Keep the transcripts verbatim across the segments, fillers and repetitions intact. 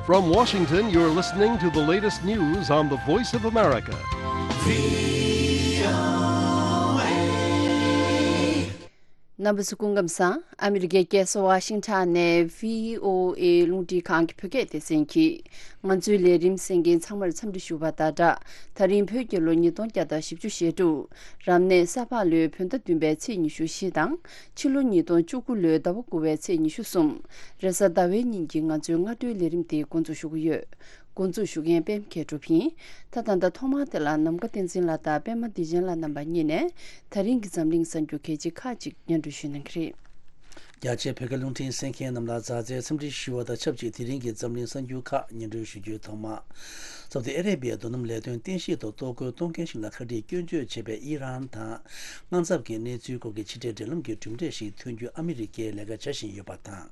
From Washington, you're listening to the latest news on the Voice of America. རྣམ་པ་ཚོ་སྐུ་ཁམས་བཟང་། ཨ་མི་རི་ཀའི་རྒྱལ་ས་ཝ་ཤིང་ཊོན་ནས་བྷི་ཨོ་ཨེ་རླུང་འཕྲིན་ཁང་གི་བོད་སྐད་སྡེ་ཚན་གྱིས་ང་ཚོའི་ལས་རིམ་གསན་མཁན་ཚང་མར་འཚམས་འདྲི་ཞུ་བ་དང་སྦྲགས། ད་རིང་བོད་རྒྱལ་ལོ་ཉིས་སྟོང་བརྒྱ་དང་བཞི་བཅུ་ཞེ་དྲུག་རབ་གནས་ས་ཕག་ལོའི་བོད་ཟླ་བདུན་པའི་ཚེས་ཉི་ཤུ་བཞི་དང་། ཕྱི་ལོ་ཉིས་སྟོང་བཅུ་དགུ་ལོའི་ཟླ་བ་དགུ་པའི་ཚེས་ཉི་ཤུ་གསུམ། རེས་གཟའ་ཟླ་བའི་ཉིན་གྱི་ང་ཚོའི་སྔ་དྲོའི་ལས་རིམ་དེ་འགོ་འཛུགས་ཞུ་གི་ཡོད། འགོ་འཛུགས་ཞུ་མཁན་པད་མ་མཁས་གྲུབ་ཡིན། ད་ད་ལྟ་ཐོག་མར་དེ་ལ་ནམ་མཁའ་བསྟན་འཛིན་ལགས་དང་པད་མ་བདེ་ཆེན་ལགས་རྣམ་པ་གཉིས་ནས་ད་རིང་གི་འཛམ་གླིང་གསར་འགྱུར་གལ་ཆེ་ཁག་ཅིག་སྙན་སྒྲོན་ཞུ་གནང་གི་རེད། རྒྱ་ཆེའི་བོད་སྐད་རླུང་འཕྲིན་གསན་མཁན་རྣམས་ལ་མཛའ་བརྩེའི་འཚམས་འདྲི་ཞུ་བ་དང་ཆབས་ཅིག་དེ་རིང་གི་འཛམ་གླིང་གསར་འགྱུར་ཁག་སྙན་སྒྲོན་ཞུ་རྒྱུའི་ཐོག་མ། སོ་ཏི་ཨ་རེ་བྷི་ཡའི་རྡོ་སྣུམ་ལས་དོན་རྟེན་གཞི་ཐོག་གཏོར་རྒོལ་གཏོང་མཁན་ཞིག་ལ་ཁ་བྲིས་སྐྱོན་བརྗོད་བྱས་པའི་ཨི་རན་དང་། དངངས་འཚབ་ཀྱི་གནས་ཚུལ་སྐོར་གྱི་ཕྱི་འབྲེལ་འབྲེལ་ལམ་གྱི་གྲུབ་འབྲས་ཤིག་ཐོན་རྒྱུ་ཨ་མི་རི་ཀས་ལས་ཀ་བྱ་བཞིན་ཡོད་པ་དང་།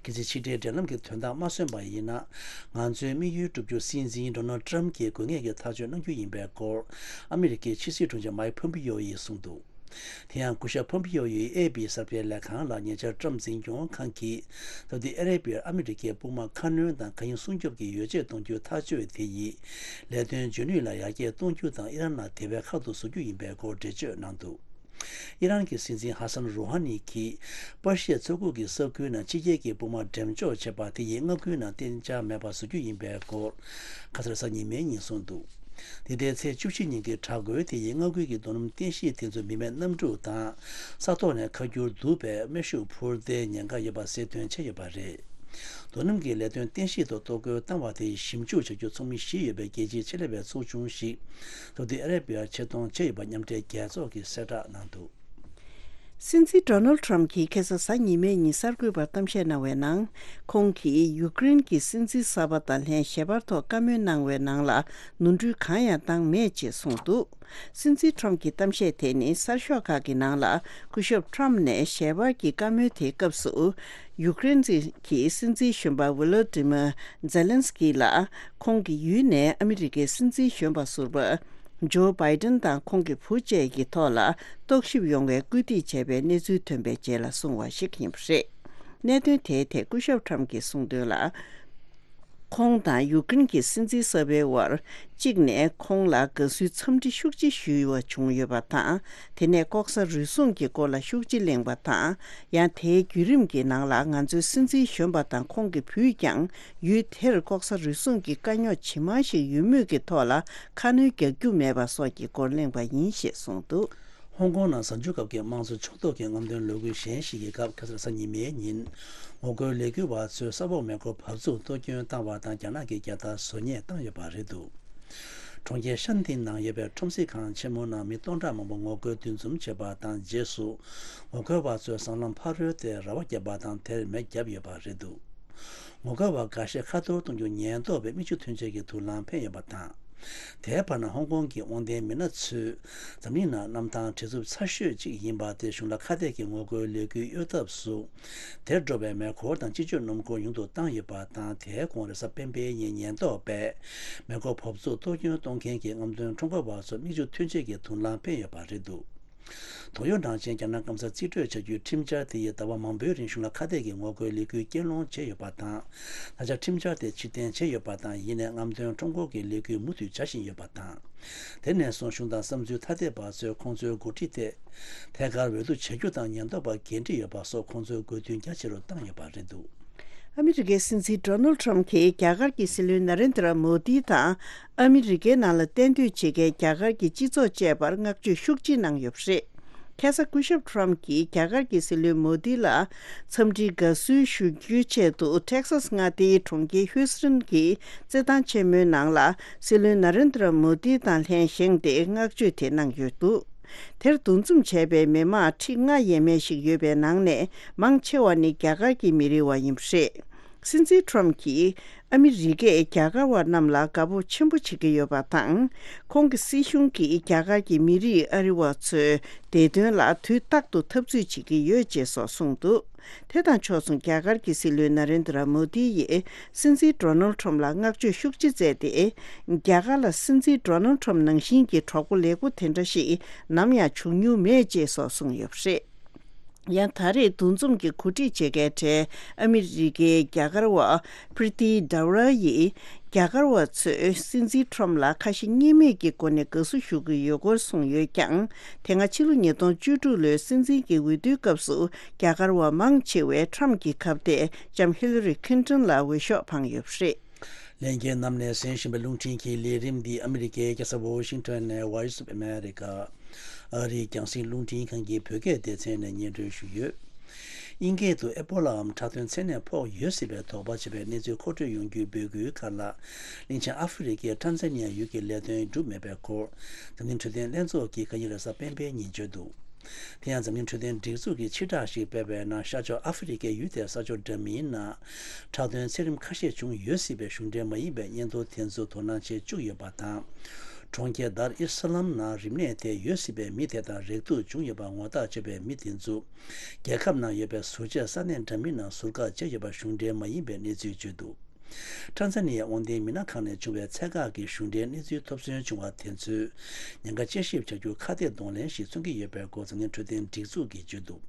གལ་སྲིད་ཕྱི་འབྲེལ་འབྲེལ་ལམ་གྱི་དོན་དག་མ་སོན་པ་ཡིན་ན། ང་ཚོའི་དམིགས་ཡུལ་བསྒྲུབ་རྒྱུ་སྲིད་འཛིན་ཌོ་ནལ་ཊམ་གྱིས་དགོས་ངེས་ཀྱི་ཐག་གཅོད་གནང་རྒྱུ་ཡིན་པའི་སྐོར། ཨ་མི་རི་ཀའི་ཕྱི་སྲིད་དྲུང་ཆེ་མའིག་ཕོམ་པི་ཡོ་ཡིས་གསུངས་འདུག་དེ་ཡང་སྐུ་ཞབས་ཕོམ་པི་ཡོ་ཡིས་ཨེ་པི་གསར་སྤེལ་ལས་ཁང་ལ་ཉེ་ཆར་ཊམ་འཛིན་སྐྱོང་ཁང་གིས་སོ་ཏི་ཨ་རེ་བྷི་ཡར་ཨ་མི་རི་ཀའི་དཔུང་དམག་ཁ་སྣོན་དང་མཁའ་དབྱིངས་སྲུང་སྐྱོབ་ཀྱི་ཡོ་བྱད་གཏོང་རྒྱུའི་ཐག་གཅོད་དེ་ཡིས་ལས་དོན་འཇོན་ནུས་ལ་ཡར་རྒྱས་གཏོང་རྒྱུ་དང་ཨི་རན་ལ་དེ་བས་ཁག་ཏུ་བཟོ་རྒྱུ་ཡིན་པའི་སྐོར་འགྲེལ་བརྗོད་གནང་འདུག་ཨི་རན་གྱི་སྲིད་འཛིན་ཧ་སན་རུ་ཧ་ནི་གིས་པར་ཤིའི་མཚོ་ཁུག་གི་ས་ཁུལ་ནང་ཕྱི་རྒྱལ་གྱི་དཔུང་དམག་འགྲེམས་འཇོག་བྱས་པ་དེ་ཡིས་མངའ་ཁུལ་ནང་གཏན་འཇགས་མེད་པ་བཟོ་རྒྱུ་ཡིན་པའི་སྐོར་ཁ་སང་རེས་གཟའ་ཉི་མའི་ཉིན་གསུངས་འདུག་དེ་ལྟའི་ཚེས་བཅུ་བཞི་ཉིན་གྱི་དྲག་རྒོལ་དེ་ཡིས་མངའ་ཁུལ་གྱི་རྡོ་སྣུམ་རྟེན་གཞི་དེ་ཚོའི་མི་མེད་གནམ་གྲུ་དང་ས་ཐོག་ནས་ཁ་སྒྱུར་བསྡུ་བའི་མེ་ཤུགས་འཕུར་མདེལ་ཉེན་ཁ་ཡོད་པ་གསལ་སྟོན་བྱས་ཡོད་པ་རེད། རྡོ་སྣུམ་གྱི་ལས་དོན་རྟེན་གཞི་ཐོག་གཏོར་རྒོལ་བཏང་བ་དེ་ཞིབ་འཇུག་བྱ་རྒྱུ་ཚོགས་མི་བཞི་ཡོད་པའི་རྒྱལ་སྤྱིའི་ཆེད་ལས་པའི་ཚོགས་ཆུང་ཞིག་སོ་ཏི་ཨ་རེ་བྷི་ཡར་ཆེད་གཏོང་བྱས་ཡོད་པ་མཉམ་འབྲེལ་རྒྱལ་ཚོགས་ཀྱིས་གསལ་བསྒྲགས་གནང་འདུག་སྲིད་འཛིན་ཌོ་ནལ་ཊམ་གྱིས་ཁ་སང་གཟའ་ཉི་མའི་ཉིན་གསར་འགོད་པར་གཏམ་བཤད་གནང་བའི་ནང་། ཁོང་གིས་ཡུཀ་རེན་གྱི་སྲིད་འཛིན་གསར་པ་དང་ལྷན་ཞལ་པར་ཐོག་བཀའ་མོལ་གནང་བའི་ནང་ལ་ནོར་འཁྲུལ་གང་ཡང་བཏང་མེད་ཅེས་གསུངས་འདུག་སྲིད་འཛིན་ཊམ་གྱི་གཏམ་བཤད་དེ་ནི་གསར་ཤོག་ཁག་གི་ནང་ལ་སྐུ་ཞབས་ཊམ་ནས་ཞལ་པར་གྱི་བཀའ་མོལ་དེའི་སྐབས་སུ། ཡུཀ་རེན་གྱི་སྲིད་འཛིན་གཞོན་པ་ཝི་ལོ་ཏི་མ་ཛེ་ལན་སི་ཀི་ལ་ཁོང་གི་ཡུལ་ནས་ཨ་མི་རི་ཀའི་སྲིད་འཛིན་གཞོན་པ་ཟུར་པ་ཇོ་བྷའི་ཏན་དང་ཁོང་གི་བུ་བཅས་ཀྱི་ཐོག་ལ་རྟོག་ཞིབ་ཡོང་བའི་སྐུལ་འདེད་བྱས་པའི་གནས་ཚུལ་ཐོན་པའི་རྗེས་ལ་གསུངས་པ་ཞིག་ཡིན་པ་རེད། གནད་དོན་དེའི་ཐད་སྐུ་ཞབས་ཊམ་གྱིས་གསུངས་དོན་ལ། ཁོང་དང་ཡུཀ་རེན་གྱི་སྲིད་འཛིན་གསར་པའི་དབར། གཅིག་ནས་ཁོང་ལ་དགའ་བསུའི་འཚམས་འདྲི་ཤུགས་ཆེ་ཞུས་པ་བྱུང་ཡོད་པ་དང་། དེ་ནས་ལྐོག་ཟ་རུལ་སུངས་ཀྱི་སྐོར་ལ་ཤུགས་ཆེ་གླེང་བ་དང་། ཡང་དེའི་བརྒྱུད་རིམ་གྱི་ནང་ལ་ང་ཚོའི་སྲིད་འཛིན་གཞོན་པ་དང་ཁོང་གི་བུས་ཀྱང་ཡུལ་དེར་ལྐོག་ཟ་རུལ་སུངས་ཀྱི་དཀའ་རྙོག་ཇི་མང་ཞིག་ཡོད་མུས་ཀྱི་ཐོག་ལ་ཁ་སྣོན་རྒྱག་རྒྱུ་མེད་པ་སོགས་ཀྱི་སྐོར་གླེང་བ་ཡིན་ཞེས་གསུངས་འདུག་ཧོང་ཀོང་ནང་གཟའ་མཇུག་སྐབས་ཀྱི་དམངས་གཙོ་ཕྱོགས་གཏོགས་ཀྱི་རྔམ་སྟོན་ལས་འགུལ་གཞན་ཞིག་གི་སྐབས་ཁ་སང་གཟའ་ཉི་མའི་ཉིན། ངོ་རྒོལ་ལས་འགུལ་བ་ཚོས་ས་འོག་མེ་འཁོར་བབས་ཚུགས་གཏོར་སྐྱོན་བཏང་བ་དང་རྒྱ་ནག་གིས་རྒྱལ་དར་བཟོ་ཉེས་བཏང་ཡོད་པ་རེད་འདུག་གྲོང་ཁྱེར་ཤན་ཏིན་ནང་ཡོད་པའི་ཁྲོམ་གཟིགས་ཁང་ཆེན་མོ་ནང་མི་སྟོང་ཕྲག་མང་པོ་ངོ་རྒོལ་འདུ་འཛོམས་བྱས་པ་དང་རྗེས་སུ། ངོ་རྒོལ་བ་ཚོས་སྲང་ལམ་ཕ་རོལ་ཏེ་ར་བ་བརྒྱབ་པ་དང་དེར་མེ་བརྒྱབ་ཡོད་པ་རེད་འདུག་ངོ་རྒོལ་བ་འགའ་ཤས་ཁ་ཐོར་གཏོང་རྒྱུ་ཉེན་རྟོག་པས་མིག་ཆུ་འཐེན་བྱེད་ཀྱི་དུག་རླངས་འཕེན་ཡོད་པ་དང་། དེའི་བར་ན་ཧོང་ཀོང་གི་དབང་ལྡན་མི་སྣ་ཚོས་འཛམ་གླིང་ནང་གནམ་ཐང་བྲེལ་འཚུབ་ཚ་ཤོས་གཅིག་ཡིན་པ་དེ་གཞུང་ལ་ཁ་གཏད་ཀྱི་ངོ་རྒོལ་ལས་འགུལ་གཡོལ་ཐབས་སུ། དེར་འགྲོ་བའི་མེ་འཁོར་དང་སྤྱི་སྤྱོད་སྣུམ་འཁོར་ཉུང་དུ་བཏང་ཡོད་པ་དང་། དེའི་གོང་རེས་གཟའ་སྤེན་པའི་ཉིན་ཉེན་རྟོག་པས་མེ་འཁོར་འབབ་ཚུགས་གཏོར་སྐྱོན་གཏོང་མཁན་གྱི་རྔམ་སྟོན་ཁྲོམ་སྐོར་བ་ཚོར་མིག་ཆུ་འཐེན་བྱེད་ཀྱི་དུག་རླངས་འཕེན་ཡོད་པ་རེད་འདུག་ཏོག་ཡོ་ནང་ཆེན་རྒྱ་ནག་སྐམ་ས་རྩིས་སྤྲོད་བྱ་རྒྱུའི་ཁྲིམས་འཆར་དེ་ཡིས་ཟླ་བ་མང་པོའི་རིང་གཞུང་ལ་ཁ་གཏད་ཀྱི་ངོ་རྒོལ་ལས་འགུལ་རྐྱེན་སློང་བྱས་ཡོད་པ་དང་། ད་ཆ་ཁྲིམས་འཆར་དེ་ཕྱིར་འཐེན་བྱས་ཡོད་པ་དང་། ཡིན་ནའི་རྔམ་སྟོན་ཁྲོམ་སྐོར་གྱི་ལས་འགུལ་མུ་མཐུད་བྱ་བཞིན་ཡོད་པ་དང་། དེ་ནས་བཟུང་གཞུང་དང་བསམ་ཚུལ་ཐ་དད་པ་ཚོས་ཁོང་ཚོའི་འགོ་ཁྲིད་དེ་ཐད་ཀར་འོས་བསྡུ་བྱ་རྒྱུ་དང་ཉེན་རྟོག་པ་འགན་འཁྲི་ཡོད་པ་སོགས་ཁོང་ཚོའི་དགོས་འདུན་རྒྱ་ཆེ་རུ་བཏང་ཡོད་པ་རེད་འདུག་ཨ་མི་རི་ཀའི་སྲིད་འཛིན་ཌོ་ནལ་ཊམ་གྱིས་རྒྱ་གར་གྱི་སྲིད་བློན་ན་རེན་དྲ་མོ་དི་དང་ཨ་མི་རི་ཀའི་ནང་ལ་གཏན་སྡོད་བྱེད་མཁན་རྒྱ་གར་གྱི་སྤྱི་ཚོགས་བཅས་པར་བསྔགས་བརྗོད་ཤུགས་ཆེ་གནང་ཡོད་པ་རེད། ཁ་སང་སྐུ་ཞབས་ཊམ་གྱིས་རྒྱ་གར་གྱི་སྲིད་བློན་མོ་དི་ལ་འཚམས་འདྲིའི་དགའ་བསུ་ཞུ་རྒྱུའི་ཆེད་དུ་ཊེག་སཱས་མངའ་སྡེའི་གྲོང་ཁྱེར་ཧུའུ་སི་ཊོན་གྱི་རྩེད་ཐང་ཆེན་མོའི་ནང་ལ་སྲིད་བློན་ན་རེན་དྲ་མོ་དི་དང་ལྷན་བཞེངས་ཏེ་བསྔགས་བརྗོད་དེ་གནང་ཡོད་འདུག་དེར་འདུ་འཛོམས་བྱས་པའི་མི་མང་ཁྲི་ལྔ་ཡས་མས་ཤིག་ཡོད་པའི་ནང་ནས་མང་ཆེ་བ་ནི་རྒྱ་གར་གྱི་མི་རིགས་བ་ཡིན་པ་རེད། སྲིད་འཛིན་ཊམ་གྱིས་ཨ་མི་རི་ཀས་རྒྱ་གར་བ་རྣམས་ལ་དགའ་སྤོབས་ཆེན་པོ་བྱེད་ཀྱི་ཡོད་པ་དང་། ཁོང་གི་སྲིད་གཞུང་གིས་རྒྱ་གར་གྱི་མི་རིགས་ཨ་རི་བ་ཚོའི་བདེ་དོན་ལ་དུས་རྟག་ཏུ་འཐབ་རྩོད་བྱེད་ཀྱི་ཡོད་ཅེས་སོགས་གསུངས་འདུག་དེ་དང་ཕྱོགས་མཚུངས་རྒྱ་གར་གྱི་སྲིད་བློན་ན་རེན་དྲ་མོ་དི་ཡིས་སྲིད་འཛིན་ཌོ་ནལ་ཊམ་ལ་བསྔགས་བརྗོད་ཤུགས་ཆེ་མཛད་དེ། རྒྱ་གར་ལ་སྲིད་འཛིན་ཌོ་ནལ་ཊམ་ནང་བཞིན་གྱི་གྲོགས་པོ་ལེགས་པོ་དེ་འདྲ་ཞིག་ནམ་ཡང་བྱུང་མྱོང་མེད་ཅེས་སོགས་གསུངས་ཡོད་པ་རེད། ཡང་ད་རེས་འདུ་འཛོམས་ཀྱི་གོ་སྒྲིག་བྱེད་མཁན་གྲས་ཨ་མི་རི་ཀའི་རྒྱ་གར་བ་པྲི་ཏི་ཌ་ཝ་ར་ཡིས། རྒྱ་གར་བ་ཚོས་སྲིད་འཛིན་ཁྲོམ་ལ་ཁ་ཞེ་གཉིས་མེད་ཀྱི་སྒོ་ནས་དགའ་བསུ་ཞུ་གི་ཡོད་སྐོར་གསུངས་ཡོད་ཀྱང་། དེ་སྔ་ཕྱི་ལོ་ཉིས་སྟོང་བཅུ་དྲུག་ལོའི་སྲིད་འཛིན་གྱི་འོས་བསྡུའི་སྐབས་སུ་རྒྱ་གར་བ་མང་ཆེ་བས་ཁྲོམ་གྱི་ཁ་གཏད་ལྕམ་ཧི་ལ་རི་ཁིན་ཏོན་ལ་འོས་ཤོག་འཕངས་ཡོད་པ་རེད། ལྷན་རྒྱས་རྣམས་ནས་གསན་བཞིན་པའི་རླུང་འཕྲིན་གྱི་ལས་རིམ་འདི་ཨ་མི་རི་ཀའི་རྒྱལ་ས་ཝོ་ཤིང་ཊོན་ནས་Voice of America ཨ་རིའི་རྒྱང་སྲིང་རླུང་འཕྲིན་ཁང་གི་བོད་སྐད་སྡེ་ཚན་ནས་སྙན་སྒྲོན་ཞུས་ཡོད། དབྱིན་སྐད་དུ་ཨེ་པོ་ལའམ་ཁྲག་འཐུང་ཚད་ནད་ཕོག་ཡོད་སྲིད་པའི་དོགས་པ་བྱེད་པའི་གནས་ཚུལ་མཁོ་སྤྲོད་ཡོང་རྒྱུའི་འབོད་སྐུལ་ཁག་ལ། གླིང་ཆེན་ཨ་ཧྥེ་རི་ཁའི་ཊན་ཛ་ནི་ཡ་ཡུལ་གྱི་ལས་དོན་གྲུབ་མེད་པའི་སྐོར། འཛམ་གླིང་འཕྲོད་བསྟེན་ལྷན་ཚོགས་ཀྱིས་ཁ་ཉིན་རེས་གཟའ་སྤེན་པའི་ཉིན་བརྗོད་འདུག་དེ་ཡང་འཛམ་གླིང་འཕྲོད་བསྟེན་སྒྲིག་འཛུགས་ཀྱིས་ཕྱིར་བསྒྲགས་ཤིག་སྤེལ་བའི་ནང་ཤར་ཕྱོགས་ཨ་ཧྥེ་རི་ཁའི་ཡུལ་དེའི་ས་ཕྱོགས་འདྲ་མིན་ནང་ཁྲག་འཐུང་ཚད་རིམ་ཁ་ཤས་བྱུང་ཡོད་སྲིད་པའི་གཞུང་འབྲེལ་མ་ཡིན་པའི་སྙན་ཐོ་དེ་ཚོ་དོ་སྣང་བྱེད་བཅུག་ཡོད་པ་དང་། གྲོང་ཁྱེར་དར་ཨི་སི་ལམ་ནང་རིམས་ནད་དེ་ཡོད་སྲིད་པའི་མི་དེ་དང་རེག་ཐུག་བྱུང་ཡོད་པ་ངོ་ཐག་ཆོད་པའི་མི་དེ་ཚོ་རྒྱལ་ཁབ་ནང་ཡོད་པའི་ཟུར་བཅད་ས་གནས་འདྲ་མིན་ནང་ཟུར་བཀག་བྱས་ཡོད་པ་གཞུང་འབྲེལ་མ་ཡིན་པའི་གནས་ཚུལ་བརྗོད་འདུག་ཊན་ཛ་ནི་ཡའི་དབང་ལྡན་མི་སྣ་ཁང་ནས་བྱུང་བའི་ཚད་བཀག་གི་གཞུང་འབྲེལ་གནས་ཚུལ་ཐོབ་ཚུལ་བྱུང་བ་དེ་ཚོས་ཉེན་ཁ་དཔྱད་ཞིབ་བྱ་རྒྱུར་ཁ་གཏད་གདོང་ལེན་ཞིག་མཚོན་གྱི་ཡོད་པའི་སྐོར་འཛམ་གླིང་འཕྲོད་བསྟེན་སྒྲིག་འཛུགས་ཀྱིས་བརྗོད་འདུག་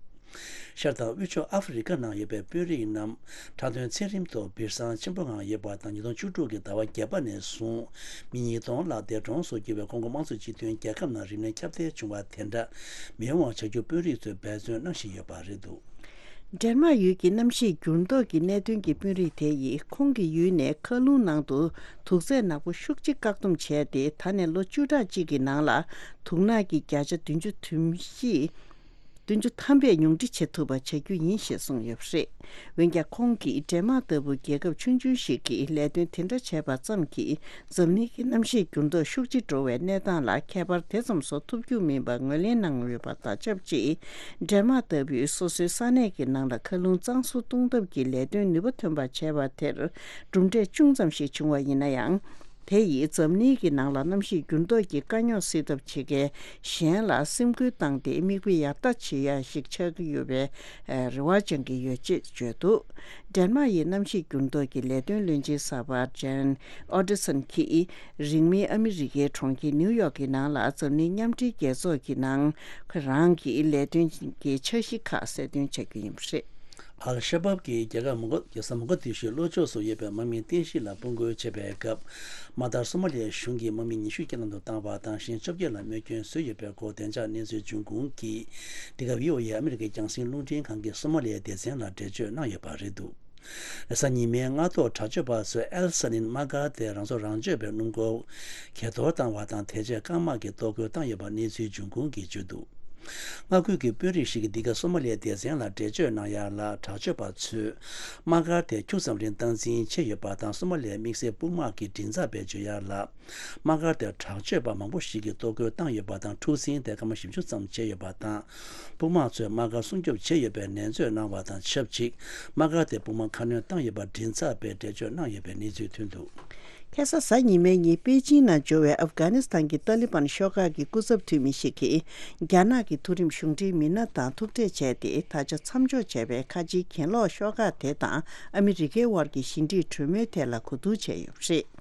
ཤར་དང་དབུས་ཕྱོགས་ཨ་ཧྥེ་རི་ཁ་ནང་ཡོད་པའི་དཔོན་རིགས་རྣམས་ཁྲག་འཐུང་ཚད་རིམ་ཐོག་སྦིར་སང་ཆེན་པོ་ངང་ཡོད་པ་དང་། ཉིས་སྟོང་བཅུ་དྲུག་གི་ཟླ་བ་བརྒྱད་པ་ནས་བཟུང་མི་ཉིས་སྟོང་ལྷག་འདས་གྲོངས་སུ་གྱུར་བའི་ཀོང་ཀོ་དམངས་གཙོ་སྤྱི་མཐུན་རྒྱལ་ཁབ་ནང་རིམས་ནད་ཁྱབ་གདལ་བྱུང་བ་དེ་འདྲ་མི་ཡོང་བ་བྱ་རྒྱུར་དཔོན་རིགས་ཚོས་འབད་བརྩོན་གནང་བཞིན་ཡོད་པ་རེད་འདུག་ཌེན་མཱག་ཡུལ་གྱི་གནམ་གཤིས་འགྱུར་ལྡོག་གི་གནད་དོན་གྱི་དཔོན་རིགས་དེ་ཡིས་ཁོང་གི་ཡུལ་ནས་མཁའ་རླུང་ནང་དུ་དུག་རྫས་ནག་པོ་ཤུགས་ཆེ་བཀག་སྡོམ་བྱས་ཏེ། ད་ནས་ལོ་བཅུ་ཕྲག་གཅིག་གི་ནང་ལ་དུག་ནག་གི་བརྒྱ་ཆ་བདུན་ཅུ་དོན་བཞི། བདུན་ཅུ་ཐམ་པས་ཉུང་འཕྲི་བྱེད་ཐུབ་པ་བྱ་རྒྱུ་ཡིན་ཞེས་གསུངས་ཡོད་པ་རེད། འོན་ཀྱང་ཁོང་གིས་ཌེན་མཱག་ལྟ་བུ་རྒྱལ་ཁབ་ཆུང་ཆུང་ཞིག་གིས་ལས་དོན་དེ་འདྲ་བྱས་པ་ཙམ་གྱིས་འཛམ་གླིང་གི་གནམ་གཤིས་འགྱུར་ལྡོག་ཤུགས་ཆེ་འགྲོ་བའི་གནས་སྟངས་ལ་ཁྱད་པར་དེ་ཙམ་བཟོ་ཐུབ་རྒྱུ་མིན་པ་ངོས་ལེན་གནང་ཡོད་པ་དང་ཆབས་ཅིག་ཌེན་མཱག་ལྟ་བུས་སོ་སོའི་ས་གནས་ཀྱི་ནང་ལ་མཁའ་རླུང་གཙང་བཟོ་གཏོང་ཐབས་ཀྱི་ལས་དོན་ནུས་པ་ཐོན་པ་བྱས་པ་དེར་གྲུབ་འབྲས་ཅུང་ཙམ་ཞིག་བྱུང་བ་ཡིན་ན་ཡང་། དེ་ཡིས་འཛམ་གླིང་གི་ནང་ལ་གནམ་གཤིས་འགྱུར་ལྡོག་གི་དཀའ་རྙོག་སེལ་ཐབས་བྱེད་མཁན་གཞན་ལ་སེམས་ཁུར་བཏང་སྟེ་མིག་དཔེ་ཡག་ལྟ་བྱེད་ཡ་ཞིག་ཆགས་ཀྱི་ཡོད་པའི་རེ་བ་བཅང་གི་ཡོད་ཅེས་བརྗོད་འདུག་ཌེན་མཱག་ཡི་གནམ་གཤིས་འགྱུར་ལྡོག་གི་ལས་དོན་བློན་ཆེན་གསར་པ་ཇན་ཨོ་ཏི་སན་གྱིས་རིང་མིན་ཨ་མི་རི་ཀའི་གྲོང་ཁྱེར་ནིའུ་ཡོག་གི་ནང་ལ་འཛམ་གླིང་མཉམ་འབྲེལ་རྒྱལ་ཚོགས་ཀྱི་ནང་ཁོ་རང་གི་ལས་དོན་གྱི་འཆར་གཞི་ཁག་གསལ་སྟོན་བྱ་རྒྱུ་ཡིན་པ་རེད། ཨལ་ཤ་བབ་ཀྱིས་རྒྱལ་ཁབ་མོ་ག་རྒྱལ་ས་མོ་ག་དི་ཤུའི་ལྷོ་ཕྱོགས་སུ་ཡོད་པའི་དམག་མིའི་རྟེན་གཞི་ལ་དཔུང་རྒོལ་བྱས་པའི་སྐབས། དམག་དར་སོ་མ་ལི་ཡའི་གཞུང་གི་དམག་མི་ཉི་ཤུ་རྐྱེན་ལམ་དུ་བཏང་བ་དང་། གཞན་བཅོ་བརྒྱད་ལ་རྨས་སྐྱོན་བཟོས་ཡོད་པའི་སྐོར་བདེ་འཇགས་གནས་ཚུལ་འབྱུང་ཁུངས་ཀྱིས། འདི་ག་བྷི་ཨོ་ཨེ་ཨ་མི་རི་ཀའི་རྒྱང་སྲིང་རླུང་འཕྲིན་ཁང་གི་སོ་མ་ལི་ཡའི་སྡེ་ཚན་ལ་འགྲེལ་བརྗོད་གནང་ཡོད་པ་རེད་འདུག་རེས་གཟའ་ཉི་མའི་སྔ་ཐོག་དྲག་སྤྱོད་པ་ཚོས་ཨེལ་ས་ནིན་དམག་སྒར་དེ་རང་སྲོག་རང་གཅོད་པའི་སྣུམ་འཁོར་གྱེས་གཏོར་བཏང་བ་དང་། དེ་རྗེས་རྐང་དམག་གིས་གཏོར་རྒོལ་བཏང་ཡོད་པ་གནས་ཚུལ་འབྱུང་ཁུངས་ཀྱིས་བརྗོད་འདུག་མངའ་ཁུལ་གྱི་དཔོན་རིགས་ཤིག་གིས་འདི་ག་སོ་མ་ལི་ཡའི་སྡེ་ཚན་ལ་འགྲེལ་བརྗོད་གནང་ཡ་ལ། དྲག་སྤྱོད་པ་ཚོས་དམག་སྒར་དེ་ཁྱུག་ཙམ་རིང་སྟངས་འཛིན་བྱས་ཡོད་པ་དང་། སོ་མ་ལི་ཡའི་དམིགས་བསལ་དཔུང་དམག་གི་མགྲིན་ཚབ་པས་བརྗོད་ཡ་ལ། དམག་སྒར་དེར་དྲག་སྤྱོད་པ་མང་པོ་ཞིག་གིས་གཏོར་རྒོལ་བཏང་ཡོད་པ་དང་། འཁྲུག་ཟིང་དེ་སྐར་མ་བཞི་བཅུ་ཙམ་བྱས་ཡོད་པ་དང་། དཔུང་དམག་ཚོས་དམག་སྒར་སྲུང་སྐྱོབ་བྱས་ཡོད་པའི་ནན་བརྗོད་གནང་བ་དང་ཆབས་ཅིག་དམག་སྒར་དེ་དཔུང་དམག་ཁ་སྣོན་བཏང་ཡོད་པ་མགྲིན་ཚབ་པས་འགྲེལ་བརྗོད་གནང་ཡོད་པའི་གནས་ཚུལ་ཐོན་འདུག་ཁ་སང་གཟའ་ཉི་མའི་ཉིན་པེ་ཅིང་ནང་འབྱོར་བའི་ཨབ་གྷ་ནི་སི་ཐན་གྱི་ཏཱ་ལི་བན་ཤོག་ཁག་གི་སྐུ་ཚབ་འཐུས་མི་ཞིག་གིས། རྒྱ་ནག་གི་མཐོ་རིམ་གཞུང་འབྲེལ་མི་སྣ་དང་ཐུག་འཕྲད་བྱས་ཏེ། ད་ཆ་མཚམས་འཇོག་བྱས་པའི་ཁ་ཆེའི་གྱེན་ལོག་ཤོག་ཁག་དེ་དང་ཨ་མི་རི་ཀའི་དབར་གྱི་ཞི་འགྲིག་གྲོས་མོལ་ཐད་ལ་གོ་བསྡུར་བྱས་ཡོད་པ་རེད།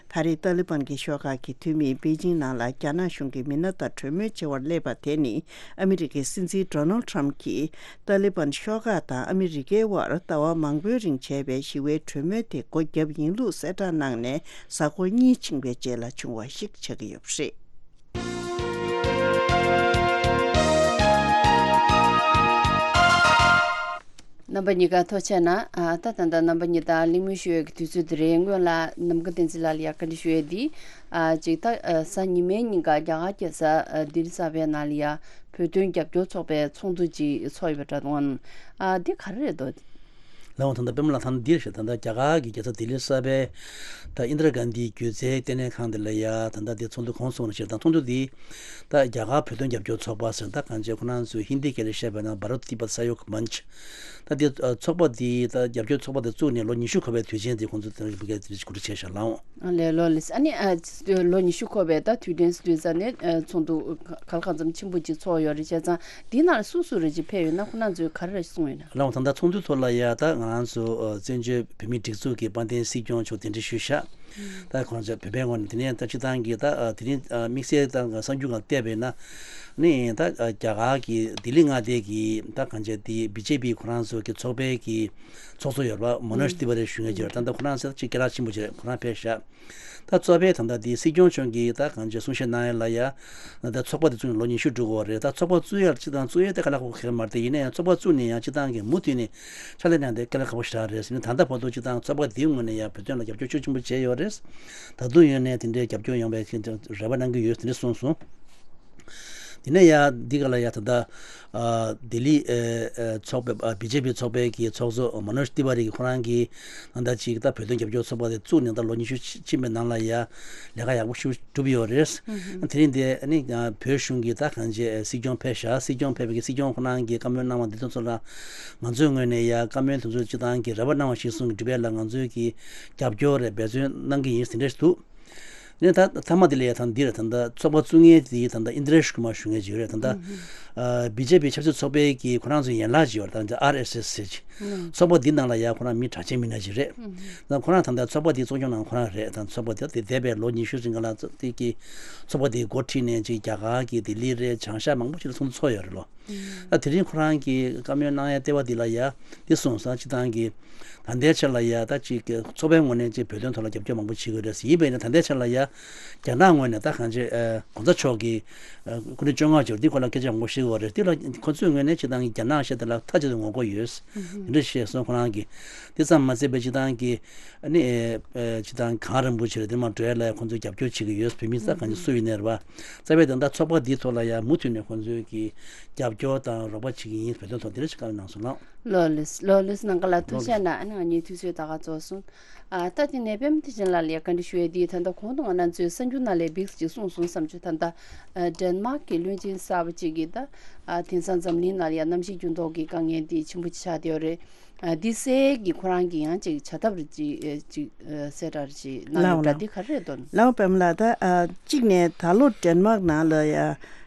ད་རེས་ཏཱ་ལི་བན་གྱི་ཤོག་ཁག་གི་འཐུས་མིས་པེ་ཅིང་ནང་ལ་རྒྱ་ནག་གཞུང་གི་མི་སྣ་དང་གྲོས་མོལ་བྱེད་པར་སླེབས་པ་དེ་ནི། ཨ་མི་རི་ཀའི་སྲིད་འཛིན་ཌོ་ནལ་ཊམ་གྱིས་ཏཱ་ལི་བན་ཤོག་ཁག་དང་ཨ་མི་རི་ཀའི་དབར་ཟླ་བ་མང་པོའི་རིང་བྱས་པའི་ཞི་བའི་གྲོས་མོལ་དེ་སྒོ་བརྒྱབ་ཡིན་ལུགས་གསལ་བསྒྲགས་གནང་ནས་གཟའ་འཁོར་གཉིས་ཕྱིན་པའི་རྗེས་ལ་བྱུང་བ་ཞིག་ཆགས་ཀྱི་ཡོད་པ་རེད། རྣམ་པ་གཉིས་ཀ་ཐུགས་རྗེ་གནང་། ཨ། ད་ད་ལྟ་རྣམ་པ་གཉིས་དང་གླེང་མོལ་ཞུ་ཡས་ཀྱི་དུས་ཚོད་དེ་རེད། སྔོན་ལ་ནམ་མཁའ་བསྟན་འཛིན་ལགས་ལ་ཡང་བཀའ་འདྲི་ཞུ་ཡས་འདི། ཨ། ཅིག་ད། ཨ། གཟའ་ཉི་མའི་ཉིན་ཀ་རྒྱ་གར་རྒྱལ་ས། ཨ། ལྡི་ལི་གསར་པའི་ནང་ལ་ཡ་བོད་དོན་རྒྱབ་སྐྱོར་ཚོགས་པའི་ཚོགས་འདུ་ཅིག་ཚོགས་ཡོད་པ་འདྲ་འདུག་ཨ། འདི་ག་རེ་རེད་འདུག་ལགས་འོང་། ད་ལྟ་པད་མ་ལགས། ད་ལྟ་འདིར་ཞེས། ད་ལྟ་རྒྱ་གར་གྱི་རྒྱལ་ས་ལྡི་ལི་གསར་པའི་ད་ཨིན་དྲ་གྷན་དྷི་སྒྱུ་རྩལ་ལྟེ་གནས་ཁང་དེ་ལ་ཡ་ད་ལྟ་འདི་ཚོགས་འདུ་གོང་སོང་ཞེས། ད་ཚོགས་འདུ་འདི་ད་རྒྱ་གར་བོད་དོན་རྒྱབ་སྐྱོར་ཚོགས་པ་ཟེར། ད་གང་ཅི་ཁོ་རང་ཚོས་ཧིན་དི་སྐད་ལ་བཤད་པ་ན་Bharat Tibet Sahayog Manch། ད་འདི་ཚོགས་པ་འདི་ད་རྒྱབ་སྐྱོར་ཚོགས་པ་འདི་བཙུགས་ནས་ལོ་ཉི་ཤུ་འཁོར་བའི་དུས་ཆེན་འདི་ཁོང་ཚོས་ད་རེས་འབུལ་སྐྱེལ་འདི་གོ་སྒྲིག་བྱས་ཤག་ལགས་འོང་། ཨ་ལས། ལོ་ལས། ཨ་ནི། ཨ། ལོ་ཉི་ཤུ་འཁོར་བའི་ད་དུས་དྲན་དུས་ཙ་ནས། ཨ། ཚོགས་འདུ་ག་ལ་གང་འཚམ་ཆེན་པོ་ཅིག་ཚོགས་ཡོད་རེད། བྱས་ཙང་འདི་ནང་ལ་སུ་སུ་རེ་ཅིག་ཕེབས་ཡོད་ན། ཁོ་རང་ཚོས་ག་རེ་རེ་གསུངས་ཡོད་ན། ལགས་འོང་། ད་ལྟ་ཚོགས་འདུ་ཐོག་ལ་ཡ་ད་ང་རང་ཚོ་བཙན་བྱོལ་བོད་མིའི་སྒྲིག་འཛུགས་ཀྱི་དཔལ་ལྡན་སྲིད་སྐྱོང་མཆོག་གདན་འདྲེན་ཞུས་ཤག་ད་གང་ཅི་བོད་པའི་ངོས་ནས་དེ་ནས་ད་སྤྱི་བཏང་གི་ད་ཨ་དེ་རིང་ཨ་དམིགས་བསལ་ད་གསར་འགྱུར་སྒང་བལྟས་པས་ན་ནི་ད་ཨ་རྒྱ་གར་གྱི་ལྡི་ལི་མངའ་སྡེ་གི་ད་གང་ཅི་དེ་བི་ཇེ་པི་ཁོ་རང་ཚོ་གི་ཚོགས་པའི་གི་ཚོགས་གཙོ་ཡོད་པ་མོ་ནོཇ་ཏི་ཝ་རི་ཞུ་མཁན་ཅིག་ཡོད་རེད། ད་ལྟ་ཁོ་རང་ཚོ་ཅིག་སྐད་གྲགས་ཆེན་པོ་ཅིག་རེད། ཁོ་རང་ཕེབས་ཤག་ད་གཙོ་ཕལ་ད་ལྟ་དེ་སྲིད་སྐྱོང་མཆོག་གིས་ད་གང་ཅི་གསུང་བཤད་གནང་ཡ་ལ་ཡ་ད་ཚོགས་པ་དེ་བཙུགས་ནས་ལོ་ཉི་ཤུ་འགྲོ་གི་ཡོད་རེད། ད་ཚོགས་པ་བཙུགས་ཡ་ལ་སྤྱི་བཏང་བཙུགས་ཡ་དེ་དཀའ་ལས་ཁག་པོ་གང་ཡང་མ་རེད་དེ། ཡིན་ན་ཡང་ཚོགས་པ་བཙུགས་ནས་ཡང་སྤྱི་བཏང་གི་མུ་མཐུད་ནས་ཕྱག་ལས་གནང་དེ་དཀའ་ལས་ཁག་པོ་ཞེ་དྲག་རེད་ཟེར་ནས། ད་ལྟ་བར་དུ་སྤྱི་བཏང་ཚོགས་པ་དེའི་ངོས་ནས་ཡང་བོད་དོན་ལ་རྒྱབ་སྐྱོར་ཤུགས་ཆེན་པོ་བྱས་ཡོད་རེད། ད་དུང་ཡོད་ནས་དེ་འདྲའི་རྒྱབ་སྐྱོར་ཡོང་བའི་རེ་བ་གནང་གི་ཡོད་ཟེར་ནས་གསུངས་སོང་། དེ་ནས་ཡ་འདི་ག་ལ་ཡ་ད་ལྟ་ཨ་ལྡི་ལི་ཨ་ཨ་ཚོགས་པའི་ཨ་བི་ཇེ་པི་ཚོགས་པའི་གི་ཚོགས་གཙོ་མོ་ནོཇ་ཏི་ཝ་རི་གི་ཁོ་རང་གིས་ད་ལྟ་ཅིག་ད་བོད་དོན་རྒྱབ་སྐྱོར་ཚོགས་པ་དེ་བཙུགས་ནས་ད་ལོ་ཉི་ཤུ་ཕྱིན་པའི་ནང་ལ་ཡ་ལས་ཀ་ཡག་པོ་ཞིག་བསྒྲུབས་ཡོད་རེད། དེ་རིང་དེ་ནི་བོད་གཞུང་གི་ད་གང་ཅི་སྲིད་སྐྱོང་ཕེབས་ཤག་སྲིད་སྐྱོང་ཕེབས་པའི་གི་སྲིད་སྐྱོང་ཁོ་རང་གིས་བཀའ་མོལ་གནང་བ་འདི་ཚོ་ཚོ་ལ་ང་ཚོའི་ངོས་ནས་ཡ་བཀའ་མོལ་དེ་ཚོ་སྤྱི་བཏང་གི་རེ་བ་གནང་བ་གཞིར་བཟུང་གི་སྒྲུབ་ཡ་ལ་ང་ཚོའི་གི་རྒྱབ་སྐྱོར་རེད། འབད་བརྩོན་གནང་གི་ཡིན་ཟེར་འདྲ་ཞིག་འདུག་ནས་ད་མཐའ་མ་དེ་ལ་ཡ་ད་འདི་རེད། ད་ལྟ་ཚོགས་པ་བཙུགས་མཁན་དེ་ད་ལྟ་ཨིན་དྲ་ཤི་ཀུ་མར་ཞུ་མཁན་ཅིག་ཡོད་རེད། ད་ལྟ་ཨ་བི་ཇེ་པི་ཆབ་སྲིད་ཚོགས་པའི་གི་ཁོ་རང་ཚོའི་ཡན་ལག་ཅིག་ཡོད་རེད། ད་ལྟ་ཨར་ཨེས་ཨེས་ཟེར་ཅིག་ཚོགས་པ་འདི་ནང་ལ་ཡ་ཁོ་རང་མི་གྲགས་ཅན་མི་སྣ་ཅིག་རེད། ད་ཁོ་རང་ད་ལྟ་ཚོགས་པ་འདི་གཙོ་སྐྱོང་གནང་ཁོ་རང་རེད། ད་ཚོགས་པ་འདི་དེ་འདས་པའི་ལོ་ཉི་ཤུ་རིང་ག་ལ་ཚོགས་དེ་གི་ཚོགས་པ་འདི་འགོ་ཁྲིད་ནས་ཅིག་རྒྱ་གར་གི་ལྡི་ལི་རེད། བྱང་ཤར་མང་པོ་ཅིག་ལ་ཚོགས་འདུ་ཚོགས་ཡོད་རེད་ལོ། ད་དེ་རིང་ཁོ་རང་གིས་བཀའ་མོལ་གནང་ཡ་ལྟེ་བ་འདི་ལ་ཡ་འདི་སོང་ཙང་སྤྱི་བཏང་གི་ད་ལྟའི་ཆར་ལ་ཡ་ད་ཅིག་གི་ཚོགས་པའི་ངོས་ནས་ཅིག་བོད་དོན་ཐོག་ལ་རྒྱབ་སྐྱོར་མང་པོ་བྱེད་ཀྱི་ཡོད་རེད། ཡིན་པས་ན་ད་ལྟའི་ཆར་ལ་ཡ་རྒྱ་ནག་ངོས་ནས་ད་གང་ཅི་ཨ་གོང་ས་མཆོག་གི་ཨ་སྐུ་ཕྲེང་བཅོ་ལྔ་ཅིག་འདི་སྐོར་ལ་སྐད་ཆ་མང་པོ་བཤད་ཀྱི་ཡོད་རེད། འདི་ལ་ཁོ་ཚོའི་ངོས་ནས་སྤྱི་བཏང་གི་རྒྱ་ནག་ཞེས་དེ་ལ་མཐའ་གཅིག་ཏུ་ངོ་རྒོལ་ཡོད། དེ་འདྲ་བཤད་སོང་ཁོ་རང་གིས། དེ་ཙམ་མ་ཟད་པའི་སྤྱི་བཏང་གི་ཨ་ནི་ཨ་སྤྱི་བཏང་གངས་རིན་པོ་ཆེ་ལ་དེ་མ་འགྲོ་ཡ་ལ་ཁོ་ཚོས་རྒྱབ་སྐྱོར་བྱེད་ཀྱི་ཡོད། བོད་མི་ས་གང་ཅི་སུ་ཡིན་ནའི་རེད་པ། རྩ་བའི་དོན་དག་ཚོགས་པ་འདིའི་ཐོག་ལ་ཡང་མུ་མཐུད་ནས་ཁོང་ཚོས་ཀྱི་རྒྱབ་སྐྱོར་དང་རོགས་པ་བྱེད་ཀྱི་ཡིན། བོད་དོན་ཐོག་འདི་འདྲ་ཞིག་བཀའ་མོལ་གནང་སོང་ལགས། ལོ་ལེགས་ལོ་ལེགས་ནང་ག་ལ་ཐུགས་རྗེ་གནང་། ཨ་ནི་ང་གཉིས་དུས་ཚོད་ད་ག་རྫོགས་སོང་། ཨ་ད་དེ་ནས་པད་མ་བདེ་ཆེན་ལགས་ལ་ཡ་བཀའ་འདྲི་ཞུ་ཡས་དེ་ད་ལྟ་གོང་དུ་ང་རང་ཚོའི་གསར་འགྱུར་ནང་ལ་ཡ་བིགས་ཅིག་གསུངས་སོང་བསམ་བྱུང་། ད་ལྟ་ཨ་ཌེན་མཱག་གི་བློན་ཆེན་གསར་པ་ཅིག་གིས་ད་ཨ་དེང་སང་འཛམ་གླིང་ནང་ལ་ཡ་གནམ་གཤིས་འགྱུར་ལྡོག་གི་དཀའ་ངལ་དེ་ཆེན་པོ་ཆགས་བསྡད་ཡོད་རེད། ཨ་འདི་སེལ་གྱི་ཁོ་རང་གི་ཡང་ཅིག་བྱ་ཐབས་རེ་ཅིག་ཨ་ཅིག་ཨ་གསལ་བསྒྲགས་རེ་ཅིག་གནང་ཡོད་པ་འདི་ག་རེ་རེད་དོ། ལའོ་པད་མ་ལགས། ད་ཨ་གཅིག་ནས་ད་ལོ་ཌེན་མཱག་ནང་ལ་ཡ་ཨ་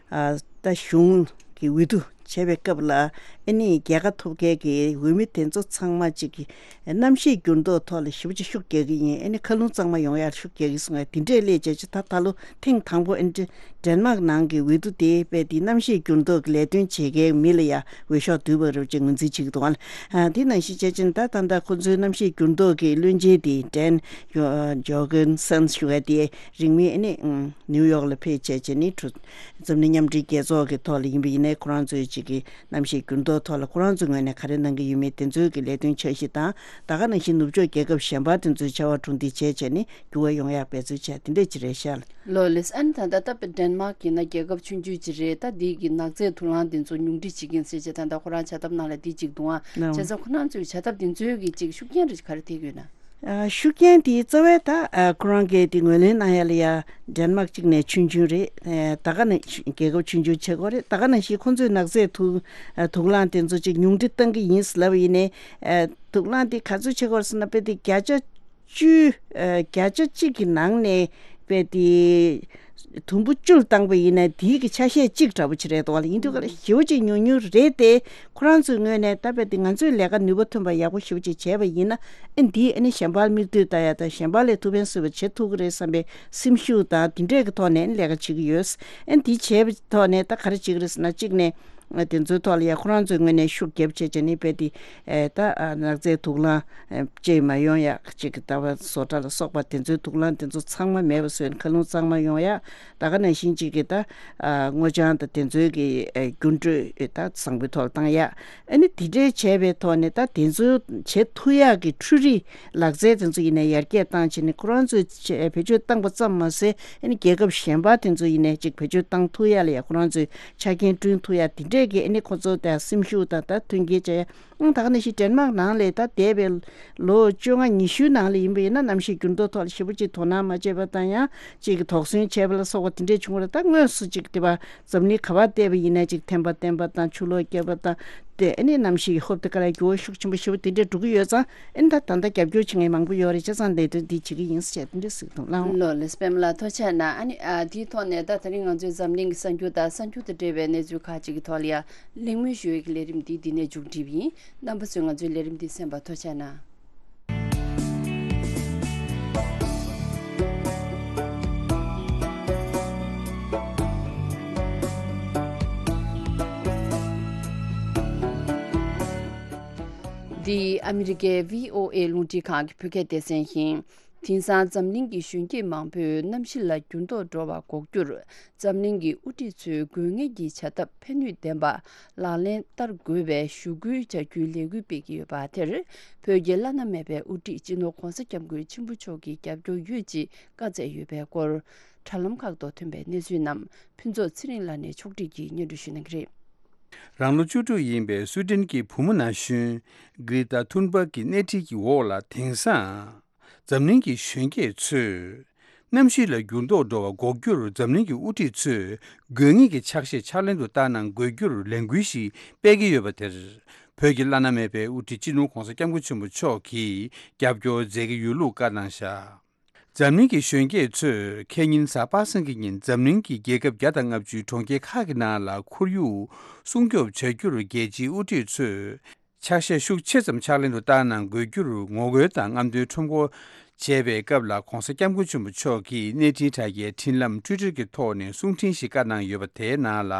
ད་གཞུང་གི་འོས་བསྡུ་བྱས་པའི་སྐབས་ལ་ཨ་ནི་རྒྱལ་ཁ་ཐོབ་མཁན་གྱི་འོས་མི་དེ་ཚོ་ཚང་མ་ཅིག་གི་གནམ་གཤིས་འགྱུར་ལྡོག་ཐོག་ལ་ཞེ་པོ་ཅིག་ཤུགས་རྒྱག་གི་ཡིན། ཨ་ནི་མཁའ་རླུང་གཙང་མ་ཡོང་ཡར་ཤུགས་རྒྱག་གི་སོང་ཡ་དེ་འདྲས་སླེབས་བྱས་ཅིག་ད་ད་ལོ་ཐེངས་དང་པོ་ཨ་ནི་ཌེན་མཱག་ནང་གི་འོས་བསྡུ་དེ་དཔེ་དེ་གནམ་གཤིས་འགྱུར་ལྡོག་གི་ལས་དོན་བྱེད་མཁན་མི་ལ་ཡ་འོས་ཤོག་བསྡུས་པ་རེད་ཅེས་ངོས་འཛིན་བྱེད་ཀྱི་འདུག་ཨ། ཨ་དེ་ནང་བཞིན་བྱས་ཙང་ད་ད་ལྟ་ཁོ་ཚོའི་གནམ་གཤིས་འགྱུར་ལྡོག་གི་བློན་ཆེན་དེ་ཌེན་ཇོ་ཇོ་གན་སན་ཞུ་བ་དེ་རིང་མིན་ཨ་ནི་ནིའུ་ཡོག་ལ་ཕེབས་བྱས་བྱས་ནི་གྲོས་འཛམ་གླིང་མཉམ་འབྲེལ་རྒྱལ་ཚོགས་ཀྱི་ཐོག་ལ་ཡིན་པ་ཡིན་ནའི་ཁོ་རང་ཚོའི་ཅིག་གི་གནམ་གཤིས་འགྱུར་ལྡོག་ཐོག་ལ་ཁོ་རང་ཚོའི་ངོས་ནས་ག་རེ་གནང་གི་ཡོད་མེད་དེ་ཚོའི་གི་ལས་དོན་འཆར་གཞི་དང་ད་ག་ནང་བཞིན་ནུབ་ཕྱོགས་རྒྱལ་ཁབ་གཞན་པ་དེ་ཚོའི་ཕྱར་བ་གྲུ་འདེགས་བྱས་བྱས་ནི་འགྱུར་བ་ཡོང་ཡག་འབད་རྩོལ་བྱས་དེ་འདྲས་ཅིག་རེད་ཤག་ལགས། ལོ་ལེགས། ཨ་ནི་ད་ལྟ་ད་ཌེན་མཱག་ཡིན་ན་རྒྱལ་ཁབ་ཆུང་ཆུང་ཅིག་རེད། ད་འདི་གི་ནག་རྫས་དུག་རླངས་དེ་ཚོ་ཉུང་འཕྲི་བྱེད་ཀྱིན་ཟེར་བྱས་ད་ལྟ་ཁོ་རང་བྱ་ཐབས་ནང་ལ་འདི་གཅིག་འདུག་ཨ། ལོ། བྱས་ཙང་ཁོ་རང་ཚོའི་བྱ་ཐབས་དེ་ཚོའི་གི་ཅིག་ཤུགས་རྐྱེན་རེ་ག་རེ་ཐེབས་ཡོད་ན། ཨ་ཤུགས་རྐྱེན་དེ་རྩ་བའི་ད་ཨ་ཁོ་རང་གིས་དེ་ངོས་ལེན་གནང་ཡ་ལ་ཡ་ཌེན་མཱག་གཅིག་ནས་ཆུང་ཆུང་རེད། ཨ་ད་ག་ནས་རྒྱལ་ཁབ་ཆུང་ཆུང་བྱེད་དགོས་རེད། ད་ག་ནང་བཞིན་ཁོ་ཚོས་ནག་རྫས་དུག་ཨ་དུག་རླངས་དེ་ཚོ་ཅིག་ཉུང་འཕྲི་གཏང་གི་ཡིན་ཟེར་ལབ་པ་ཡིན་ནའི་ཨ་དུག་རླངས་དེ་ག་ཚོད་བྱེད་དགོས་རེད་ཟེར་ན་དཔེ་དེ་བརྒྱ་ཆ་བཅུ། ཨ་བརྒྱ་ཆ་གཅིག་གི་ནང་ནས་དཔེ་དེ་དུམ་བུ་བཅུ་ལ་བཏང་པ་ཡིན་ན་དེའི་གི་ཆ་ཤས་གཅིག་འདྲ་པོ་ཅིག་རེད་འདུག་ལ། ཡིན་དུས་ག་ལ་ཞེ་པོ་ཅིག་ཉུང་ཉུང་རེད་དེ། ཁོ་རང་ཚོའི་ངོས་ནས་ད་དཔེ་དེ་ང་ཚོས་ལས་ཀ་ནུས་པ་ཐོན་པ་ཡག་པོ་ཞེ་པོ་ཅིག་བྱས་པ་ཡིན་ན་ཨ་འདིས་ཨ་ནི་གཞན་པར་མིག་ལྟོས་ལྟ་ཡ་དང་གཞན་པ་ལས་ཐུགས་ཕན་གསོས་པ་བྱེད་ཐུབ་ཀྱི་རེད་བསམ་པའི་སེམས་ཤུགས་དང་དེ་འདྲས་ཀྱི་ཐོག་ནས་ལས་ཀ་བྱེད་ཀྱི་ཡོད། ཨ་འདི་བྱས་པའི་ཐོག་ནས་ད་ག་རེ་བྱེད་ཀྱི་རེད་ཟེར་ན་གཅིག་ནས། དེ་ཚོའི་ཐོག་ལ་ཡ་ཁོ་རང་ཚོའི་ངོས་ནས་ཤུགས་རྒྱབ་བྱས་བྱས་ནས་དཔེ་དེ་ཨེ་ད་ཨ་ནག་རྫས་དུག་རླངས་ཨེ་བཅས་མ་ཡོང་ཡག་ཅིག་གི་ལྟ་བ་བཟོ་གྲྭ་ལ་སོགས་པ་དེ་ཚོའི་དུག་རླངས་དེ་ཚོ་ཚང་མ་མེད་པ་བཟོས་ནས་མཁའ་རླུང་གཙང་མ་ཡོང་ཡག་ད་ག་ནང་བཞིན་ཅིག་གི་ད་ཨ་སྔོ་ལྗང་དང་དེ་ཚོའི་གི་ཨེ་འགྱུར་འགྲོས་ཨེ་ད་བཟང་པོའི་ཐོག་ལ་བཏང་ཡག་ཨ་ནི་དེ་འདྲའི་བྱས་པའི་ཐོག་ནས་ད་དེ་ཚོ་བྱེད་ཐུབ་ཡག་གི་འཕྲུལ་རིག་ལག་རྩལ་དེ་ཚོ་ཡིན་ནའི་ཡར་རྒྱས་བཏང་བྱས་ནས་ཁོ་རང་ཚོས་བེད་སྤྱོད་བཏང་པ་ཙམ་མ་ཟད་ཨ་ནི་རྒྱལ་ཁབ་གཞན་པ་དེ་ཚོ་ཡིན་ནའི་ཅིག་བེད་སྤྱོད་བཏང་ཐུབ་ཡག་ལ་ཡ་ཁོ་རང་ཚོས་ཆ་རྐྱེན་བསྐྲུན་ཐུབ་ཡ་དེ་འདྲས་ཀྱི་ཨ་ནི་ཁོ་ཚོ་དང་སེམས་ཤུགས་དང་ད་མཐུན་རྐྱེན་བྱ་ཡ། ཨང་ད་ག་ནང་བཞིན་ཌེན་མཱག་ནང་ལ་ད་འདས་པའི་ལོ་བཅོ་ལྔ་ཉི་ཤུའི་ནང་ལ་ཡིན་པ་ཡིན་ན་གནམ་གཤིས་འགྱུར་ལྡོག་ཐོག་ལ་ཞེ་པོ་ཅིག་དོ་སྣང་མ་བྱས་པ་དང་ཡང་ཅིག་གི་དོགས་ཟོན་བྱས་པ་ལ་སོགས་པ་དེ་འདྲས་བྱུང་བ་རེད། ད་དངོས་སུ་ཅིག་དེ་བ་འཛམ་གླིང་ག་བ་བལྟས་པ་ཡིན་ན་ཅིག་ཐན་པ་བསྟན་པ་དང་ཆུ་ལོག་བརྒྱབ་པ་དང་དེ་ཨ་ནི་གནམ་གཤིས་ཀྱི་ཧོབ་དེ་ག་ལ་འགྱུར་བ་ཤུགས་ཆེན་པོ་ཞེ་པོ་དེ་འདྲས་འགྲོ་གི་ཡོད་ཙང་ཨ་ནི་ད་ད་ལྟ་རྒྱབ་སྐྱོར་བྱེད་མཁན་མང་པོ་ཡོད་རེད། བྱས་ཙང་ལས་དོན་འདི་བྱེད་ཀྱི་ཡིན་ཟེར་དེ་འདྲས་ཟེར་གི་འདུག་ལགས། ལོ་ལེགས། པད་མ་ལགས་ཐུགས་རྗེ་གནང་། ཨ་ནི་ཨ་དེའི་ཐོག་ནས་ད་དེ་རིང་ང་ཚོའི་འཛམ་གླིང་གི་གསར་འགྱུར་དང་གསར་འགྱུར་དང་འབྲེལ་བའི་གནས་ཚུལ་ཁག་ཅིག་གི་ཐོག་ལ་ཡ་གླེང་མོལ་ཞུ་བའི་གི་ལས་རིམ་འདི་འདི་ནས་མཇུག་སྒྲིལ་བ་ཡིན། རྣམ་པ་ཚོས་ང་ཚོའི་ལས་རིམ་འདི་གསན་པར་ཐུགས་རྗེ་གནང་། འདི་ཨ་མི་རི་ཀའི་བྷི་ཨོ་ཨེ་རླུང་འཕྲིན་ཁང་གི་བོད་སྐད་སྡེ་ཚན་ཡིན། དེང་སང་འཛམ་གླིང་གི་གཞོན་སྐྱེས་མང་པོས་གནམ་གཤིས་ལ་འགྱུར་ལྡོག་འགྲོ་བ་འགོག་རྒྱུར། འཛམ་གླིང་གི་དབུ་ཁྲིད་ཚོས་དགོས་ངེས་ཀྱི་བྱ་ཐབས་ཕན་ནུས་ལྡན་པ་ལག་ལེན་བསྟར་དགོས་པའི་ཞུ་སྐུལ་བྱ་རྒྱུའི་ལས་འགུལ་སྤེལ་གྱི་ཡོད་པ་དེར། བོད་ཀྱི་བླ་ན་མེད་པའི་དབུ་ཁྲིད་སྤྱི་ནོར་༧གོང་ས་༧སྐྱབས་མགོན་ཆེན་པོ་མཆོག་གིས་རྒྱབ་སྐྱོར་ཡོད་ཅེས་བཀའ་སྩལ་ཡོད་པའི་སྐོར། དྲ་ལམ་ཁག་ཏུ་ཐོན་པའི་གནས་ཚུལ་རྣམས་ཕུན་ཚོགས་ཚེ་རིང་ལགས་ནས་ཕྱོགས་སྒྲིག་གིས་སྙན་སྒྲོན་ཞུ་གནང་གི་རེད། རང་ལོ་བཅུ་དྲུག་ཡིན་པའི་སུའི་ཏན་གྱི་བུ་མོ་ན་གཞོན་གྷི་རེ་ཏཱ་ཐུན་བྷག་གི་སྣེ་ཁྲིད་ཀྱི་འོག་ལ། དེང་སང་འཛམ་གླིང་གི་གཞོན་སྐྱེས་ཚོས་གནམ་གཤིས་ལ་འགྱུར་ལྡོག་འགྲོ་བ་འགོག་རྒྱུར། འཛམ་གླིང་གི་དབུ་ཁྲིད་ཚོས་དགོས་ངེས་ཀྱི་ཕྱག་བཞེས་ཕྱག་ལེན་དུ་བསྟར་གནང་དགོས་རྒྱུར་ལས་འགུལ་ཞིག་སྤེལ་གྱི་ཡོད་པ་དེར། བོད་ཀྱི་བླ་ན་མེད་པའི་དབུ་ཁྲིད་སྤྱི་ནོར་༧གོང་ས་༧སྐྱབས་མགོན་ཆེན་པོ་མཆོག་གིས་རྒྱབ་སྐྱོར་མཛད་ཀྱི་ཡོད་ལུགས་བཀའ་གནང་བཞག་འཛམ་གླིང་གི་གཞོན་སྐྱེས་ཚོས་ཁེ་ཉིན་གཟའ་པ་སངས་ཀྱི་ཉིན་འཛམ་གླིང་གི་རྒྱལ་ཁབ་བརྒྱ་དང་ལྔ་བཅུའི་གྲོང་ཁྱེར་ཁག་གི་ནང་ལ་ཁོར་ཡུག་སྲུང་སྐྱོབ་བྱ་རྒྱུར་རྒྱལ་སྤྱིའི་དབུ་ཁྲིད་ཚོས་ཕྱག་བཞེས་ཤུགས་ཆེ་ཙམ་ཕྱག་ལེན་དུ་བསྟར་གནང་དགོས་རྒྱུར་ངོ་རྒོལ་དང་རྔམ་སྟོན་ཁྲོམ་སྐོར་བྱས་པའི་སྐབས་ལ། ༧གོང་ས་༧སྐྱབས་མགོན་ཆེན་པོ་མཆོག་གིས་གནས་འཕྲིན་དྲ་རྒྱའི་འཕྲིན་ལམ་ཊུའི་ཊར་གྱི་ཐོག་ནས་གསུང་འཕྲིན་ཞིག་བཀའ་གནང་ཡོད་པ་དེའི་ནང་ལ།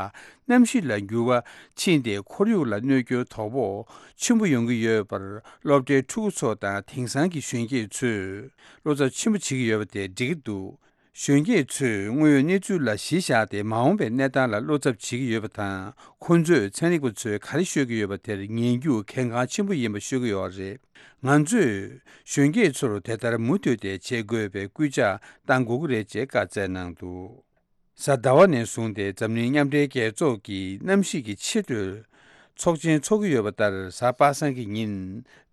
གནམ་གཤིས་ལ་འགྱུར་བ་ཕྱིན་ཏེ་ཁོར་ཡུག་ལ་གནོད་སྐྱོན་དོ་ཕོག་ཆེན་པོ་ཡོང་གི་ཡོད་པར། སློབ་གྲྭའི་ཕྲུ་གུ་ཚོ་དང་དེང་སང་གི་གཞོན་སྐྱེས་ཚོས་བློ་འཚབ་ཆེན་པོ་བྱེད་ཀྱི་ཡོད་པ་དེ་འགྲིག་གི་འདུག་གཞོན་སྐྱེས་ཚོས་དངོས་ཡོད་གནས་ཚུལ་ལ་གཞི་བཞག་སྟེ། མ་འོངས་པའི་གནས་སྟངས་ལ་བློ་འཚབ་བྱེད་ཀྱི་ཡོད་པ་དང་། ཁོ་ཚོས་ཚན་རིག་པ་ཚོས་ག་རེ་ཤོད་ཀྱི་ཡོད་པ་དེར་ཉན་རྒྱུ་གལ་འགངས་ཆེན་པོ་ཡིན་པ་ཤོད་ཀྱི་ཡོད་རེད། ང་ཚོས་གཞོན་སྐྱེས་ཚོར་དེ་ལྟར་མུ་མཐུད་དེ་བྱེད་དགོས་པའི་སྐུལ་ལྕག་གཏང་དགོས་ཀྱི་རེད་ཅེས་བཀའ་སྩལ་གནང་འདུག་གཟའ་ཟླ་བ་ནས་བཟུང་སྟེ་འཛམ་གླིང་མཉམ་འབྲེལ་རྒྱལ་ཚོགས་ཀྱི་གནམ་གཤིས་ཀྱི་ཆེས་མཐོའི་ཚོགས་ཆེན་འཚོགས་ཀྱི་ཡོད་པ་ལྟར། གཟའ་པ་སངས་ཀྱི་ཉིན་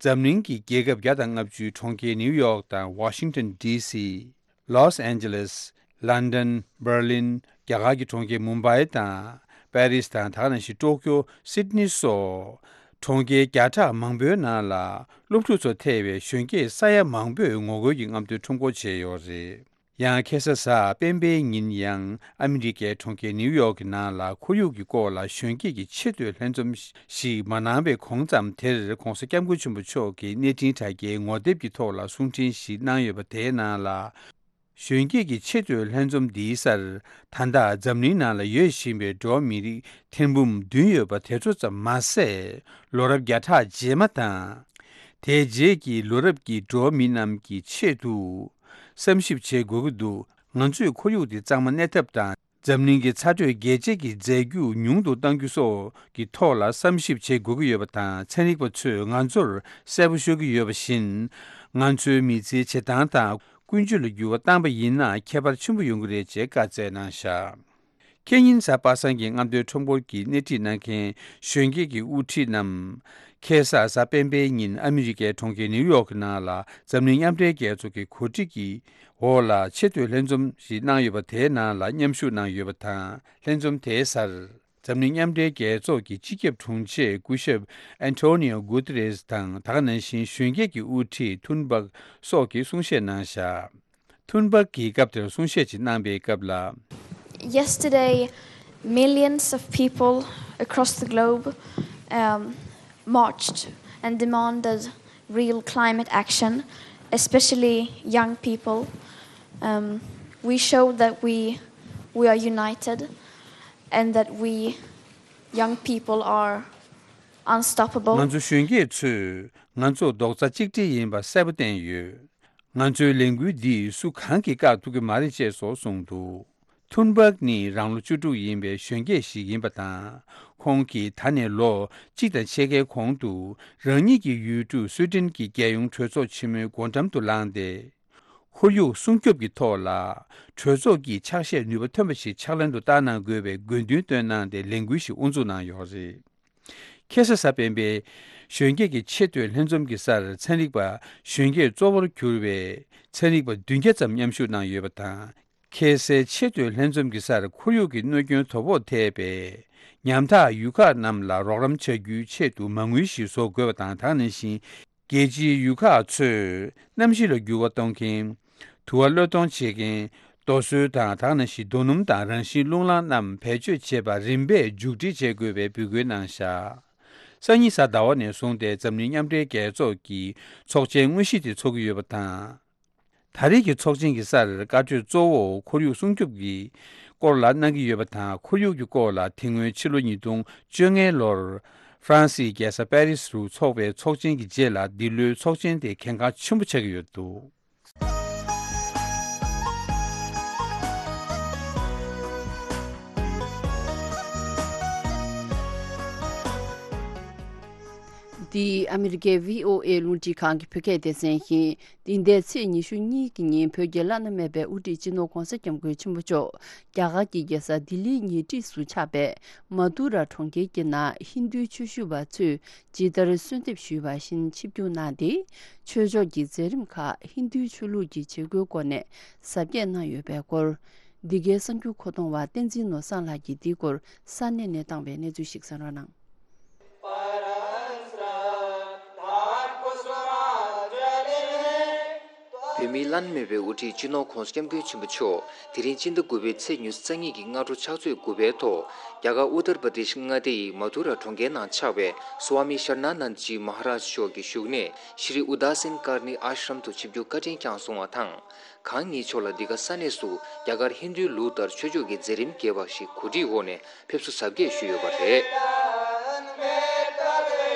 འཛམ་གླིང་གི་རྒྱལ་ཁབ་བརྒྱ་དང་ལྔ་བཅུའི་གྲོང་ཁྱེར་ནིའུ་ཡོག་དང་ཝ་ཤིང་ཏོན་ཌི་སི། ལོས་ཨན་ཇེ་ལེས། ལན་ཌན། འབར་ལིན། རྒྱ་གར་གྱི་གྲོང་ཁྱེར་མུམ་བྷའི་དང་པེ་རིས་དང་། ད་ག་ནང་བཞིན་ཀྲོ་ཀྱོ། སིད་ནི་སོགས་གྲོང་ཁྱེར་བརྒྱ་ཕྲག་མང་པོའི་ནང་ལ་སློབ་ཕྲུག་ཚོ་ཐེ་བའི་གཞོན་སྐྱེས་ས་ཡ་མང་པོས་ངོ་རྒོལ་གྱི་རྔམ་སྟོན་ཁྲོམ་སྐོར་བྱས་ཡོད་རེད། ཡང་ཁ་སང་གཟའ་སྤེན་པའི་ཉིན་ཡང་ཨ་མི་རི་ཀའི་གྲོང་ཁྱེར་ནིའུ་ཡོག་གི་ནང་ལ་ཁོར་ཡུག་གི་སྐོར་ལ་གཞོན་སྐྱེས་ཀྱི་ཆེས་མཐོའི་ལྷན་འཛོམས་ཤིག་མ་གནང་བའི་གོང་ཙམ་དེར། ༧གོང་ས་༧སྐྱབས་མགོན་ཆེན་པོ་མཆོག་གིས་གནས་འཕྲིན་དྲ་རྒྱའི་ངོ་དེབ་ཀྱི་ཐོག་ལ་གསུང་འཕྲིན་ཞིག་གནང་ཡོད་པ་དེའི་ནང་ལ། གཞོན་སྐྱེས་ཀྱི་ཆེས་མཐོའི་ལྷན་འཛོམས་འདིའི་སར། ད་ལྟ་འཛམ་གླིང་ནང་ལ་ཡོད་བཞིན་པའི་འགྲོ་བ་མི་རིགས་ཐེར་འབུམ་བདུན་ཡོད་པ་དེ་ཚོ་ཙམ་མ་ཟད། ལོ་རབས་བརྒྱ་ཕྲག་རྗེས་མ་དང་། དེའི་རྗེས་ཀྱི་ལོ་རབས་ཀྱི་འགྲོ་བ་མི་རྣམས་ཀྱི་ཆེད་དུ་བསམ་ཞིབ་བྱེད་དགོས་ཀྱི་འདུག་ང་ཚོས་ཁོར་ཡུག་འདི་གཙང་མ་གནས་ཐབས་དང་། འཛམ་གླིང་གི་ཚ་དྲོད་རྒྱས་བཅད་ཀྱི་རྫས་འགྱུར་ཉུང་དུ་གཏང་རྒྱུ་སོགས་ཀྱི་ཐོག་ལ་བསམ་ཞིབ་བྱེད་དགོས་ཀྱི་ཡོད་པ་དང་། ཚན་རིག་པ་ཚོས་ང་ཚོར་གསལ་པོ་ཤོད་ཀྱི་ཡོད་པ་བཞིན། ང་ཚོའི་མི་ཚེའི་བྱེད་སྟངས་དང་། ཀུན་སྤྱོད་ལ་འགྱུར་བ་བཏང་པ་ཡིན་ན་ཁྱད་པར་ཆེན་པོ་ཡོང་གི་རེད་ཅེས་བཀའ་སྩལ་གནང་བཞག་ཁེ་ཉིན་གཟའ་པ་སངས་ཀྱི་རྔམ་སྟོན་ཁྲོམ་སྐོར་གྱི་སྣེ་ཁྲིད་གནང་མཁན་གཞོན་སྐྱེས་ཀྱི་དབུ་ཁྲིད་རྣམས། ཁ་སང་གཟའ་སྤེན་པའི་ཉིན་ཨ་མི་རི་ཀའི་གྲོང་ཁྱེར་ནིའུ་ཡོག་གི་ནང་ལ་འཛམ་གླིང་མཉམ་འབྲེལ་རྒྱལ་ཚོགས་ཀྱི་གོ་སྒྲིག་གི་འོག་ལ་ཆེས་མཐོའི་ལྷན་འཛོམས་ཤིག་གནང་ཡོད་པ་དེའི་ནང་ལ་མཉམ་ཞུགས་གནང་ཡོད་པ་དང་། ལྷན་འཛོམས་དེའི་སར། འཛམ་གླིང་མཉམ་འབྲེལ་རྒྱལ་ཚོགས་ཀྱི་སྤྱི་ཁྱབ་དྲུང་ཆེ་སྐུ་ཞབས་ཨན་ཐོ་ནིའོ་གུ་ཏེ་རེས་དང་། ད་ག་ནང་བཞིན་གཞོན་སྐྱེས་ཀྱི་དབུ་ཁྲིད་ཐུན་བག་སོགས་ཀྱིས་གསུང་བཤད་གནང་བཞག་ཐུན་བག་གིས་སྐབས་དེར་གསུང་བཤད་ཅིག་གནང་པའི་སྐབས་ལ། Yesterday, millions of people across the globe, um, marched and demanded real climate action, especially young people. Um, we showed that we, we are united and that we, young people, are unstoppable. ང་ཚོ་གཞོན་སྐྱེས་ཚོས་ང་ཚོ་རྡོག་རྩ་གཅིག་སྒྲིལ་ཡིན་པ་གསལ་པོ་བསྟན་ཡོད། ང་ཚོའི་ལས་འགུལ་འདིས་སུ་གང་གིས་བཀག་ཐུབ་ཀྱི་མ་རེད་ཅེས་སོགས་གསུངས་འདུག་ཐུན་བག་ནི་རང་ལོ་བཅུ་དྲུག་ཡིན་པའི་གཞོན་སྐྱེས་ཤིག་ཡིན་པ་དང་། ཁོང་གིས་ད་ནས་ལོ་གཅིག་དང་ཕྱེད་ཀའི་གོང་དུ་རང་ཉིད་ཀྱི་ཡུལ་གྲུ་སུའེ་ཏེན་གྱི་རྒྱལ་ཡོངས་གྲོས་ཚོགས་ཆེན་མོའི་སྒོ་འགྲམ་དུ་ལངས་ཏེ། ཁོར་ཡུག་སྲུང་སྐྱོབ་ཀྱི་ཐོག་ལ་གྲོས་ཚོགས་ཀྱི་ཕྱག་བཞེས་ནུས་པ་ཐོན་པ་ཞིག་ཕྱག་ལེན་དུ་བསྟར་གནང་དགོས་པའི་དགོས་འདུན་བཏོན་གནང་སྟེ་ལས་འགུལ་ཞིག་དབུ་འཛུགས་གནང་ཡོད་རེད། ཁ་སང་གཟའ་སྤེན་པའི་གཞོན་སྐྱེས་ཀྱི་ཆེས་མཐོའི་ལྷན་འཛོམས་ཀྱི་སར་ཚན་རིག་པ་གཞོན་སྐྱེས་གཙོ་བོར་གྱུར་བའི་ཚན་རིག་པ་བདུན་བརྒྱ་ཙམ་མཉམ་ཞུགས་གནང་ཡོད་པ་དང་། ཁ་སའི་ཆེས་མཐོའི་ལྷན་འཛོམས་ཀྱི་སར་ཁོར་ཡུག་གི་གནོད་སྐྱོན་དོ་ཕོག་ཐེབས་པའི་ཉམ་ཐག་ཡུལ་ཁག་རྣམས་ལ་རོགས་རམ་བྱ་རྒྱུའི་ཆེད་དུ་མ་དངུལ་ཞིག་བཟོ་དགོས་པ་དང་། ད་ག་ནང་བཞིན། རྒྱལ་སྤྱིའི་ཡུལ་ཁག་ཚོས་གནམ་གཤིས་ལ་འགྱུར་བ་གཏོང་མཁན། དུ་བ་གློད་གཏོང་བྱེད་མཁན། རྡོ་སོལ་དང་། ད་ག་ནང་བཞིན་རྡོ་སྣུམ་དང་རང་བཞིན་རླུང་ལངས་རྣམས་བེད་སྤྱོད་བྱེད་པར་རིམ་པས་མཇུག་སྒྲིལ་བྱེད་དགོས་པའི་འབོད་སྐུལ་གནང་བཞག་སང་ཉིན་གཟའ་ཟླ་བ་ནས་བཟུང་སྟེ་འཛམ་གླིང་མཉམ་འབྲེལ་རྒྱལ་ཚོགས་ཀྱི་ཚོགས་ཆེན་དངོས་གཞི་དེ་འཚོགས་ཀྱི་ཡོད་པ་དང་། ད་རེས་ཀྱི་ཚོགས་ཆེན་གྱི་སར་བཀའ་གྲོས་གཙོ་བོ་ཁོར་ཡུག་སྲུང་སྐྱོབ་ཀྱི་སྐོར་ལ་གནང་གི་ཡོད་པ་དང་། ཁོར་ཡུག་གི་སྐོར་ལ་དེ་སྔོན་ཕྱི་ལོ་ཉིས་སྟོང་བཅོ་ལྔ་ལོར་ ཧྥ་རན་སིའི་རྒྱལ་ས་པེ་རིས་རུ་འཚོགས་པའི་ཚོགས་ཆེན་གྱི་རྗེས་ལ་འདི་ལོའི་ཚོགས་ཆེན་དེ་གལ་འགངས་ཆེན་པོ་ཆགས་ཀྱི་ཡོད་འདུག། འདི་ཨ་མི་རི་ཀའི་བྷི་ཨོ་ཨེ་རླུང་འཕྲིན་ཁང་གི་བོད་སྐད་སྡེ་ཚན་ཡིན། འདི་ཟླའི་ཚེས་ཉི་ཤུ་གཉིས་ཀྱི་ཉིན་བོད་ཀྱི་བླ་ན་མེད་པའི་དབུ་ཁྲིད་སྤྱི་ནོར་༧གོང་ས་༧སྐྱབས་མགོན་ཆེན་པོ་མཆོག་རྒྱ་གར་གྱི་རྒྱལ་ས་ལྡི་ལིའི་ཉེ་འཁྲིས་སུ་ཆགས་པའི་མ་དུ་ར་གྲོང་ཁྱེར་གྱི་ནང་ཧིན་རྡུའི་ཆོས་ཞུ་བ་ཚོས་ཇི་ལྟར་གསོལ་འདེབས་ཞུས་པ་བཞིན་ཆིབས་བསྒྱུར་གནང་སྟེ། ཆོས་ཕྱོགས་ཀྱི་མཛད་རིམ་ཁག་ཧིན་རྡུའི་ཆོས་ལུགས་ཀྱི་བྱེད་སྒོའི་སྒོ་ནས་གཟབ་རྒྱས་གནང་ཡོད་པའི་སྐོར། འདི་གའི་གསར་འགྱུར་མཁོ་གཏོང་བ་བསྟན་འཛིན་ནོར་བཟང་ལགས་ཀྱིས་འདིའི་སྐོར་ས་གནས་ནས་བཏང་བའི་གནས་ཚུལ་ཞིག་གསན་རོགས་གནང་། བོད་མིའི་བླ་ན་མེད་པའི་དབུ་ཁྲིད་སྤྱི་ནོར་༧གོང་ས་༧སྐྱབས་མགོན་ཆེན་པོ་མཆོག་དེ་རིང་སྤྱི་ཟླ་དགུ་པའི་ཚེས་ཉི་ཤུ་རྩ་གཉིས་ཀྱི་སྔ་དྲོ་ཕྱག་ཚོད་དགུ་པའི་ཐོག་རྒྱ་གར་ཨུ་ཏར་པྲ་དེཤ་མངའ་སྡེ་ཡི་མ་དུ་ར་གྲོང་ཁྱེར་ནང་ཆགས་པའི་སྭ་མི་ཤར་ན་ནན་ཇི་མ་ཧ་རཱཇ་མཆོག་གི་བཞུགས་གནས་ཤྲི་ཨུ་དཱ་སིན་ཀར་ནི་ཨཱཤ་རམ་དུ་ཆིབས་བསྒྱུར་བཀའ་དྲིན་བསྐྱངས་སོང་བ་དང་། གང་ཉིད་མཆོག་ལ་འདི་ག་ས་གནས་སུ་རྒྱ་གར་ཧིན་རྡུའི་ལུགས་ལྟར་ཆོས་ཕྱོགས་ཀྱི་མཛད་རིམ་རྒྱས་པ་ཞིག་གོ་སྒྲིག་འོག་ནས་ཕེབས་བསུ་གཟབ་རྒྱས་ཞུས་ཡོད་པ་རེད།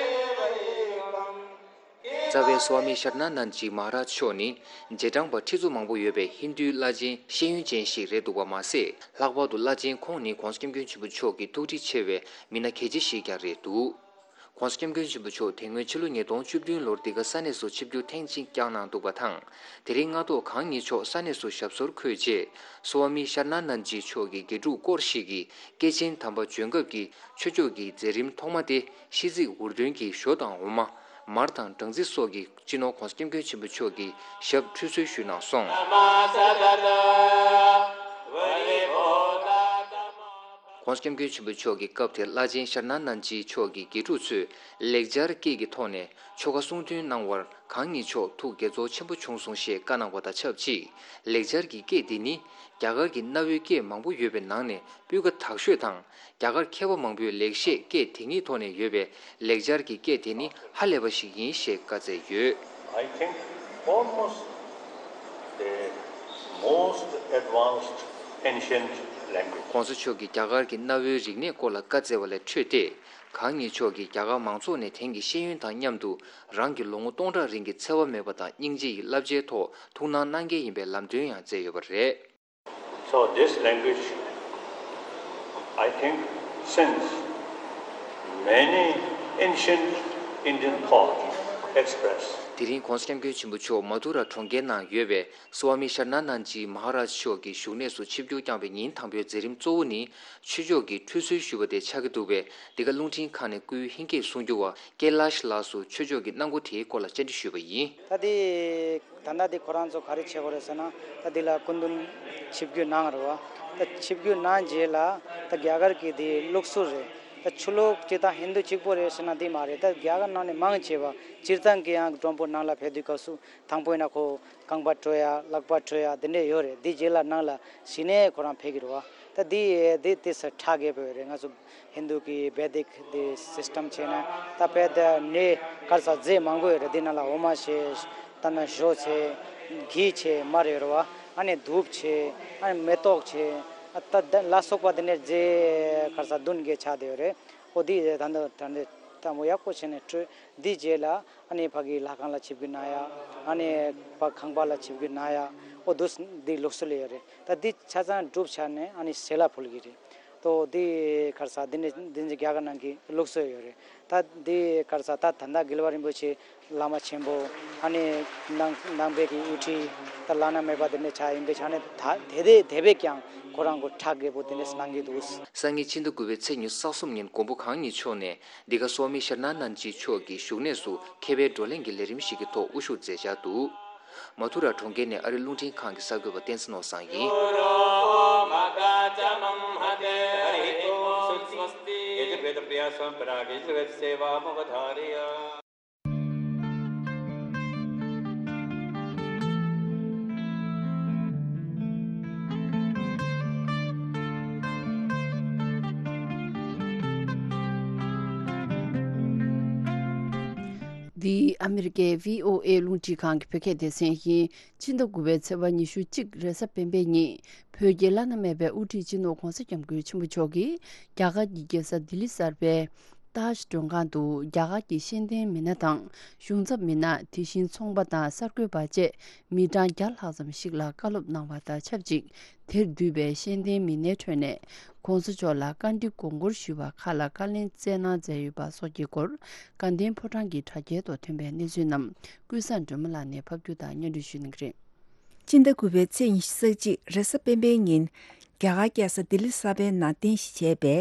རྩ་བའི་སྭ་མི་ཤར་ན་ནན་ཇི་མ་ཧ་རཱཇ་མཆོག་ནི་རྗེས་འབྲང་པ་ཁྲི་ཚོ་མང་པོ་ཡོད་པའི་ཧིན་རྡུའི་བླ་ཆེན་ཤེས་ཡོན་ཅན་ཞིག་རེད་འདུག་པ་མ་ཟད། ལྷག་པར་དུ་བླ་ཆེན་ཁོང་ནི་༧གོང་ས་༧སྐྱབས་མགོན་ཆེན་པོ་མཆོག་གི་ཐུགས་འདྲིས་ཆེ་བའི་མི་སྣ་གལ་ཆེ་ཞིག་ཀྱང་རེད་འདུག། ༧གོང་ས་༧སྐྱབས་མགོན་ཆེན་པོ་མཆོག་དེ་སྔོན་ཕྱི་ལོ་ཉིས་སྟོང་བཅུ་བདུན་ལོར་འདི་ག་ས་གནས་སུ་ཆིབས་བསྒྱུར་ཐེངས་གཅིག་བསྐྱངས་གནང་འདུག་པ་དང་། དེ་རིང་སྔ་ཐོག་གང་ཉིད་མཆོག་ས་གནས་སུ་ཞབས་སོར་འཁོད་རྗེས། སྭ་མི་ཤར་ན་ནན་ཇི་མཆོག་གི་དགེ་ཕྲུག་སྐོར་ཞིག་གིས་སྐྱེས་ཆེན་དམ་པ་བྱོན་སྐབས་ཀྱི་ཆོས་ཕྱོགས་ཀྱི་མཛད་རིམ་ཐོག་མ་སྟེ། ཤིས་ཚིག་འུར་འདོན་གྱི་ཞོ་དང་འོ་མ། མར་དང་སྦྲང་རྩི་སོགས་ཀྱིས་སྤྱི་ནོར་༧གོང་ས་༧སྐྱབས་མགོན་ཆེན་པོ་མཆོག་གི་ཞབས་ཁྲུས་གསོལ་ཞུས་གནང་སོང་། ༧གོང་ས་༧སྐྱབས་མགོན་ཆེན་པོ་མཆོག་གི་སྐབས་དེར་བླ་ཆེན་ཤར་ན་ནན་ཇི་མཆོག་གི་དགེ་ཕྲུག་ཚོས་ལེགས་སྦྱར་སྐད་ཀྱི་ཐོག་ནས་ཆོ་ག་གསུང་འདོན་གནང་བར་གང་ཉིད་མཆོག་ཐུགས་དགྱེས་ཚོར་ཆེན་པོ་བྱུང་སོང་ཞེས་བཀའ་གནང་བ་དང་ཆབས་ཅིག། ལེགས་སྦྱར་གྱི་སྐད་འདི་ནི་རྒྱ་གར་གྱི་གནའ་བོའི་སྐད་མང་པོ་ཡོད་པའི་ནང་ནས་སྤུས་ཀ་དག་ཤོས་དང་། རྒྱ་གར་མཁས་པ་མང་པོས་ལེགས་བཤད་སྐད་དེ་ཉིད་ཐོག་ནས་ཡོད་པའི་ལེགས་སྦྱར་གྱི་སྐད་དེ་ནི་ཧ་ལས་པ་ཞིག་ཡིན་ཞེས་བཀའ་སྩལ་ཡོད། I think almost the most advanced ancient language. ༸གོང་ས་མཆོག་གིས་རྒྱ་གར་གྱི་གནའ་བོའི་རིག་གནས་སྐོར་ལ་བཀའ་སྩལ་བ་ལས་འཕྲོས་ཏེ། གང་ཉིད་མཆོག་གིས་རྒྱ་གར་མང་ཚོགས་ནས་དེང་གི་ཤེས་ཡོན་དང་མཉམ་དུ་རང་གི་ལོ་ངོ་སྟོང་ཕྲག་རིང་གི་འཚེ་བ་མེད་པ་དང་སྙིང་རྗེ་ཡི་བསླབ་བྱའི་ཐོག་ཐུགས་སྣང་གནང་གལ་ཡིན་པའི་ལམ་སྟོན་ཡང་མཛད་ཡོད་པ་རེད། So this language, I think, since many ancient Indian thought expressed. དེ་རིང་༸གོང་ས་༸སྐྱབས་མགོན་ཆེན་པོ་མཆོག་མ་དུ་ར་གྲོང་ཁྱེར་ནང་ཡོད་པའི་སྭ་མི་ཤར་ན་ནན་ཇི་མ་ཧ་རཱཇ་མཆོག་གི་བཞུགས་གནས་སུ་ཆིབས་བསྒྱུར་བསྐྱངས་པའི་ཉིན་དང་པོའི་མཛད་རིམ་གཙོ་བོ་ནི་ཆོས་ཕྱོགས་ཀྱི་ཁྲུས་གསོལ་ཞུ་བ་དེ་ཆགས་ཀྱི་འདུག་པས། འདི་ག་རླུང་འཕྲིན་ཁང་ནས་སྐུའི་ཧིང་སྐད་གསུང་སྒྱུར་བ་ཀེ་ལཱཤ་ལགས་སུ་ཆོས་ཕྱོགས་ཀྱི་གནང་སྒོ་དེའི་སྐོར་ལ་བཅར་འདྲི་ཞུས་པ་ཡིན། ད་དེ། ད་ལྟ་འདི་ཁོ་རང་ཚོ་ག་རེ་བྱེད་དགོས་རེད་ཟེར་ན། ད་འདི་ལ་སྐུ་མདུན་ཆིབས་བསྒྱུར་གནང་རེད་བ། ད་ཆིབས་བསྒྱུར་གནང་རྗེས་ལ་ད་རྒྱ་གར་གྱི་འདི་ལུགས་སྲོལ་རེད། ད་ཆོས་ལུགས་སྤྱི་དང་ཧིན་དུ་གཅིག་པོ་རེད་ཟེར་ན་འདི་མ་རེད། ད་རྒྱ་གར་ནང་ནས་མང་ཆེ་བ་སྤྱིར་བཏང་གི་ཡང་མགྲོན་པོ་ནང་ལ་ཕེབས་དུས་སྐབས་སུ་དང་པོ་ཡིན་ན་ཁོ་རྐང་པ་བཀྲུ་ཡ་ལག་པ་བཀྲུ་ཡ་འདི་འདྲས་ཡོད་རེད། འདི་རྗེས་ལ་ནང་ལ་གཞི་ནས་ཁོ་རང་ཕེབས་ཀྱི་རེད་བ། ད་འདི་འདི་དེ་ས་ཁྲ་རྒྱས་པོ་ཡོད་རེད། ང་ཚོ་ཧིན་དུ་གི་བེ་དིག་དེ་སིས་ཊམ་བྱས་ན་ད་དཔེ་དེ་ནས་གར་ས་རྫས་མང་པོ་ཡོད་རེད། འདི་ནང་ལ་འོ་མ་བྱས། ད་ནང་ཞོ་བྱས། གྷི་བྱས། མར་ཡོད་རེད་བ། ཨ་ནི་དྷུབ་བྱས། ཨ་ནི་མེ་ཏོག་བྱས། ཨ་ད་ད་ལ་སོགས་པ་དེ་ནས་རྫས་གར་ས་བདུན་བརྒྱད་ཆགས་བསྡད་ཡོད་རེད། ཨོ་འདི་ད་འདི་ད་འདི་ད་མོ་ཡག་པོ་བྱས་ནས་བཀྲུས། འདི་རྗེས་ལ་ཨ་ནི་ཕ་གི་ལྷ་ཁང་ལ་ཆིབས་བསྒྱུར་གནང་ཡ། ཨ་ནི་ཕ་ཁང་པ་ལ་ཆིབས་བསྒྱུར་གནང་ཡ། ཨོ་འདུག་འདི་ལུགས་སྲོལ་ཡོད་རེད། ད་འདི་ཆ་ཚང་གྲུབ་ཆ་ནས་ཨ་ནི་ཟས་ལ་ཕུལ་གི་རེད། ཏོ་འདི་ཁར་ས་འདི་ནི་འདི་ནི་རྒྱ་གར་ནང་གི་ལུགས་སྲོལ་ཡོད་རེད། ད་འདི་ཁར་ས་ད་ད་ལྟ་རྒྱལ་བ་རིན་པོ་ཆེ་བླ་མ་ཆེན་པོ་ཨ་ནི་ནང་ནང་པའི་གི་དབུ་ཁྲིད་ད་བླ་ན་མེད་པ་འདི་ནི་ཆ་ཡིན་པའི་ཆ་ནས་ད་དེ་དེ་དེ་བས་ཀྱང་ཁོ་རང་གི་གྲ་རྒྱས་པོ་འདི་ནི་གནང་གི་འདུག། སང་ཉིན་ཕྱི་ཟླ་དགུ་པའི་ཚེས་ཉི་ཤུ་རྩ་གསུམ་ཉིན་མགོན་པོ་གང་ཉིད་མཆོག་ནས་འདི་ག་སོ་མི་ཤར་ན་ནན་ཇི་མཆོག་གི་བཞུགས་གནས་སུ་མཁས་པའི་བགྲོ་གླེང་གི་ལས་རིམ་ཞིག་གི་ཐོག་དབུ་བཞུགས་མཛད་འཆར་འདུག། མ་ཐུ་ར་གྲོང་ཁྱེར་ནས་ཨ་རི་རླུང་འཕྲིན་ཁང་གི་གསར་འགོད་པ་བསྟན་འཛིན་ནོར་བཟང་ཡིན། འདི་ཨ་མི་རི་ཀའི་བྷི་ཨོ་ཨེ་རླུང་འཕྲིན་ཁང་གི་བོད་སྐད་སྡེ་ཚན་ཡིན། ཕྱི་ཟླ་དགུ་པའི་ཚེས་པ་ཉི་ཤུ་གཅིག་རེས་གཟའ་སྤེན་པའི་ཉིན་བོད་ཀྱི་བླ་ན་མེད་པའི་དབུ་ཁྲིད་སྤྱི་ནོར་༧གོང་ས་༧སྐྱབས་མགོན་ཆེན་པོ་མཆོག་གིས་རྒྱ་གར་གྱི་རྒྱལ་ས་ལྡི་ལི་གསར་པའི་ ཏཱཇ་མགྲོན་ཁང་དུ་རྒྱ་གར་གྱི་ཤེས་ལྡན་མི་སྣ་དང་གཞུང་ཚབ་མི་སྣ། དེ་བཞིན་ཚོང་པ་དང་གསར་འགོད་པ་བཅས་མི་གྲངས་བརྒྱ་ལྷག་ཙམ་ཞིག་ལ་བཀའ་སློབ་གནང་བ་དང་ཆབས་ཅིག་དེར་འདུས་པའི་ཤེས་ལྡན་མི་སྣའི་ཁྲོད་ནས་༸གོང་ས་མཆོག་ལ་བཀའ་འདྲི་དགོངས་སྐོར་ཞུས་པ་ཁག་ལ་བཀའ་ལན་སྩལ་གནང་མཛད་ཡོད་པ་སོགས་ཀྱི་སྐོར། དགའ་ལྡན་ཕོ་བྲང་གི་དྲ་རྒྱའི་ཐོག་ཐོན་པའི་གནས་ཚུལ་རྣམས་ཀུན་བཟང་སྒྲོལ་མ་ལགས་ནས་ཕབ་སྒྱུར་དང་སྙན་སྒྲོན་ཞུ་གནང་གི་རེད། སྤྱི་ཟླ་དགུ་པའི་ཚེས་ཉི་ཤུ་རྩ་གཅིག་རེས་གཟའ་སྤེན་པའི་ཉིན། རྒྱ་གར་རྒྱལ་ས་ལྡི་ལི་གསར་པའི་ནང་རྟེན་གཞི་བྱས་པའི་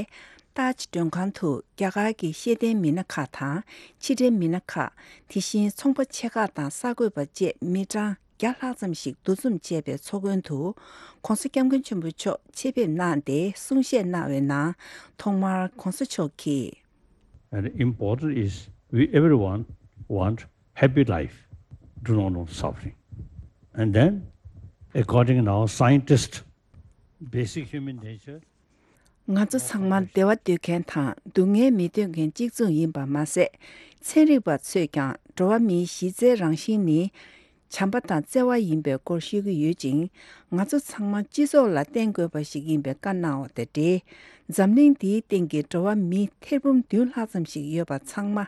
ཏཱཇ་མགྲོན་ཁང་དུ་རྒྱ་གར་གྱི་ཤེས་ལྡན་མི་སྣ་ཁག་དང་ཕྱི་དྲིལ་མི་སྣ་ཁག་དེ་བཞིན་ཚོང་པ་ཆེ་ཁག་དང་གསར་འགོད་པ་བཅས་མི་གྲངས་བརྒྱ་ལྷག་ཙམ་ཞིག་འདུ་འཛོམས་བྱས་པའི་ཚོགས་མགོན་དུ་༸གོང་ས་༸སྐྱབས་མགོན་ཆེན་པོ་མཆོག་ཆེད་ཕེབས་གནང་སྟེ་གསུང་བཤད་གནང་བའི་ནང་ཐོག་མར་༸གོང་ས་མཆོག་གིས། And important is we everyone want happy life, do not want suffering. And then, according now scientist, basic human nature, ང་ཚོ་ཚང་མ་བདེ་བ་འདོད་མཁན་དང་སྡུག་བསྔལ་མི་འདོད་མཁན་གཅིག་མཚུངས་ཡིན་པ་མ་ཟད། ཚན་རིག་པ་ཚོས་ཀྱང་འགྲོ་བ་མིའི་གཞི་རྩའི་རང་བཞིན་ནི་བྱམས་པ་དང་བརྩེ་བ་ཡིན་པའི་སྐོར་ཤོད་ཀྱི་ཡོད་ཅིང་། ང་ཚོ་ཚང་མ་སྤྱི་ཚོགས་ལ་བརྟེན་དགོས་པ་ཞིག་ཡིན་པའི་བཀའ་གནང་བ་དང་འབྲེལ། འཛམ་གླིང་འདིའི་སྟེང་གི་འགྲོ་བ་མི་ཐེར་འབུམ་བདུན་ལྷག་ཙམ་ཞིག་ཡོད་པ་ཚང་མ་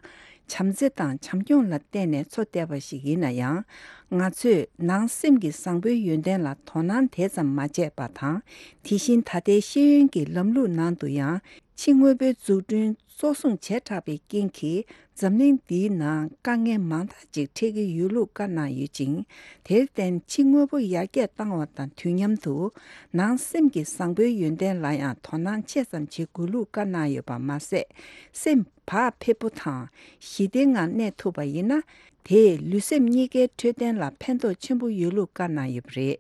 བྱམས་བརྩེ་དང་བྱམས་སྐྱོང་ལ་བརྟེན་ནས་འཚོ་བསྡད་པ་ཞིག་ཡིན་ན་ཡང་། ང་ཚོས་ནང་སེམས་ཀྱི་བཟང་པོའི་ཡོན་ཏན་ལ་དོ་སྣང་དེ་ཙམ་མ་བྱས་པ་དང་། དེ་བཞིན་ད་ལྟའི་ཤེས་ཡོན་གྱི་ལམ་ལུགས་ནང་དུ་ཡང་ཕྱི་དངོས་པོའི་འཛུགས་སྐྲུན་གཙོ་བཟུང་བྱེ་བྲག་པའི་རྐྱེན་གྱིས་འཛམ་གླིང་འདིའི་ནང་དཀའ་ངལ་མང་དག་ཅིག་འཕྲད་ཀྱི་ཡོད་ལུགས་བཀའ་གནང་ཡོད་ཅིང་། དེར་བརྟེན་ཕྱི་དངོས་པོ་ཡར་རྒྱས་བཏང་བ་དང་དུས་མཉམ་དུ་ནང་སེམས་ཀྱི་བཟང་པོའི་ཡོན་ཏན་ལ་ཡང་དོ་སྣང་ཆེ་ཙམ་བྱེད་དགོས་ལུགས་བཀའ་གནང་ཡོད་པ་མ་ཟད། སེམས་བག་ཕེབས་པོ་དང་ཞི་བདེའི་ངང་གནས་ཐུབ་པ་ཡིན་ན། དེས་ལུས་སེམས་གཉིས་ཀའི་འཕྲོད་བསྟེན་ལ་ཕན་ཐོགས་ཆེན་པོ་ཡོད་ལུགས་བཀའ་གནང་ཡོད་པ་རེད།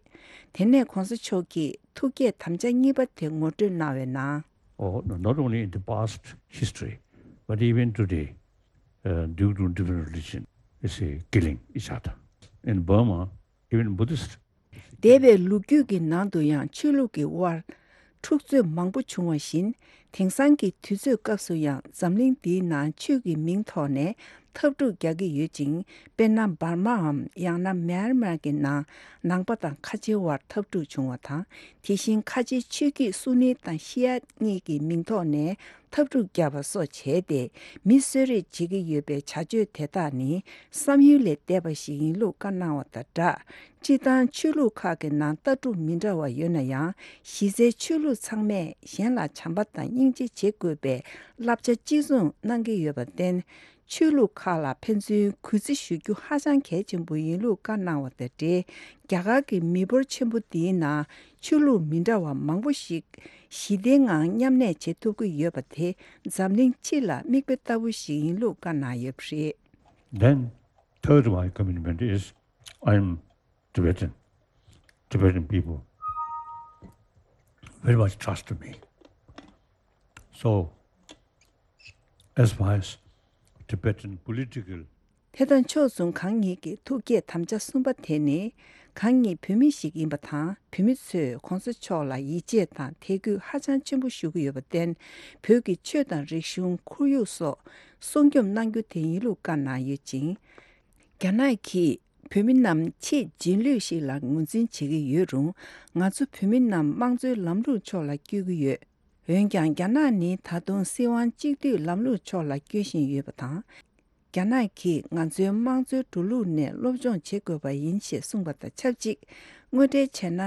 དེ་ནས་༸གོང་ས་མཆོག་གིས་ཐུགས་བསྐྱེད་དམ་བཅའ་གཉིས་པ་དེ་ངོ་སྤྲོད་གནང་བའི་ནང་། Oh, no, not only in the past history, but even today, uh, due to different religion, you see, killing each other. In Burma, even Buddhist འདས་པའི་ལོ་རྒྱུས་ཀྱི་ནང་དུ་ཡང་ཆོས་ལུགས་ཀྱི་དབར་འཁྲུག་རྩོད་མང་པོ་བྱུང་བ་བཞིན། དེང་སང་གི་དུས་ཚོད་སྐབས་སུ་ཡང་འཛམ་གླིང་འདིའི་ནང་ཆོས་ཀྱི་མིང་ཐོག་ནས་འཐབ་འཁྲུག་རྒྱག་གི་ཡོད་ཅིང་། དཔེར་ན་འབར་མའམ་ཡང་ན་མེན་མར་གྱི་ནང་ནང་པ་དང་ཁ་ཆེའི་དབར་འཐབ་འཁྲུག་བྱུང་བ་དང་། དེ་བཞིན་ཁ་ཆེའི་ཆོས་བརྒྱུད་སུ་ནི་དང་ཤི་ཡ་གཉིས་ཀྱི་མིང་ཐོག་ནས་འཐབ་འཁྲུག་བརྒྱབ་པ་སོགས་བྱས་ཏེ། མི་གསོད་རེས་བྱེད་ཀྱི་ཡོད་པའི་བྱ་སྤྱོད་དེ་དག་ནི་བསམ་ཡུལ་ལས་འདས་པ་ཞིག་ཡིན་ལུགས་བཀའ་གནང་བ་དང་སྦྲགས། སྤྱིར་བཏང་ཆོས་ལུགས་ཁག་གི་ནང་ལྟ་གྲུབ་མི་འདྲ་བ་ཡོད་ན་ཡང་། གཞི་རྩའི་ཆོས་ལུགས་ཚང་མས་གཞན་ལ་བྱམས་པ་དང་སྙིང་རྗེ་བྱེད་དགོས་པའི་བསླབ་བྱ་གཅིག་མཚུངས་གནང་གི་ཡོད་པར་བརྟེན། ཆོས་ལུགས་ཁག་ལ་ཕན་ཚུན་གུས་བརྩི་ཞུ་རྒྱུ་ཧ་ཅང་གལ་ཆེན་པོ་ཡིན་ལུགས་བཀའ་གནང་བ་དང་འབྲེལ། རྒྱ་གར་གྱི་མི་འབོར་ཆེན་པོ་འདིའི་ནང་ཆོས་ལུགས་མི་འདྲ་བ་མང་པོ་ཞིག་ཞི་བདེའི་ངང་མཉམ་གནས་བྱེད་ཐུབ་ཀྱི་ཡོད་པ་དེ་འཛམ་གླིང་སྤྱི་ལ་མིག་དཔེ་ལྟ་བུ་ཞིག་ཡིན་ལུགས་བཀའ་གནང་ཡོད་པ་རེད། Then, third, my commitment is I am Tibetan. Tibetan people very much trust me. So, as far as Tibetan political དེ་དང་ཕྱོགས་མཚུངས་གང་ཉིད་ཀྱི་ཐུགས་བསྐྱེད་དམ་བཅའ་གསུམ་པ་དེ་ནི། གང་ཉིད་བོད་མི་ཞིག་ཡིན་པ་དང་། བོད་མི་ཚོས་༸གོང་ས་མཆོག་ལ་ཡིད་ཆེས་དང་དད་གུས་ཧ་ཅང་ཆེན་པོ་ཞུ་གི་ཡོད་པར་བརྟེན། བོད་ཀྱི་ཆོས་དང་རིག་གཞུང་། ཁོར་ཡུག་སོགས་སྲུང་སྐྱོབ་གནང་རྒྱུ་དེ་ཡིན་ལུགས་བཀའ་གནང་ཡོད་ཅིང་། རྒྱ་ནག་གིས་བོད་མི་རྣམས་ཆེས་རྗེས་ལུས་ཤིག་ལ་ངོས་འཛིན་བྱེད་ཀྱི་ཡོད་རུང་། ང་ཚོ་བོད་མི་རྣམས་དམངས་གཙོའི་ལམ་ལུགས་ཕྱོགས་ལ་བསྐྱོད་ཀྱི་ཡོད། འོན་ཀྱང་། རྒྱ་ནག་ནི་ད་དུང་སྲིད་དབང་གཅིག་སྡུད་ལམ་ལུགས་ཕྱོགས་ལ་བསྐྱོད་བཞིན་ཡོད་པ་དང་། རྒྱ་ནག་གིས་ང་ཚོའི་དམངས་གཙོའི་འགྲོ་ལུགས་ནས་སློབ་སྦྱོང་བྱེད་དགོས་པ་ཡིན་ཞེས་གསུངས་པ་དང་ཆབས་ཅིག་དངོས་འབྲེལ་བྱས་ན།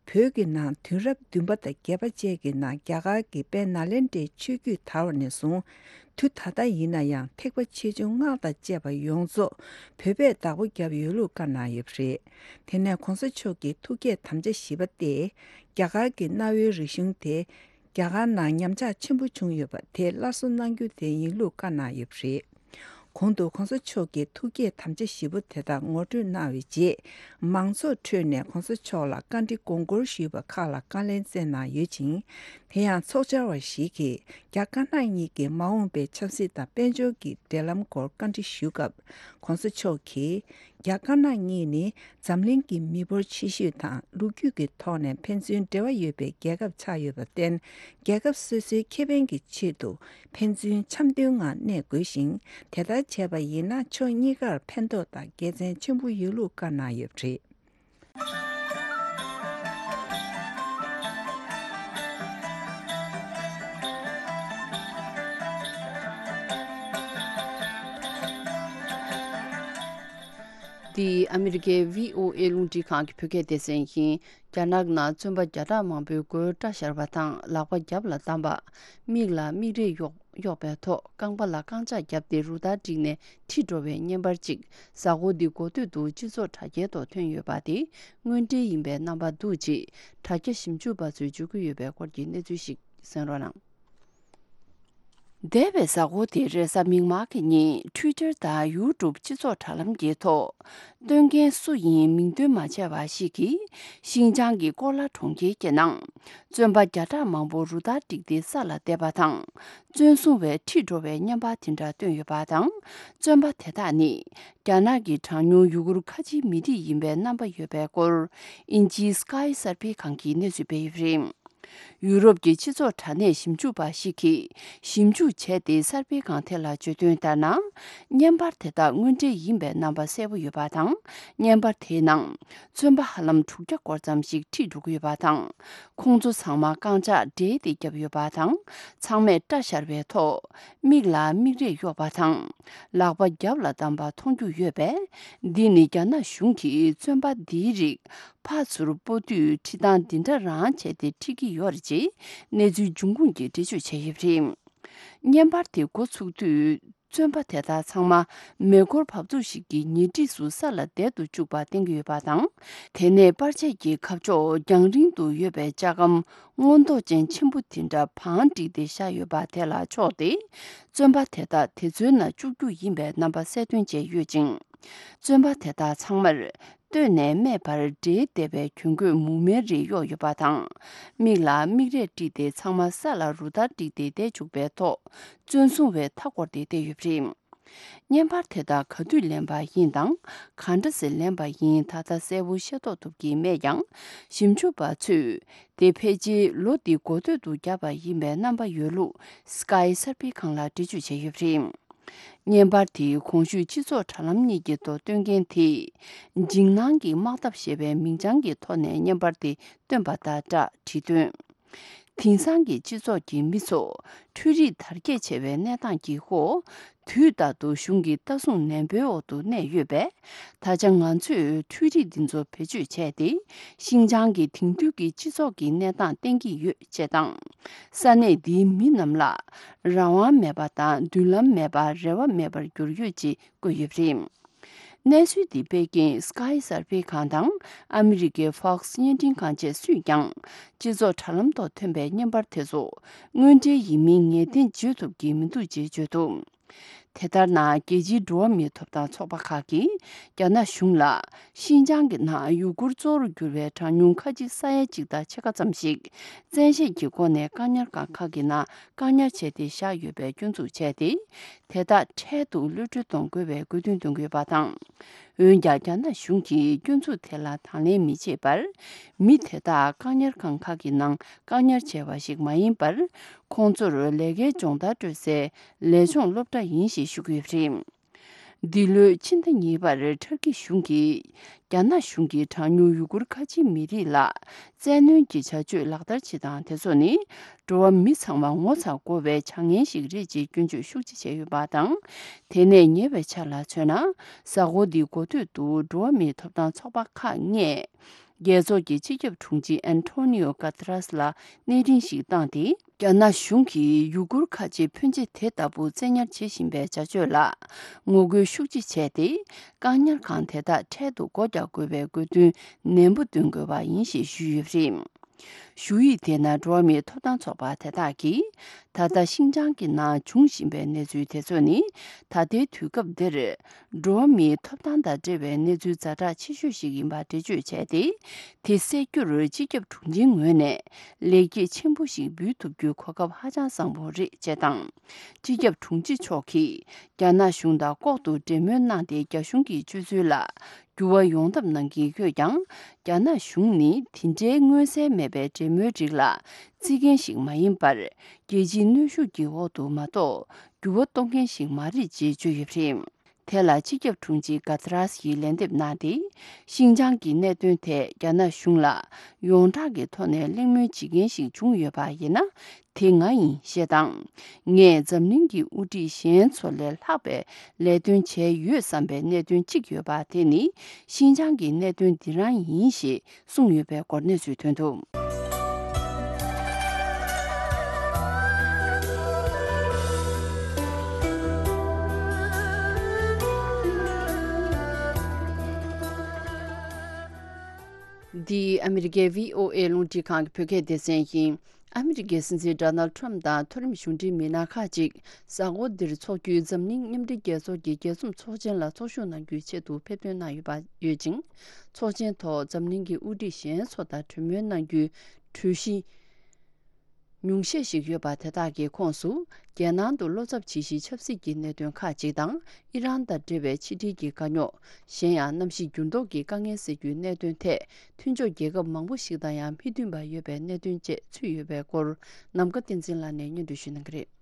བོད་ཀྱི་ནང་དུས་རབས་བདུན་པ་དང་བརྒྱད་པ་བཅས་ཀྱི་ནང་རྒྱ་གར་གྱི་དཔལ་ནཱ་ལེནྡྲའི་ཆོས་བརྒྱུད་དར་བ་ནས་བཟུང་། དུས་ད་ལྟ་ཡིན་ན་ཡང་ཐེག་པ་ཆེ་ཆུང་སྔགས་དང་བཅས་པ་ཡོངས་རྫོགས་བོད་པས་བདག་པོ་བརྒྱབ་ཡོད་ལུགས་བཀའ་གནང་ཡོད་པ་རེད། དེ་ནས་༸གོང་ས་མཆོག་གི་ཐུགས་བསྐྱེད་དམ་བཅའ་བཞི་པ་སྟེ། རྒྱ་གར་གྱི་གནའ་བོའི་རིག་གཞུང་དེ། རྒྱ་གར་ནང་ཉམས་ཆག་ཆེན་པོ་བྱུང་ཡོད་པ་དེ་སླར་གསོ་གནང་རྒྱུ་དེ་ཡིན་ལུགས་བཀའ་གནང་ཡོད་པ་རེད། གོང་དུ་༸གོང་ས་མཆོག་གིས་ཐུགས་བསྐྱེད་དམ་བཅའ་བཞི་པོ་དེ་དག་ངོ་སྤྲོད་གནང་བའི་རྗེས། མང་ཚོགས་ཁྲོད་ནས་༸གོང་ས་མཆོག་ལ་བཀའ་འདྲི་དགོངས་སྐོར་ཞུས་པ་ཁག་ལ་བཀའ་ལན་སྩལ་གནང་ཡོད་ཅིང་། དེ་ཡང་ཚོགས་བཅར་བ་ཞིག་གིས་རྒྱ་དཀར་ནག་གཉིས་ཀྱི་མ་འོངས་པའི་ཆབ་སྲིད་དང་དཔལ་འབྱོར་གྱི་འབྲེལ་ལམ་སྐོར་བཀའ་འདྲི་ཞུ་སྐབས། ༸གོང་ས་མཆོག་གིས། རྒྱ་དཀར་ནག་གཉིས་ནི་འཛམ་གླིང་གི་མི་འབོར་ཆེ་ཤོས་དང་ལོ་རྒྱུས་ཀྱི་ཐོག་ནས་ཕན་ཚུན་འབྲེལ་བ་ཡོད་པའི་རྒྱལ་ཁབ་ཆགས་ཡོད་པར་བརྟེན། རྒྱལ་ཁབ་སོ་སོའི་ཁེ་ཕན་གྱི་ཆེད་དུ་ཕན་ཚུན་འཆམ་མཐུན་ངང་གནས་དགོས་ཤིང་། དེ་ལྟར་བྱས་པ་ཡིན་ན་ཕྱོགས་གཉིས་ཀར་ཕན་ཐོགས་དང་དགེ་མཚན་ཆེན་པོ་ཡོད་ལུགས་བཀའ་གནང་ཡོད་པ་རེད། འདི་ཨ་མི་རི་ཀའི་བྷི་ཨོ་ཨེ་རླུང་འཕྲིན་ཁང་གི་བོད་སྐད་སྡེ་ཚན་ཡིན། རྒྱ་ནག་ནང་བཙོན་པ་བརྒྱ་ཕྲག་མང་པོའི་མགོའི་སྐྲ་བཞར་བ་དང་ལག་པ་རྒྱབ་ལ་བསྡམས་པ། མིག་ལ་མིག་རས་གཡོགས་གཡོགས་པའི་ཐོག་རྐང་པ་ལ་རྐང་ལྕགས་བརྒྱབ་སྟེ་རུ་སྟར་བསྒྲིགས་ནས་ཁྲིད་འགྲོ་བའི་བརྙན་པར་གཅིག་གཟའ་འཁོར་འདི་འགོ་སྟོད་དུ་སྤྱི་ཚོགས་དྲ་རྒྱའི་ཐོག་ཐོན་ཡོད་པ་དེ་དངོས་འབྲེལ་ཡིན་པའི་རྣམ་པ་འདུག་ཅེས་དྲ་རྒྱ་ཞིབ་འཇུག་པ་ཚོས་བརྗོད་ཀྱི་ཡོད་པའི་སྐོར་གྱི་གནས་ཚུལ་ཞིག་གསན་རོགས་གནང་། འདས་པའི་གཟའ་འཁོར་དེར་རེས་གཟའ་མིག་དམར་གྱི་ཉིན་Twitter་དང་YouTube་སྤྱི་ཚོགས་དྲ་ལམ་གྱི་ཐོག་སྟོན་མཁན་སུ་ཡིན་མིང་འདོན་མ་བྱས་པ་ཞིག་གིས་ཤིན་ཅང་གི་ཀོ་ལ་གྲོང་ཁྱེར་གྱི་ནང་བཙོན་པ་བརྒྱ་ཕྲག་མང་པོ་རུ་སྟར་བསྒྲིགས་ཏེ་ས་ལ་བསྡད་པ་དང་། བཙོན་སྲུང་བས་ཁྲིད་འགྲོ་བའི་བརྙན་པར་དེ་འདྲ་བཏོན་ཡོད་པ་དང་། བཙོན་པ་དེ་དག་ནི་རྒྱ་ནག་གི་གྲངས་ཉུང་ཡུ་གུར་ཁ་ཆེའི་མི་རིགས་ཡིན་པའི་རྣམ་པ་ཡོད་པའི་སྐོར་དབྱིན་ཇིའི་Sky་གསར་སྤེལ་ཁང་གིས་གནས་ཚུལ་སྤེལ་ཡོད་པ་རེད། ཡུ་རོབ་ཀྱི་སྤྱི་ཚོགས་དྲ་གནས་ཞིབ་འཇུག་པ་ཞིག་གིས་ཞིབ་འཇུག་བྱས་ཏེ་གསར་སྤེལ་ཁང་དེ་ལ་བརྗོད་དོན་ལྟར་ན། བརྙན་པར་དེ་དག་དངོས་འབྲེལ་ཡིན་པའི་རྣམ་པ་གསལ་པོ་ཡོད་པ་དང་། བརྙན་པར་དེའི་ནང་བཙོན་པ་ཧ་ལམ་དྲུག་བརྒྱ་སྐོར་ཙམ་ཞིག་ཁྲིད་འགྲོ་གི་ཡོད་པ་དང་། ཁོང་ཚོ་ཚང་མ་རྐང་ལྕགས་སྦྲེལ་ཏེ་བརྒྱབ་ཡོད་པ་དང་། ཚང་མས་སྐྲ་བཞར་བའི་ཐོག་མིག་ལ་མིག་རས་གཡོགས་པ་དང་། ལག་པ་རྒྱབ་ལ་བསྡམས་པ་མཐོང་རྒྱུ་ཡོད་པས། འདི་ནི་རྒྱ་ནག་གཞུང་གིས་བཙོན་པ་འདིའི་རིགས་ཕར་ཚུར་སྤོ་དུས་ཁྲིད་སྟངས་འདི་འདྲ་རང་བྱས་ཏེ་ཁྲིད་ཀྱི་ཡོད་རེད་ཅེས་གནས་ཚུལ་འབྱུང་ཁུངས་ཀྱིས་འགྲེལ་བརྗོད་བྱས་ཡོད་པ་རེད། བརྙན་པར་དེ་འགོ་ཚུགས་དུས་བཙོན་པ་དེ་དག་ཚང་མ་མེ་འཁོར་བབས་ཚུགས་ཤིག་གི་ཉེ་འཁྲིས་སུ་ས་ལ་བསྡད་དུ་བཅུག་པ་བསྟན་གྱི་ཡོད་པ་དང་། དེ་ནས་པར་ཆས་ཀྱི་ཁ་ཕྱོགས་རྒྱང་རིང་དུ་ཡོད་པའི་ལྕགས་སྒམ་སྔོ་མདོག་ཅན་ཆེན་པོ་དེ་འདྲ་བང་བསྒྲིགས་ཏེ་བཞག་ཡོད་པ་དེ་ལ་ཕྱོགས་ཏེ། བཙོན་པ་དེ་དག་དེ་ཚོའི་ནང་བཅུག་རྒྱུ་ཡིན་པའི་རྣམ་པ་གསལ་སྟོན་བྱས་ཡོད་ཅིང་། བཙོན་པ་དེ་དག་ཚང་མར་སྟོད་ནས་སྨད་བར་སྦྲེལ་བསྡད་པའི་གྱོན་གོས་མུ་མེན་རེ་གཡོགས་ཡོད་པ་དང་། མིག་ལ་མིག་རས་དཀྲིས་ཏེ་ཚང་མ་ས་ལ་རུ་སྟར་བསྒྲིགས་ཏེ་བསྡད་བཅུག་པའི་ཐོག་བཙོན་སྲུང་བས་མཐའ་བསྐོར་ཏེ་བསྡད་ཡོད་པ་རེད། བརྙན་པར་དེ་དག་ག་དུས་ལེན་པ་ཡིན་དང་། ག་འདྲ་སེ་ལེན་པ་ཡིན་ད་ལྟ་གསལ་པོ་ཤེས་རྟོགས་ཐུབ་ཀྱི་མེད་ཀྱང་། ཞིབ་འཇུག་པ་ཚོས་དེ་ཕལ་ཆེར་ལོ་འདི་འགོ་སྟོད་དུ་བརྒྱབ་པ་ཡིན་པའི་རྣམ་པ་ཡོད་ལུགས་Sky་གསར་སྤེལ་ཁང་ལ་འགྲེལ་བརྗོད་བྱས་ཡོད་པ་རེད། བརྙན་པར་དེའི་གོང་ཞུས་སྤྱི་ཚོགས་དྲ་ལམ་གཉིས་ཀྱི་ཐོག་སྟོན་མཁན་དེས། འཇིགས་སྣང་གི་དམག་འཐབ་ཞེས་པའི་མིང་བྱང་གི་ཐོག་ནས་བརྙན་པར་དེ་བཏོན་པ་དང་སྦྲགས་བྲིས་དོན། དེང་སང་གི་སྤྱི་ཚོགས་ཀྱི་མི་ཚོ་འཕྲུལ་རིག་དར་རྒྱས་ཆེ་བའི་གནས་སྟངས་ཀྱི་འོག་དུས་རྟག་ཏུ་གཞུང་གི་ལྟ་སྲུང་ནན་པོའི་འོག་ཏུ་གནས་ཡོད་པས། ད་ཆ་ང་ཚོས་འཕྲུལ་རིག་འདི་ཚོ་བེད་སྤྱོད་བྱས་ཏེ། ཤིན་ཅང་གི་དེང་དུས་ཀྱི་སྤྱི་ཚོགས་ཀྱི་གནས་སྟངས་བསྟན་གྱི་ཡོད་ཅེས་དང་། ས་གནས་འདིའི་མི་རྣམས་ལ་རང་དབང་མེད་པ་དང་མདུན་ལམ་མེད་པར་རེ་བ་མེད་པར་གྱུར་ཡོད་ཅེས་བཀོད་ཡོད་པ་རེད། གནས་ཚུལ་འདི་སྤེལ་མཁན་Sky་གསར་སྤེལ་ཁང་དང་ཨ་མི་རི་ཀའི་Fox་བརྙན་འཕྲིན་ཁང་བཅས་སུས་ཀྱང་སྤྱི་ཚོགས་དྲ་ལམ་ཐོག་ཐོན་པའི་བརྙན་པར་དེ་ཚོ་དངོས་འབྲེལ་ཡིན་མིན་ངེས་གཏན་བརྗོད་ཐུབ་ཀྱི་མི་འདུག་ཅེས་བརྗོད་འདུག་དེ་ལྟར་ན། རྒྱལ་སྤྱིའི་འགྲོ་བ་མིའི་ཐོབ་ཐང་ཚོགས་པ་ཁག་གིས་རྒྱ་ནག་གཞུང་ལ་ཤིན་ཅང་གི་ནང་ཡུ་གུར་གཙོ་བོར་གྱུར་བའི་གྲངས་ཉུང་ཁ་ཆེ་ས་ཡ་གཅིག་དང་ཕྱེད་ཀ་ཙམ་ཞིག་བཙན་ཤེད་ཀྱི་སྒོ་ནས་བཀག་ཉར་ཁང་ཁག་གི་ནང་བཀག་ཉར་བྱས་ཏེ་བཞག་ཡོད་པའི་སྐྱོན་འཛུགས་བྱས་ཏེ། དེ་དག་འཕྲལ་དུ་གློད་གྲོལ་གཏོང་དགོས་པའི་དགོས་འདུན་འདོན་གྱི་ཡོད་པ་དང་། འོན་ཀྱང་། རྒྱ་ནག་གཞུང་གིས་སྐྱོན་འཛུགས་དེ་ལ་དང་ལེན་མི་བྱེད་པར། མི་དེ་དག་བཀག་ཉར་ཁང་ཁག་གི་ནང་བཀག་ཉར་བྱས་པ་ཞིག་མ་ཡིན་པར། ཁོང་ཚོར་ལས་ཀའི་སྦྱོང་བརྡར་སྤྲོད་སའི་ལས་སྦྱོང་སློབ་གྲྭ་ཡིན་ཞེས་ཞུ་གི་ཡོད་པ་རེད། འདི་ལོའི་ཕྱི་ཟླ་གཉིས་པར་ཊར་ཀི་གཞུང་གིས། རྒྱ་ནག་གཞུང་གིས་གྲངས་ཉུང་ཡུ་གུར་ཁ་ཆེའི་མི་རིགས་ལ་བཙན་གནོན་གྱི་བྱ་སྤྱོད་ལག་བསྟར་བྱེད་སྟངས་དེ་ཚོ་ནི། འགྲོ་བ་མི་ཚང་མ་ངོ་ཚ་དགོས་པའི་བྱ་ངན་ཞིག་རེད་ཅེས་སྐྱོན་བརྗོད་ཤུགས་ཆེ་བྱས་ཡོད་པ་དང་། དེ་ནས་ཉེ་བའི་ཆར་ལ་མཚོན་ན། གཟའ་འཁོར་འདིའི་འགོ་སྟོད་དུ་འགྲོ་བ་མིའི་ཐོབ་ཐང་ཚོགས་པ་ཁག་ལྔས། རྒྱལ་ཚོགས་ཀྱི་སྤྱི་ཁྱབ་དྲུང་ཆེ་ཨན་ཐོ་ནི་ཨོ་ག་ཏ་རཱས་ལ་གནས་འཕྲིན་ཞིག་བཏང་སྟེ། རྒྱ་ནག་གཞུང་གིས་ཡུ་གུར་ཁ་ཆེ་ཕོན་ཆེ་དེ་ལྟ་བུ་བཙན་ཉར་བྱེད་བཞིན་པའི་བྱ་སྤྱོད་ལ་ངོ་རྒོལ་ཤུགས་ཆེ་བྱས་ཏེ། བཀག་ཉར་ཁང་དེ་དག་འཕྲལ་དུ་སྒོ་རྒྱག་དགོས་པའི་དགོས་འདུན་ནན་པོ་འདོན་དགོས་པ་ཡིན་ཞེས་ཞུས་ཡོད་པ་རེད། ཞུ་ཡིག་དེ་ནང་འགྲོ་བ་མིའི་ཐོབ་ཐང་ཚོགས་པ་དེ་དག་གིས། ད་ལྟ་ཤིན་ཅང་གི་ནང་འབྱུང་བཞིན་པའི་གནས་ཚུལ་དེ་ཚོ་ནི། ད་ལྟའི་དུས་སྐབས་འདིར། འགྲོ་བ་མིའི་ཐོབ་ཐང་དང་འབྲེལ་བའི་གནས་ཚུལ་ཛ་དྲག་ཆེ་ཤོས་ཤིག་ཡིན་པ་འགྲེལ་བརྗོད་བྱས་ཏེ། དེ་སེལ་རྒྱུར་སྤྱི་ཁྱབ་དྲུང་ཆེའི་ངོས་ནས་ལེགས་སྐྱེས་ཆེན་པོ་ཞིག་འབུལ་ཐུབ་རྒྱུའི་གོ་སྐབས་ཧ་ཅང་བཟང་པོ་རེད་ཅེས་དང་། སྤྱི་ཁྱབ་དྲུང་ཆེ་མཆོག་གིས་རྒྱ་ནག་གཞུང་དང་ལྐོག་ཏུ་འབྲེལ་མོལ་གནང་སྟེ། རྒྱ་གཞུང་གི་སྤྱོད་ཚུལ་ལ་འགྱུར་བ་ཡོང་ཐབས་གནང་གི་ཡོད་ཀྱང་། རྒྱ་ནག་གཞུང་ནི་དེ་འདྲའི་མངོན་གསལ་མེད་པའི་འབྲེལ་མོལ་རིགས་ལ་བརྩི་མཁན་ཞིག་མ་ཡིན་པར། རྒྱལ་སྤྱིའི་གནོན་ཤུགས་ཀྱི་འོག་ཏུ་མ་གཏོགས། འགྱུར་བ་གཏོང་མཁན་ཞིག་མ་རེད་ཅེས་བརྗོད་ཡོད་པ་རེད། དེ་ལ་སྤྱི་ཁྱབ་དྲུང་ཆེ་ག་ཏི་རཱས་ཡིས་ལན་འདེབས་གནང་སྟེ། ཤིན་ཅང་གི་གནད་དོན་ཐད་རྒྱ་ནག་གཞུང་ལ་ཡོངས་གྲགས་ཀྱི་ཐོག་ནས་གླེང་མོལ་བྱེད་མཁན་ཞིག་བྱུང་ཡོད་པ་ཡིན་ན། དེ་ང་ཡིན་ཞེས་དང་། ངས་འཛམ་གླིང་གི་དབུ་ཁྲིད་གཞན་ཚོ་ལས་ལྷག་པའི་ལས་དོན་བྱས་ཡོད་བསམ་པའི་གནད་དོན་གཅིག་ཡོད་པ་དེ་ནི་ཤིན་ཅང་གི་གནད་དོན་འདི་རང་ཡིན་ཞེས་གསུངས་ཡོད་པའི་སྐོར་གནས་ཚུལ་ཐོན་འདུག། འདི་ཨ་མི་རི་ཀའི་བྷི་ཨོ་ཨེ་རླུང་འཕྲིན་ཁང་གི་བོད་སྐད་སྡེ་ཚན་ཡིན། ཨ་མི་རི་ཀའི་སྲིད་འཛིན་ཌོ་ནལ་ཌི་ཊརམ་ཕི་དང་མཐོ་རིམ་གཞུང་འབྲེལ་མི་སྣ་ཁག་ཅིག་གཟའ་འཁོར་འདིར་འཚོགས་རྒྱུའི་འཛམ་གླིང་མཉམ་འབྲེལ་རྒྱལ་ཚོགས་ཀྱི་རྒྱལ་འཛོམས་ཚོགས་ཆེན་ལ་ཚོགས་ཞུགས་གནང་རྒྱུའི་ཆེད་དུ་ཕེབས་ཐོན་གནང་ཡོད་པ་ཡོད་ཅིང་། ཚོགས་ཆེན་ཐོག་འཛམ་གླིང་གི་དབུ་ཁྲིད་གཞན་ཚོ་དང་གྲོས་མོལ་གནང་རྒྱུའི་གྲོས་གཞི་ཉུང་ཤས་ཤིག་ཡོད་པ་དེ་དག་གི་ཁོངས་སུ། རྒྱལ་ནང་དུ་བློ་འཚབ་བྱེད་གཞིའི་ཆབ་སྲིད་ཀྱི་གནད་དོན་ཁག་ཅིག་དང་། ཨི་རན་དང་འབྲེལ་བའི་ཕྱི་འབྲེལ་གྱི་དཀའ་རྙོག་གཞན་ཡང་གནམ་གཤིས་འགྱུར་ལྡོག་གི་དཀའ་ངལ་སེལ་རྒྱུའི་གནད་དོན་ཐད། མཐུན་ཕྱོགས་རྒྱལ་ཁབ་མང་པོ་ཞིག་དང་ཡང་མི་མཐུན་པ་ཡོད་པའི་གནད་དོན་བཅས་ཚུད་ཡོད་པའི་སྐོར། ནམ་མཁའ་བསྟན་འཛིན་ལགས་ནས་སྙན་སྒྲོན་ཞུ་གནང་གི་རེད།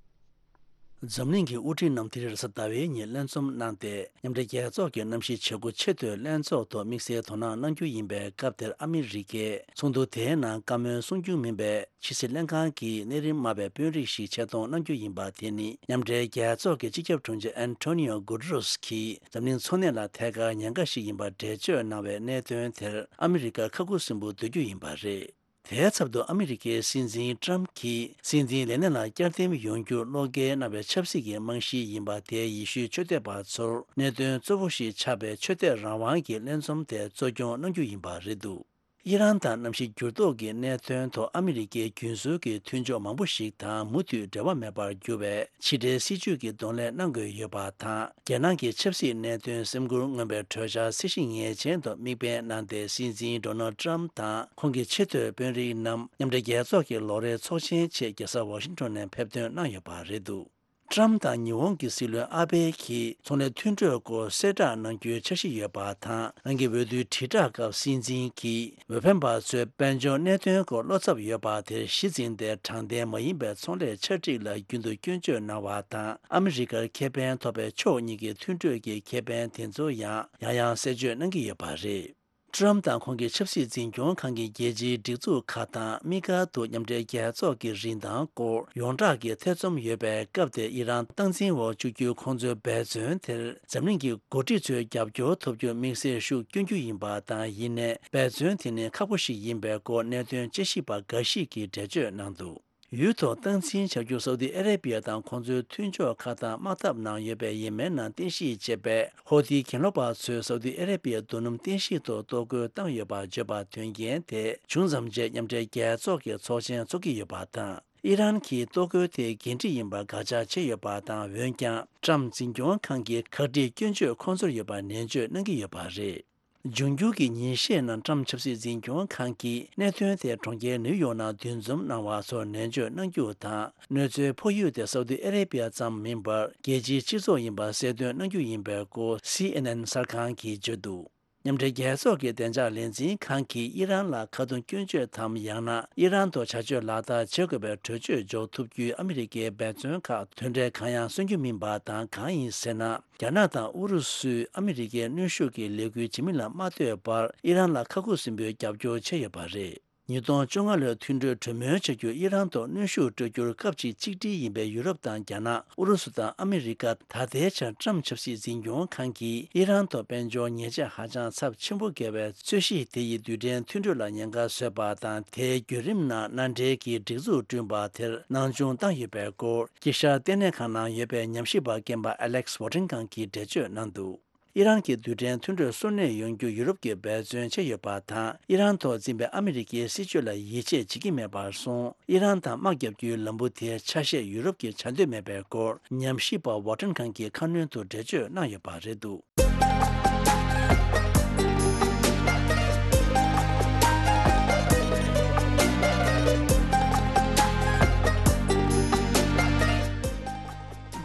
འཛམ་གླིང་གི་དབུ་ཁྲིད་རྣམས་དེ་རིང་རེས་གཟའ་ཟླ་བའི་ཉིན་ལྷན་འཛོམས་གནང་སྟེ། མཉམ་འབྲེལ་རྒྱལ་ཚོགས་ཀྱི་གནམ་གཤིས་བྱེད་སྒོ་ཆེ་བསྟོད་ལྷན་ཚོགས་ཐོག་དམིགས་བསལ་དོ་སྣང་གནང་རྒྱུ་ཡིན་པའི་སྐབས་དེར། ཨ་མི་རི་ཀས་ཚོགས་འདུ་དེའི་ནང་བཀའ་མོལ་གསུང་རྒྱུ་མིན་པའི། ཕྱི་སྲིད་ལྷན་ཁང་གི་གནས་རིམ་དམའ་བའི་དཔོན་རིགས་ཤིག་ཆེད་གཏོང་གནང་རྒྱུ་ཡིན་པ་དེ་ནི། མཉམ་འབྲེལ་རྒྱལ་ཚོགས་ཀྱི་སྤྱི་ཁྱབ་དྲུང་ཆེ་ཨན་ཐོ་ནི་ཡོ་གུ་ཏེ་རོས་ཀྱིས་འཛམ་གླིང་འཚོ་གནས་ལ་ཐད་ཀར་ཉེན་ཁ་ཞིག་ཡིན་པར་འགྲེལ་བརྗོད་གནང་བའི་གནད་དོན་དེར། ཨ་མི་རི་ཀ་ཁ་ཁུ་སིམ་པོ་སྡོད་རྒྱུ་ཡིན་པ་རེད། དེའི་ཚབ་ཏུ། ཨ་མི་རི་ཀའི་སྲིད་འཛིན་ཏྲམ་གྱིས་སྲིད་འཛིན་ལས་གནས་ལ་བསྐྱར་འདེམས་ཡོང་རྒྱུ་བློ་འགེལ་གནང་བའི་ཆབ་སྲིད་ཀྱི་རྨང་གཞི་ཡིན་པ་དེ། ཡེ་ཤུའི་ཆོས་དད་པ་ཚོར་གནད་དོན་གཙོ་བོ་ཞིག་ཆགས་པའི་ཆོས་དད་རང་དབང་གི་ལྷན་འཛོམས་དེ་གཙོ་སྐྱོང་གནང་རྒྱུ་ཡིན་པ་རེད་འདུག། ཨི་རན་དང་གནམ་གཤིས་འགྱུར་ལྡོག་གི་གནད་དོན་ཐོག་ཨ་མི་རི་ཀའི་རྒྱུན་སྲོལ་གྱི་མཐུན་ཕྱོགས་མང་པོ་ཞིག་དང་མུ་མཐུད་འབྲེལ་བ་མེད་པར་གྱུར་བའི་ཕྱི་འབྲེལ་སྲིད་ཇུས་ཀྱི་གདོང་ལེན་གནང་དགོས་ཡོད་པ་དང་། རྒྱལ་ནང་གི་ཆབ་སྲིད་གནད་དོན་སེམས་ཁུར་མངོན་པའི་གྲོས་འཆར་གཟི་བརྗིད་ངེས་ཅན་དུ་དམིགས་འབེན་གནང་སྟེ། སྲིད་འཛིན་ཌོ་ནལ་ཌི་ཊརམ་ཕི་དང་ཁོང་གི་ཆེས་མཐོའི་དཔོན་རིགས་རྣམས་མཉམ་འབྲེལ་རྒྱལ་ཚོགས་ཀྱི་ལོ་རེའི་ཚོགས་ཆེན་ཆེད་རྒྱལ་ས་ཝ་ཤིང་ཊོན་ནས་ཕེབས་ཐོན་གནང་ཡོད་པ་རེད་འདུག། ཊརམ་ཕི་དང་ཉི་ཧོང་གི་སྲིད་བློན་ཨ་བྷེ་གྱིས་ཚོང་ལས་མཐུན་གྲོས་སྐོར་གསལ་བསྒྲགས་གནང་རྒྱུའི་འཆར་གཞི་ཡོད་པ་དང་། རང་གི་འོས་བསྡུའི་དྲིལ་བསྒྲགས་སྐབས། སྲིད་འཛིན་གྱིས་འོས་འཕེན་པ་ཚོའི་དཔལ་འབྱོར་གནད་དོན་སྐོར་བློ་འཚབ་ཡོད་པ་དེར་གཞི་འཛིན་ཏེ། དྲང་བདེན་མ་ཡིན་པའི་ཚོང་ལས་ཆ་སྒྲིག་ལ་རྒྱུན་དུ་སྐྱོན་བརྗོད་གནང་བ་དང་། ཨ་མི་རི་ཀར་ཁེ་ཕན་ཐོབ་པའི་ཕྱོགས་གཉིས་ཀྱི་མཐུན་གྲོས་ཀྱི་ཁེ་ཕན་དེ་ཚོ་ཡང་ཡང་ཡང་གསལ་བརྗོད་གནང་གི་ཡོད་པ་རེད། ཊརམ་ཕི་དང་ཁོང་གི་ཆབ་སྲིད་འཛིན་སྐྱོང་ཁང་གི་རྒྱལ་སྤྱིའི་སྒྲིག་འཛུགས་ཁག་དང་། དམིགས་བཀར་དུ་མཉམ་འབྲེལ་རྒྱལ་ཚོགས་ཀྱི་རིན་ཐང་སྐོར་ཡོངས་གྲགས་ཀྱི་ཐེ་ཚོམ་ཡོད་པའི་སྐབས་དེར། ཨི་རན་སྟངས་འཛིན་འོག་བཅུག་རྒྱུའི་ཁོང་ཚོའི་འབད་བརྩོན་དེར། འཛམ་གླིང་གི་འགོ་ཁྲིད་ཚོའི་རྒྱབ་སྐྱོར་ཐོབ་རྒྱུར་དམིགས་བསལ་ཤུགས་བསྐྱོན་རྒྱུ་ཡིན་པ་དང་། ཡིན་ནའི། འབད་བརྩོན་དེ་ནི་ཁག་པོ་ཞིག་ཡིན་པའི་སྐོར། གནད་དོན་དཔྱད་ཞིབ་པ་འགའ་ཞིག་གིས་འགྲེལ་བརྗོད་གནང་འདུག། ཡུལ་ཐོག་སྟངས་འཛིན་བྱ་རྒྱུར་སའུ་ཏི་ཨ་རེ་བི་ཡ་དང་ཁོང་ཚོའི་མཐུན་ཕྱོགས་ཁག་དང་དམག་འཐབ་ནང་ཡོད་པའི་ཡེ་མེན་ནང་རྟེན་གཞི་བྱས་པའི་ཧོ་ཏི་གྱེན་ལོག་པ་ཚོས་སའུ་ཏི་ཨ་རེ་བི་ཡ་རྡོ་སྣུམ་རྟེན་གཞི་ཐོག་གཏོར་རྒོལ་བཏང་ཡོད་པ་བརྗོད་པ་དོན་རྐྱེན་དེ་བྱུང་ཙམ་རྗེས། མཉམ་འབྲེལ་རྒྱལ་ཚོགས་ཀྱི་ཚོགས་ཆེན་འཚོགས་ཀྱི་ཡོད་པ་དང་། ཨི་རན་གྱིས་གཏོར་རྒོལ་དེ་འགན་འཁྲི་ཡིན་པར་དགག་བྱ་བྱས་ཡོད་པ་དང་། འོན་ཀྱང་། ཊརམ་ཕི་འཛིན་སྐྱོང་ཁང་གིས་ག་སྒྲིག་སྐྱོན་བརྗོད་ཁོང་ཚོར་ཡོད་པར་ནན་བརྗོད་གནང་གི་ཡོད་པ་རེད། འབྱུང་འགྱུར་གྱི་ཉིན་ཤས་ནང་ཊརམ་ཕི་ཆབ་སྲིད་འཛིན་སྐྱོང་ཁང་གིས་གནད་དོན་དེ་གྲོང་ཁྱེར་ནིའུ་ཡོག་ནང་འདུ་འཛོམས་གནང་བ་ཚོར་ནན་བརྗོད་གནང་རྒྱུ་དང་། གནོད་འཚེའི་ཕོག་ཡུལ་དེ་སའུ་ཏི་ཨ་རེ་བི་ཡ་ཙམ་མིན་པར། རྒྱལ་སྤྱིའི་སྤྱི་ཚོགས་ཡིན་པ་གསལ་སྟོན་གནང་རྒྱུ་ཡིན་པའི་སྐོར། སི་ཨེན་ཨེན་གསར་ཁང་གིས་བརྗོད་འདུག། མཉམ་འབྲེལ་རྒྱལ་ཚོགས་ཀྱི་བདེ་འཇགས་ལས་འཛིན་ཁང་གིས་ཨི་རན་ལ་ཁ་རྡུང་སྐྱོན་བརྗོད་དམ། ཡང་ན་ཨི་རན་ཐོག་བྱ་སྤྱོད་ལག་བསྟར་བྱེད་དགོས་པའི་གྲོས་ཆོད་འཇོག་ཐུབ་རྒྱུའི་ཨ་མི་རི་ཀའི་འབད་བརྩོན་ཁག་དོན་འབྲས་གང་ཡང་སོན་རྒྱུ་མིན་པ་དང་། གང་ཡིན་ཟེར་ན། རྒྱ་ནག་དང་ཨུ་རུ་སུས་ཨ་མི་རི་ཀའི་གནོན་ཤུགས་ཀྱི་ལས་འགུལ་ཇི་མི་ལ་མ་ལྟོས་པར། ཨི་རན་ལ་ཁ་ཁུ་སིམ་པོའི་རྒྱབ་སྐྱོར་བྱས་ཡོད་པ་རེད། ཉིས་སྟོང་བཅོ་ལྔ་ལོའི་མཐུན་གྲོས་གྲོས་མོལ་བྱ་རྒྱུར་ཨི་རན་ཐོག་གནོན་ཤུགས་སྤྲོད་རྒྱུར་སྐབས་གཅིག་གཅིག་སྒྲིལ་ཡིན་པའི་ཡུ་རོབ་དང་རྒྱ་ནག། ཨུ་རུ་སུ་དང་ཨ་མི་རི་ཀ། ད་ལྟའི་ཆར་ཊརམ་ཕི་ཆབ་སྲིད་འཛིན་སྐྱོང་ཁང་གིས་ཨི་རན་ཐོག་དཔལ་འབྱོར་ཉེས་ཆད་ཧ་ཅང་ཚབས་ཆེན་པོ་འགེལ་བའི་རྩོད་གཞི་དེ་ཡིས་རྡུལ་ཕྲན་མཐུན་གྲོས་ལ་ཉེན་ཁ་བཟོས་པ་དང་། དེའི་བརྒྱུད་རིམ་ནང་མནའ་འབྲེལ་གྱི་སྒྲིག་འཛུགས་བསྐྲུན་པ་དེར་སྣང་ཆུང་བཏང་ཡོད་པའི་སྐོར། དཀྱིལ་ཤར་ལྟེ་གནས་ཁང་ནང་ཡོད་པའི་ཉམས་ཞིབ་པ་རྒན་པ་ཨ་ལེག་སི་ཝོ་ཊིན་ཁང་གིས་འགྲེལ་བརྗོད་གནང་འདུག། ཨི་རན་གྱི་རྡུལ་ཕྲན་མཐུན་གྲོས་སོར་གནས་ཡོང་རྒྱུ་ཡུ་རོབ་ཀྱིས་འབད་བརྩོན་བྱས་ཡོད་པ་དང་། ཨི་རན་ཐོག་འཛིན་པའི་ཨ་མི་རི་ཀའི་སྲིད་བྱུས་ལ་ཡིད་ཆེས་བྱེད་ཀྱི་མེད་པར་སོང་། ཨི་རན་དང་དམག་རྒྱག་རྒྱུའི་ལམ་བུ་དེའི་ཆ་ཤས་ཡུ་རོབ་ཀྱིས་བྱ་འདོད་མེད་པའི་སྐོར། ཉམས་ཞིབ་པ་ཝོ་ཊོན་ཁང་གིས་ཁ་སྣོན་དུ་འགྲེལ་བརྗོད་གནང་ཡོད་པ་རེད་འདུག།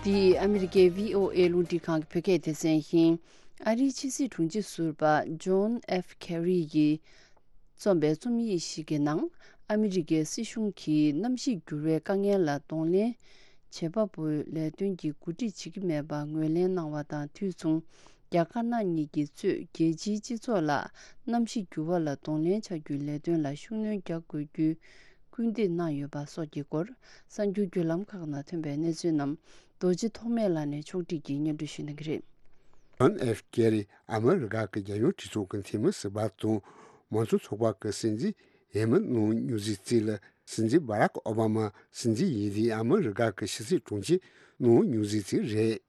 འདི་ཨ་མི་རི་ཀའི་བྷི་ཨོ་ཨེ་རླུང་འཕྲིན་ཁང་གི་བོད་སྐད་སྡེ་ཚན་ཡིན། ཨ་རིའི་ཕྱི་སྲིད་དྲུང་ཆེ་ཟུར་པ་ཇོན་ཨེཕ་ཁེ་རི་ཡིས་རྩོམ་པའི་རྩོམ་ཡིག་ཞིག་གི་ནང་། ཨ་མི་རི་ཀའི་སྲིད་གཞུང་གིས་གནམ་གཤིས་འགྱུར་བའི་དཀའ་ངལ་ལ་གདོང་ལེན་ བྱེད་པ་པོའི་ལས་དོན་གྱི་གོ་སྒྲིག་བྱེད་ཀྱི་མེད་པ་ངོས་ལེན་གནང་བ་དང་དུས་མཚུངས། རྒྱ་དཀར་ནག་གཉིས་ཀྱིས་གཙོས་རྒྱལ་སྤྱིའི་སྤྱི་ཚོགས་ལ་གནམ་གཤིས་འགྱུར་བ་ལ་གདོང་ལེན་བྱ་རྒྱུའི་ལས་དོན་ལ་ཤུགས་སྣོན་རྒྱག་དགོས་རྒྱུའི་སྐུལ་འདེད་གནང་ཡོད་པ་སོགས་ཀྱི་སྐོར་གསར་འགྱུར་བརྒྱུད་ལམ་ཁག་ནང་ཐོན་པའི་གནས་ཚུལ་རྣམས་རྡོ་རྗེ་ཐོགས་མེད་ལགས་ནས་ཕྱོགས་སྒྲིག་གིས་སྙན་སྒྲོན་ཞུ་གནང་གི་རེད། ཇོན་ཨེཕ་ཀེ་རི་ཨ་མི་རི་ཀ་གི་རྒྱལ་ཡོངས་གྲོས་ཚོགས་ཀྱི་འཐུས་མི་ཟུར་པ་དང་མང་གཙོ་ཚོགས་པ་གི་སྲིད་འཛིན་ཡེ་མི་ནང་མྱུལ་ཟིག་རྩིས་ལ། སྲིད་འཛིན་བྷ་རག་ཨོ་བྷ་མ་སྲིད་འཛིན་ཡིན་དུས་ཨ་མི་རི་ཀ་གི་ཕྱི་སྲིད་དྲུང་ཆེ་ནང་མྱུལ་ཟིག་རྩིས་རེད།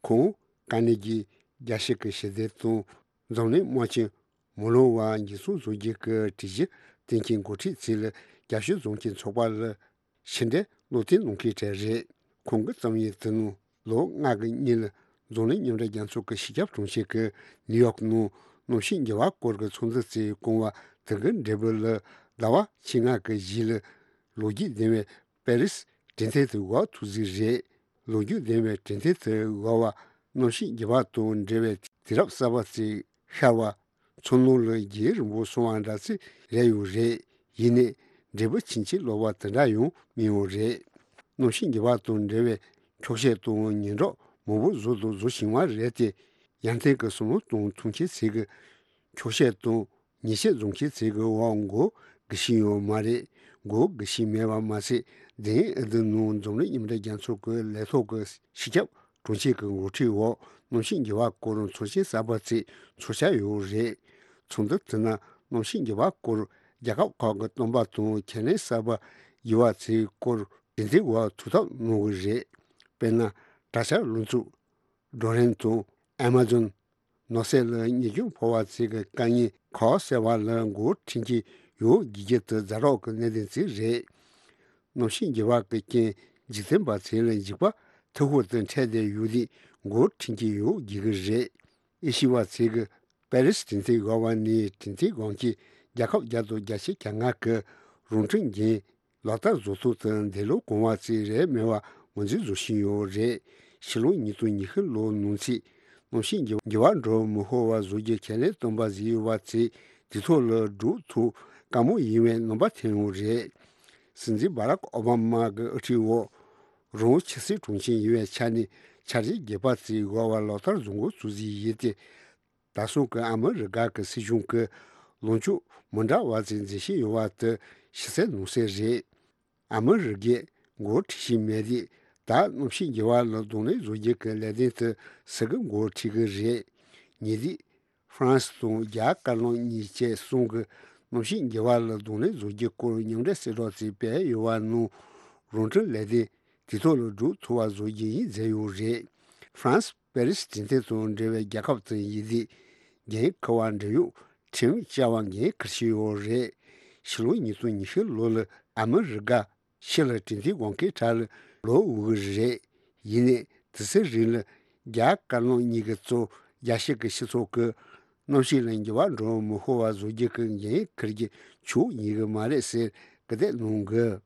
ཁོང་དཀའ་གནད་ཀྱི་རྒྱལ་སྤྱི་གི་ཞི་བདེ་དང་འཛམ་གླིང་དམངས་ཆེན་མི་ལོ་བ་འགྱུར་སོང་བཟོ་རྒྱུ་གི་སྒྲིག་གཞི་གཏན་འཁེལ་འགོ་ཁྲིད་ཚིག་ལ་རྒྱབ་སྐྱོར་འཛོམས་ཀྱི་ཚོགས་པ་ལ་ཕྱི་འབྲེལ་བློ་མཐུན་གནང་མཁན་གྲས་རེད། ཁོང་གི་རྩོམ་ཡིག་དེ་ནང་ལོ་ལྔ་གི་སྔོན་ལ་འཛམ་གླིང་མཉམ་འབྲེལ་རྒྱལ་ཚོགས་ཀྱི་སྤྱི་ཁྱབ་དྲུང་ཆེ་གིས་ནིའུ་ཡོག་ནང་གནམ་གཤིས་འགྱུར་བ་སྐོར་གྱི་ཚོགས་འདུ་རྩིས་བསྐོང་བ་དེ་གི་འབྲས་བུ་ལ་ཟླ་བ་བཅོ་ལྔ་གི་གཞུག་ལ་ལོ་རྒྱུས་ལྡན་པའི་པེ་རིས་གྲོས་མཐུན་དེ་འོག་ཐུག་ཟིག་རེད། ལོ་རྒྱུས་ལྡན་པའི་གྲོས་མཐུན་དེ་འོག་བ་གནམ་གཤིས་འགྱུར་བ་དང་འབྲེལ་བའི་དུས་རབས་གསར་པ་རྩིས་ཤར་བ། མཚོ་ནང་ལ་རྒྱུན་རིང་པོ་སོང་བ་འདྲ་ཚིག་རེད་ཡོད་རེད། ཡིན་ནའི་འབྲས་བུ་ཕྱིན་ཅི་ལོག་པ་དེ་འདྲ་ཡང་མི་ཡོང་རེད། གནམ་གཤིས་འགྱུར་བ་དང་འབྲེལ་བའི་འཁྱོག་བཤད་དང་ཉེན་རྟོག་མང་པོ་བཟོ་དང་བཟོ་བཞིན་པ་རེད་དེ། ཡར་ཐོན་གྱི་བསམ་བློ་གཏོང་ཐུབ་མཁན་ཚོ་གི་འཁྱོག་བཤད་དང་ཉེས་ཆད་འཛེག་མཁན་ཚོ་གི་འོག་མགོ་སྒུར་བཞིན་ཡོད་མ་རེད། མགོ་སྒུར་བཞིན་མེད་པ་མ་ཟད། དེ་རིང་ཨ་རི་ནང་འཛམ་གླིང་མཉམ་འབྲེལ་རྒྱལ་ཚོགས་ཀྱི་ལས་ཐོག་གི་སྤྱི་ཁྱབ་དྲུང་ཆེ་གི་འགོ་ཁྲིད་འོག་གནམ་གཤིས་འགྱུར་བ་སྐོར་ཚོགས་ཆེན་གསར་པ་ཞིག་ཚོགས་འཆར་ཡོད་རེད། ཚོགས་འདུ་དེ་ནང་གནམ་གཤིས་འགྱུར་བ་སྐོར་རྒྱལ་ཁབ་ཁག་གི་སྟོན་པ་དང་ཁས་ལེན་གསར་པ་ཡོད་པ་ཚོའི་སྐོར་གྲོས་མཐུན་འོག་ཐུགས་འཐབ་གནང་གི་རེད། དཔེར་ན། དྲག་ཆར་རླུང་འཚུབ། ཌོ་རེན་དང་ཨ་མ་ཛོན། ནགས་ཚལ་ལ་གཉེར་སྐྱོང་ཕོག་པ་ཚོ་གི་དཀའ་ངལ་ཁག་སེལ་བ་ལ་འགོ་ཁྲིད་ཀྱི་ཡོད་དགོས་རྒྱུ་དེ་ཛ་དྲག་གི་གནད་དོན་ཅིག་རེད། གནམ་གཤིས་འགྱུར་བ་གི་རྐྱེན་འཇིག་རྟེན་པ་ཚོ་ལ་འཇིགས་པ་མཐའ་འཁོར་དུ་འཕྲད་བསྡད་ཡོད་དུས་འགོ་ཁྲིད་ཀྱི་ཡོད་དགོས་ཀྱི་རེད། ཨེ་ཤི་བ་ཚོ་གི་པེ་རིས་གྲོས་མཐུན་འོག་བ་ནས་གྲོས་མཐུན་འོག་གི་རྒྱལ་ཁབ་བརྒྱ་དང་བརྒྱད་ཅུ་གྱ་ལྔ་གི་རང་སྐྱོང་འགན་ལག་བསྟར་བཟོ་ཐུབ་དུས་འདས་ལོ་གོང་བ་ཙམ་རེད་མེད་པ་ངོས་འཛིན་བཟོ་བཞིན་ཡོད་རེད། ཕྱི་ལོ་ཉིས་སྟོང་ཉི་ཤུ་ལོའི་ནང་ཚུད་གནམ་གཤིས་འགྱུར་འགྱུར་བ་འགྲོ་མི་ཤོར་བ་བཟོ་རྒྱུ་ཁས་ལེན་བཏོན་པ་ཟིག་ཡོད་པ་ཚོ་དུས་ཐོག་ལ་སྒྲུབ་ཐུབ་དཀའ་མོ་ཡིན་པའི་རྣམ་པ་ཐོན་ཡོད་རེད། སྲིད་འཛིན་བྷ་རག་ཨོ་བྷ་མ་གི་དབུ་ཁྲིད་འོག་རང་ཕྱི་སྲིད་དྲུང་ཆེ་ཡིན་པའི་ཆ་ནས་འཆར་གཞི་རྒྱས་པ་ཚོ་འོག་བ་ལག་བསྟར་བཟོ་འགོ་བཙུགས་ཟིག་ཡིན་ཏེ། ད་སོང་གི་ཨ་མི་རི་ཀ་གི་སྲིད་གཞུང་གི་ལངས་ཕྱོགས་མི་འདྲ་བ་ཅིག་འཛིན་བཞིན་ཡོད་པ་དེ་ཕྱི་གསལ་ནང་གསལ་རེད། ཨ་མི་རི་ཀས་འགོ་ཁྲིད་བཞིན་མེད་དུས་ད་གནམ་གཤིས་འགྱུར་བ་ལ་གདོང་ལེན་བཟོ་རྒྱུ་གི་ལས་དོན་དེ་སུ་གིས་འགོ་ཁྲིད་གི་རེད། ཉེ་དུས་ཧྥ་རན་སི་དང་རྒྱ་དཀར་ནག་གཉིས་བཅས་གསུམ་གྱིས་གནམ་གཤིས་འགྱུར་བ་ལ་གདོང་ལེན་བཟོ་རྒྱུའི་སྐོར་མཉམ་འབྲེལ་གསལ་བསྒྲགས་ཅིག་སྤེལ་ཡོད་པ་ནང་རང་སྐྱོང་ལས་དོན་དུས་ཐོག་ལ་སྒྲུབ་ཐུབ་པ་བཟོ་རྒྱུ་ཡིན་མཛད་ཡོད་རེད། ཧྥ་རན་སི་པེ་རིས་གྲོས་མཐུན་དང་འབྲེལ་བའི་རྒྱལ་ཁབ་དང་ཡིན་དུས་འགན་འཁུར་བ་འབྲེལ་ཡོད་ཁྲིམས་བཅའ་བ་འགན་འཁུར་བཞིན་ཡོད་རེད། ཕྱི་ལོ་ཉིས་སྟོང་ཉི་ཤུ་ལོ་ལ་ཨ་མི་རི་ཀ་ཕྱི་ལ་གྲོས་མཐུན་གང་གའི་གྲས་ལ་ལོག་འོས་ཀྱི་རེད། ཡིན་ནའི་དུས་ཚོད་རིང་ལ་རྒྱ་དཀར་ནག་གཉིས་ཀྱི་གཙོ་རྒྱལ་སྤྱི་གི་སྤྱི་ཚོགས་ཀྱི་གནམ་གཤིས་ལ་འགྱུར་བ་འགྲོ་མི་ཤོར་བ་བཟོ་རྒྱུ་གི་འགན་འཁུར་རྒྱུ་ཆོག་ཡིན་གི་མ་རེད་ཟེར་སྐུལ་འདེད་གནང་གི།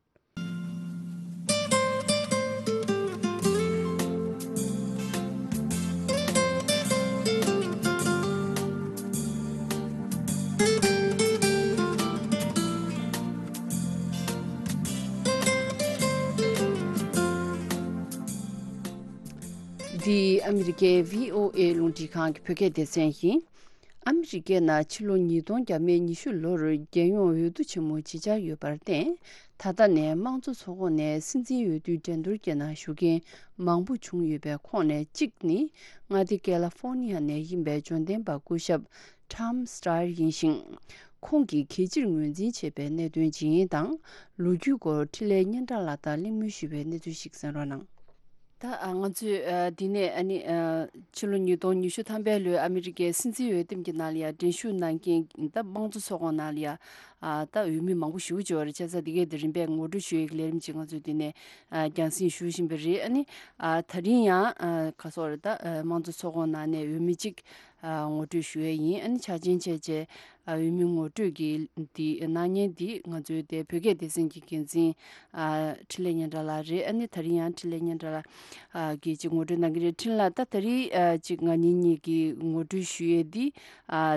འདི་ཨ་མི་རི་ཀའི་བྷི་ཨོ་ཨེ་རླུང་འཕྲིན་ཁང་གི་བོད་སྐད་སྡེ་ཚན་ཡིན། ཨ་མི་རི་ཀའི་ནང་ཕྱི་ལོ་ཉིས་སྟོང་བརྒྱ་མེད་ཉི་ཤུ་ལོར་རྒྱལ་ཡོངས་འོས་བསྡུ་ཆེན་མོ་ཇི་ཆགས་ཡོད་པར་བརྟེན། ད་ལྟ་ནས་དམངས་གཙོ་ཚོགས་ཁོངས་ནས་སྲིད་འཛིན་འོས་བསྡུའི་འགྲན་བསྡུར་གྱི་ནང་ཞུགས་མཁན་མང་པོ་བྱུང་ཡོད་པའི་ཁོངས་ནས་གཅིག་ནི་མངའ་སྡེ་ཀེ་ལ་ཧྥོར་ནི་ཡ་ནས་ཡིན་པའི་འབྱོར་ལྡན་པ་སྐུ་ཞབས་Tom Steyer་ཡིན་ཞིང་། ཁོང་གིས་གལ་ཆེར་ངོས་འཛིན་བྱས་པའི་གནད་དོན་ཇི་ཡིན་དང་། ལོ་རྒྱུས་སྐོར་འཕྲིན་ལས་སྙན་གྲགས་ལགས་དང་གླེང་མོལ་ཞུས་པའི་གནས་ཚུལ་ཞིག་གསན་རོགས་གནང་། ད་ཨ་ང་ཚོས་ཨ་འདི་ནས་ཨ་ནི་ཨ་ཕྱི་ལོ་ཉིས་སྟོང་ཉི་ཤུ་ཐམ་པའི་ལོའི་ཨ་མི་རི་ཀའི་སྲིད་འཛིན་འོས་འདེམས་ཀྱི་ནང་ལ་ཡང་འགྲན་ཞུགས་གནང་མཁན་ད་དམངས་གཙོ་ཚོགས་ཁོངས་ནང་ལ་ཡང་ཨ་ད་འོས་མི་མང་པོ་ཞེ་པོ་ཅིག་ཡོད་རེད། བྱས་ཙང་འདི་གའི་དེ་རིམ་པས་ངོ་སྤྲོད་ཞུ་ཡག་གི་ལས་རིམ་ཅིག་ང་ཚོས་འདི་ནས་ཨ་རྒྱང་སྲིང་ཞུ་བཞིན་པ་རེད། ཨ་ནི་ཨ་ད་རིང་ཡང་ཨ་ག་སོགས་རེད། ད་ཨ་དམངས་གཙོ་ཚོགས་ཁོངས་ནང་ནས་འོས་མི་གཅིག་ཨ་ངོ་སྤྲོད་ཞུ་ཡས་ཡིན། ཨ་ནི་ཆ་རྐྱེན་བྱས་རྗེས་ འོས་མི་ངོ་སྤྲོད་ཀྱི་འདི་གནང་མཁན་འདི་ང་ཚོའི་དེ་བོད་སྐད་སྡེ་ཚན་གྱི་འགན་འཛིན་འཕྲིན་ལས་སྙན་གྲགས་ལགས་རེད། ཨ་ནི་ད་རིང་ཡང་འཕྲིན་ལས་སྙན་གྲགས་ལགས་ཀྱིས་ཅིག་ངོ་སྤྲོད་གནང་གི་རེད། འཕྲིན་ལགས། ད་ད་རིང་ཅིག་ང་གཉིས་གཉིས་ཀྱིས་ངོ་སྤྲོད་ཞུ་ཡས་འདི་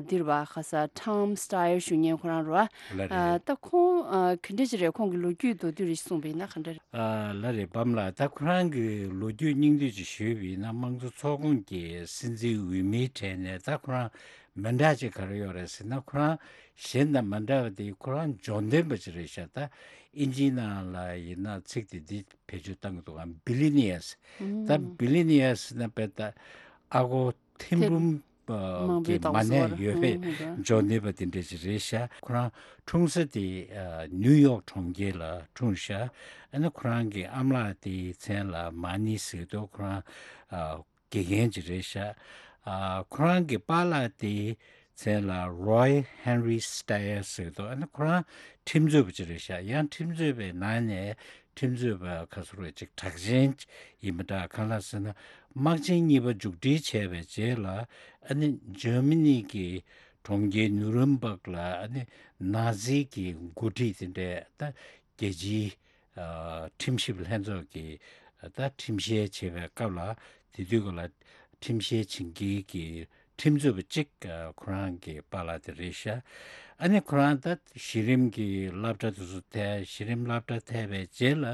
འདིར་བ་ཁ་ས་Tom Steyer ཞུ་མཁན་ཁོ་རང་རེད་བ། ལགས་རེད། ད་ཁོང་ག་འདྲ་ཅིག་རེད། ཁོང་གི་ལོ་རྒྱུས་མདོར་བསྡུས་རེ་གསུངས་པ་ཡིན་ན་ག་འདྲ་རེད། ལགས་རེད། བམ་ལགས། ད་ཁོ་རང་གི་ལོ་རྒྱུས་སྙིང་བསྡུས་ཅིག་ཞུས་པ་ཡིན་ན། དམངས་གཙོ་ཚོགས་ཁོངས་ཀྱི་སྲིད་འཛིན་འོས་མིའི་གྲས་ནས་ད་ཁོ་རང་མི་འདྲ་ཅིག་ག་རེ་ཡོད་རེད་ཟེར་ན། ཁོ་རང་གཞན་དང་མ་འདྲ་བ་དེ་ཁོ་རང་འབྱོར་ལྡན་པ་ཅིག་རེད་ཤག་ད་ཨིན་ཇིའི་ནང་ལ་ཡིན་ན་ཚིག་དེ་འདི་བེད་སྤྱོད་བཏང་གི་འདུག་ག billionaires། ད་billionaires་ན་དཔེ་ད་ཨ་སྒོར་ཐེར་འབུམ་མང་པོའི་གི་མ་ནས་ཡོད་པའི་འབྱོར་ལྡན་པ་དེ་འདྲ་ཅིག་རེད་ཤག་ཁོ་རང་འཁྲུངས་ས་དེ་ནིའུ་ཡོག་གྲོང་ཁྱེར་ལ་འཁྲུངས་ཤག་ཨ་ནི་ཁོ་རང་གི་ཨ་མ་ལགས་དེའི་མཚན་ལ་མ་ནི་ཟེར་འདུག་ཁོ་རང་དགེ་རྒན་ཅིག་རེད་ཤག་ཨ་ཁོ་རང་གི་པཱ་ལགས་དེའི་མཚན་ལ་Roy Henry Steyer་ཟེར་འདུག་ཨ་ནི་ཁོ་རང་ཁྲིམས་རྩོད་པ་ཅིག་རེད་ཤག་ཡང་ཁྲིམས་རྩོད་པའི་ནང་ནས་ཁྲིམས་རྩོད་པ་ག་ཚོད་རེད་ཅིག་གྲགས་ཅན་ཡིན་པ་འདྲ། གང་ལགས་ཟེར་ན་དམག་ཆེན་གཉིས་པ་མཇུག་སྒྲིལ་བྱས་པའི་རྗེས་ལ་ཨ་ནི་འཇར་མ་ནི་གི་གྲོང་ཁྱེར་ནུ་རེམ་བྷག་ལ་ཨ་ནི་ནཱ་ཛི་གི་འགོ་ཁྲིད་དེ་འདྲས་ད་རྒྱལ་སྤྱིའི་ཨ་ཁྲིམས་ཞིབ་ལྷན་ཚོགས་ཀྱི་ད་ཁྲིམས་བཤེར་བྱེད་པའི་སྐབས་ལ་དེ་དུས་སྐབས་ལ་ཁྲིམས་བཤེར་བྱེད་མཁན་གྱི་ཁྲིམས་རྩོད་པ་གཅིག་ཨ་ཁོ་རང་གི་པཱ་ལགས་དེ་རེད་ཤག་ཨ་ནི་ཁོ་རང་ད་གཞི་རིམ་གྱི་སློབ་གྲྭ་དེ་ཚོ་ཐལ། གཞི་རིམ་སློབ་གྲྭ་ཐལ་བའི་རྗེས་ལ་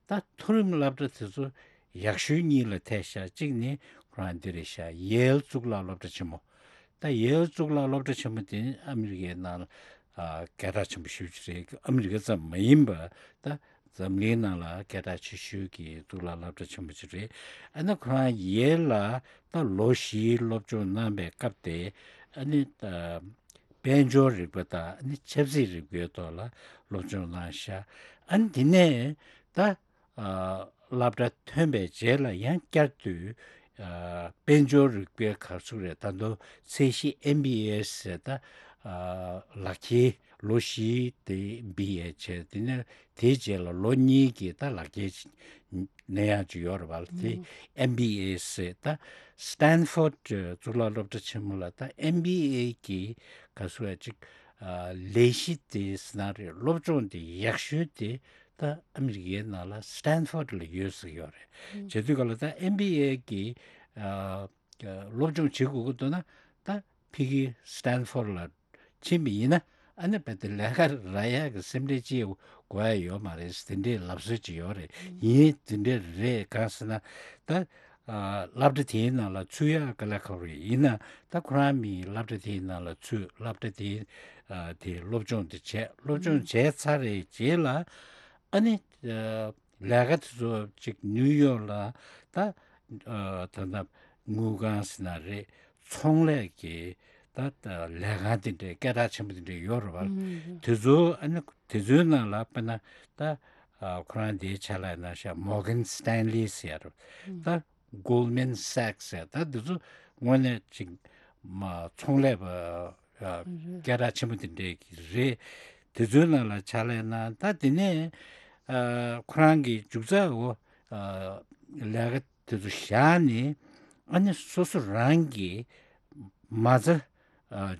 ད་མཐོ་རིམ་སློབ་གྲྭ་དེ་ཚོ་ཡག་ཤོས་གཉིས་ལ་ཐལ་ཤག་གཅིག་ནི་ཁོ་རང་འདི་རེད་ཤག་ཡེལ་གཙུག་ལག་སློབ་གྲྭ་ཆེན་མོ། ད་ཡེལ་གཙུག་ལག་སློབ་གྲྭ་ཆེན་མོ་དེ་ནི་ཨ་མི་རི་ཀའི་ནང་ལ་ཨ་སྐད་གྲགས་ཆེན་པོ་ཞེ་པོ་ཅིག་རེད། ཨ་མི་རི་ཀ་ཙམ་མ་ཡིན་པ་ད་འཛམ་གླིང་ནང་ལ་སྐད་གྲགས་ཆེ་ཤོས་ཀྱི་གཙུག་ལག་སློབ་གྲྭ་ཆེན་པོ་ཅིག་རེད། ཨ་ནི་ཁོ་རང་ཡེལ་ལ་ད་ལོ་བཞིའི་སློབ་སྦྱོང་གནང་བའི་སྐབས་དེ་ཨ་ནི་ད་དཔལ་འབྱོར་རིག་པ་དང་ཨ་ནི་ཆབ་སྲིད་རིག་པའི་ཐོག་ལ་སློབ་སྦྱོང་གནང་ཤག་ཨ་ནི་དེ་ནས་ད་ཨ་སློབ་གྲྭ་ཐོན་པའི་རྗེས་ལ་ཡང་བསྐྱར་དུ་ཨ་དཔལ་འབྱོར་རིག་པའི་ག་ཚོད་རེད། ད་དུང་ཚད་གཞི་ཨེམ་བི་ཨེ་ཟེར་ད་ཨ་ལག་ཁྱེར་ལོ་བཞི་དེ་བི་ཨེ་བྱས། དེ་ནས་དེའི་རྗེས་ལ་ལོ་གཉིས་ཀྱི་ད་ལག་ཁྱེར་ནས་ཡང་ཅིག་ཡོད་རེད་པ། དེ་ཨེམ་བི་ཨེ་ཟེར་ད་སི་ཏན་ཕོར་ཌི་གཙུག་ལག་སློབ་གྲྭ་ཆེན་མོ་ལ་ད་ཨེམ་བི་ཨེ་གི་ག་ཚོད་ཅིག་ཨ་ལས་གཞི་དེ་ཟེར་ན་རེད། སློབ་སྦྱོང་དེ་ཡག་ཤོས་དེ་ད་ཨ་མི་རི་ཀའི་ནང་ལ་སི་ཏན་ཕོར་ཌི་ལ་ཡོད་ཟེར་གྱི་ཡོད་རེད། བྱེད་དུས་ག་ལ་ད་ཨེམ་བི་ཨེ་གི་ཨ་སློབ་སྦྱོང་བྱེད་དགོས་ཀྱི་འདུག་ན་ད་ཕ་གི་སི་ཏན་ཕོར་ཌི་ལ་ཕྱིན་པ་ཡིན་ན་ཨ་ནི་རྦད་དེ་ལས་ཀ་རག་ཡག་གི་སེམས་ཁྲལ་ཅི་དགོས་ཡ་ཡོད་མ་རེད། དེ་འདྲའི་ལབ་སྲོལ་ཅིག་ཡོད་རེད། ཡིན་དེ་འདྲ་རེད། གང་ཟེར་ན་ད་ཨ་སློབ་གྲྭ་དེའི་ནང་ལ་ཚུད་ཡག་དཀའ་ལས་ཁག་པོ་རེད། ཡིན་ན་ད་ཁོ་རང་མི་སློབ་གྲྭ་དེའི་ནང་ལ་ཚུད། སློབ་གྲྭ་དེའི་ཨ་དེ་སློབ་སྦྱོང་དེ་བྱས། སློབ་སྦྱོང་བྱས་ཚར་བའི་རྗེས་ལ་ཨ་ནི་ཨ་ལས་ཀ་དེ་ཚོ་ཅིག་ནིའུ་ཡོག་ལ་ད་ཨ་ད་ལྟ་དངུལ་ཁང་ཟེར་ན་རེད། ཚོང་ལས་ཀྱི་ད་ལས་ཁང་དེ་འདྲའི་སྐད་གྲགས་ཆེན་པོ་དེ་འདྲའི་ཡོད་རེད་པ། དེ་ཚོ་ཨ་ནི་དེ་ཚོའི་ནང་ལ་དཔེར་ན་ད་ཁོ་རང་དེའི་ཕྱག་ལས་གནང་ཤག Morgan Stanley་ཟེར་ཡ་རེད། ད་Goldman Sachs་ཟེར་ད་དེ་ཚོ་དངོས་གནས་ཅིག་མ་ཚོང་ལས་པ་སྐད་གྲགས་ཆེན་པོ་དེ་འདྲའི་གི་རེད། དེ་ཚོའི་ནང་ལ་ཕྱག་ལས་གནང་། ད་དེ་ནས་ཁོ་རང་གི་མཇུག་རྩ་འོ་ལས་ཀ་དེ་ཚོ་བཞག་ནས་ཨ་ནི་སོ་སོ་རང་གི་མ་རྩ་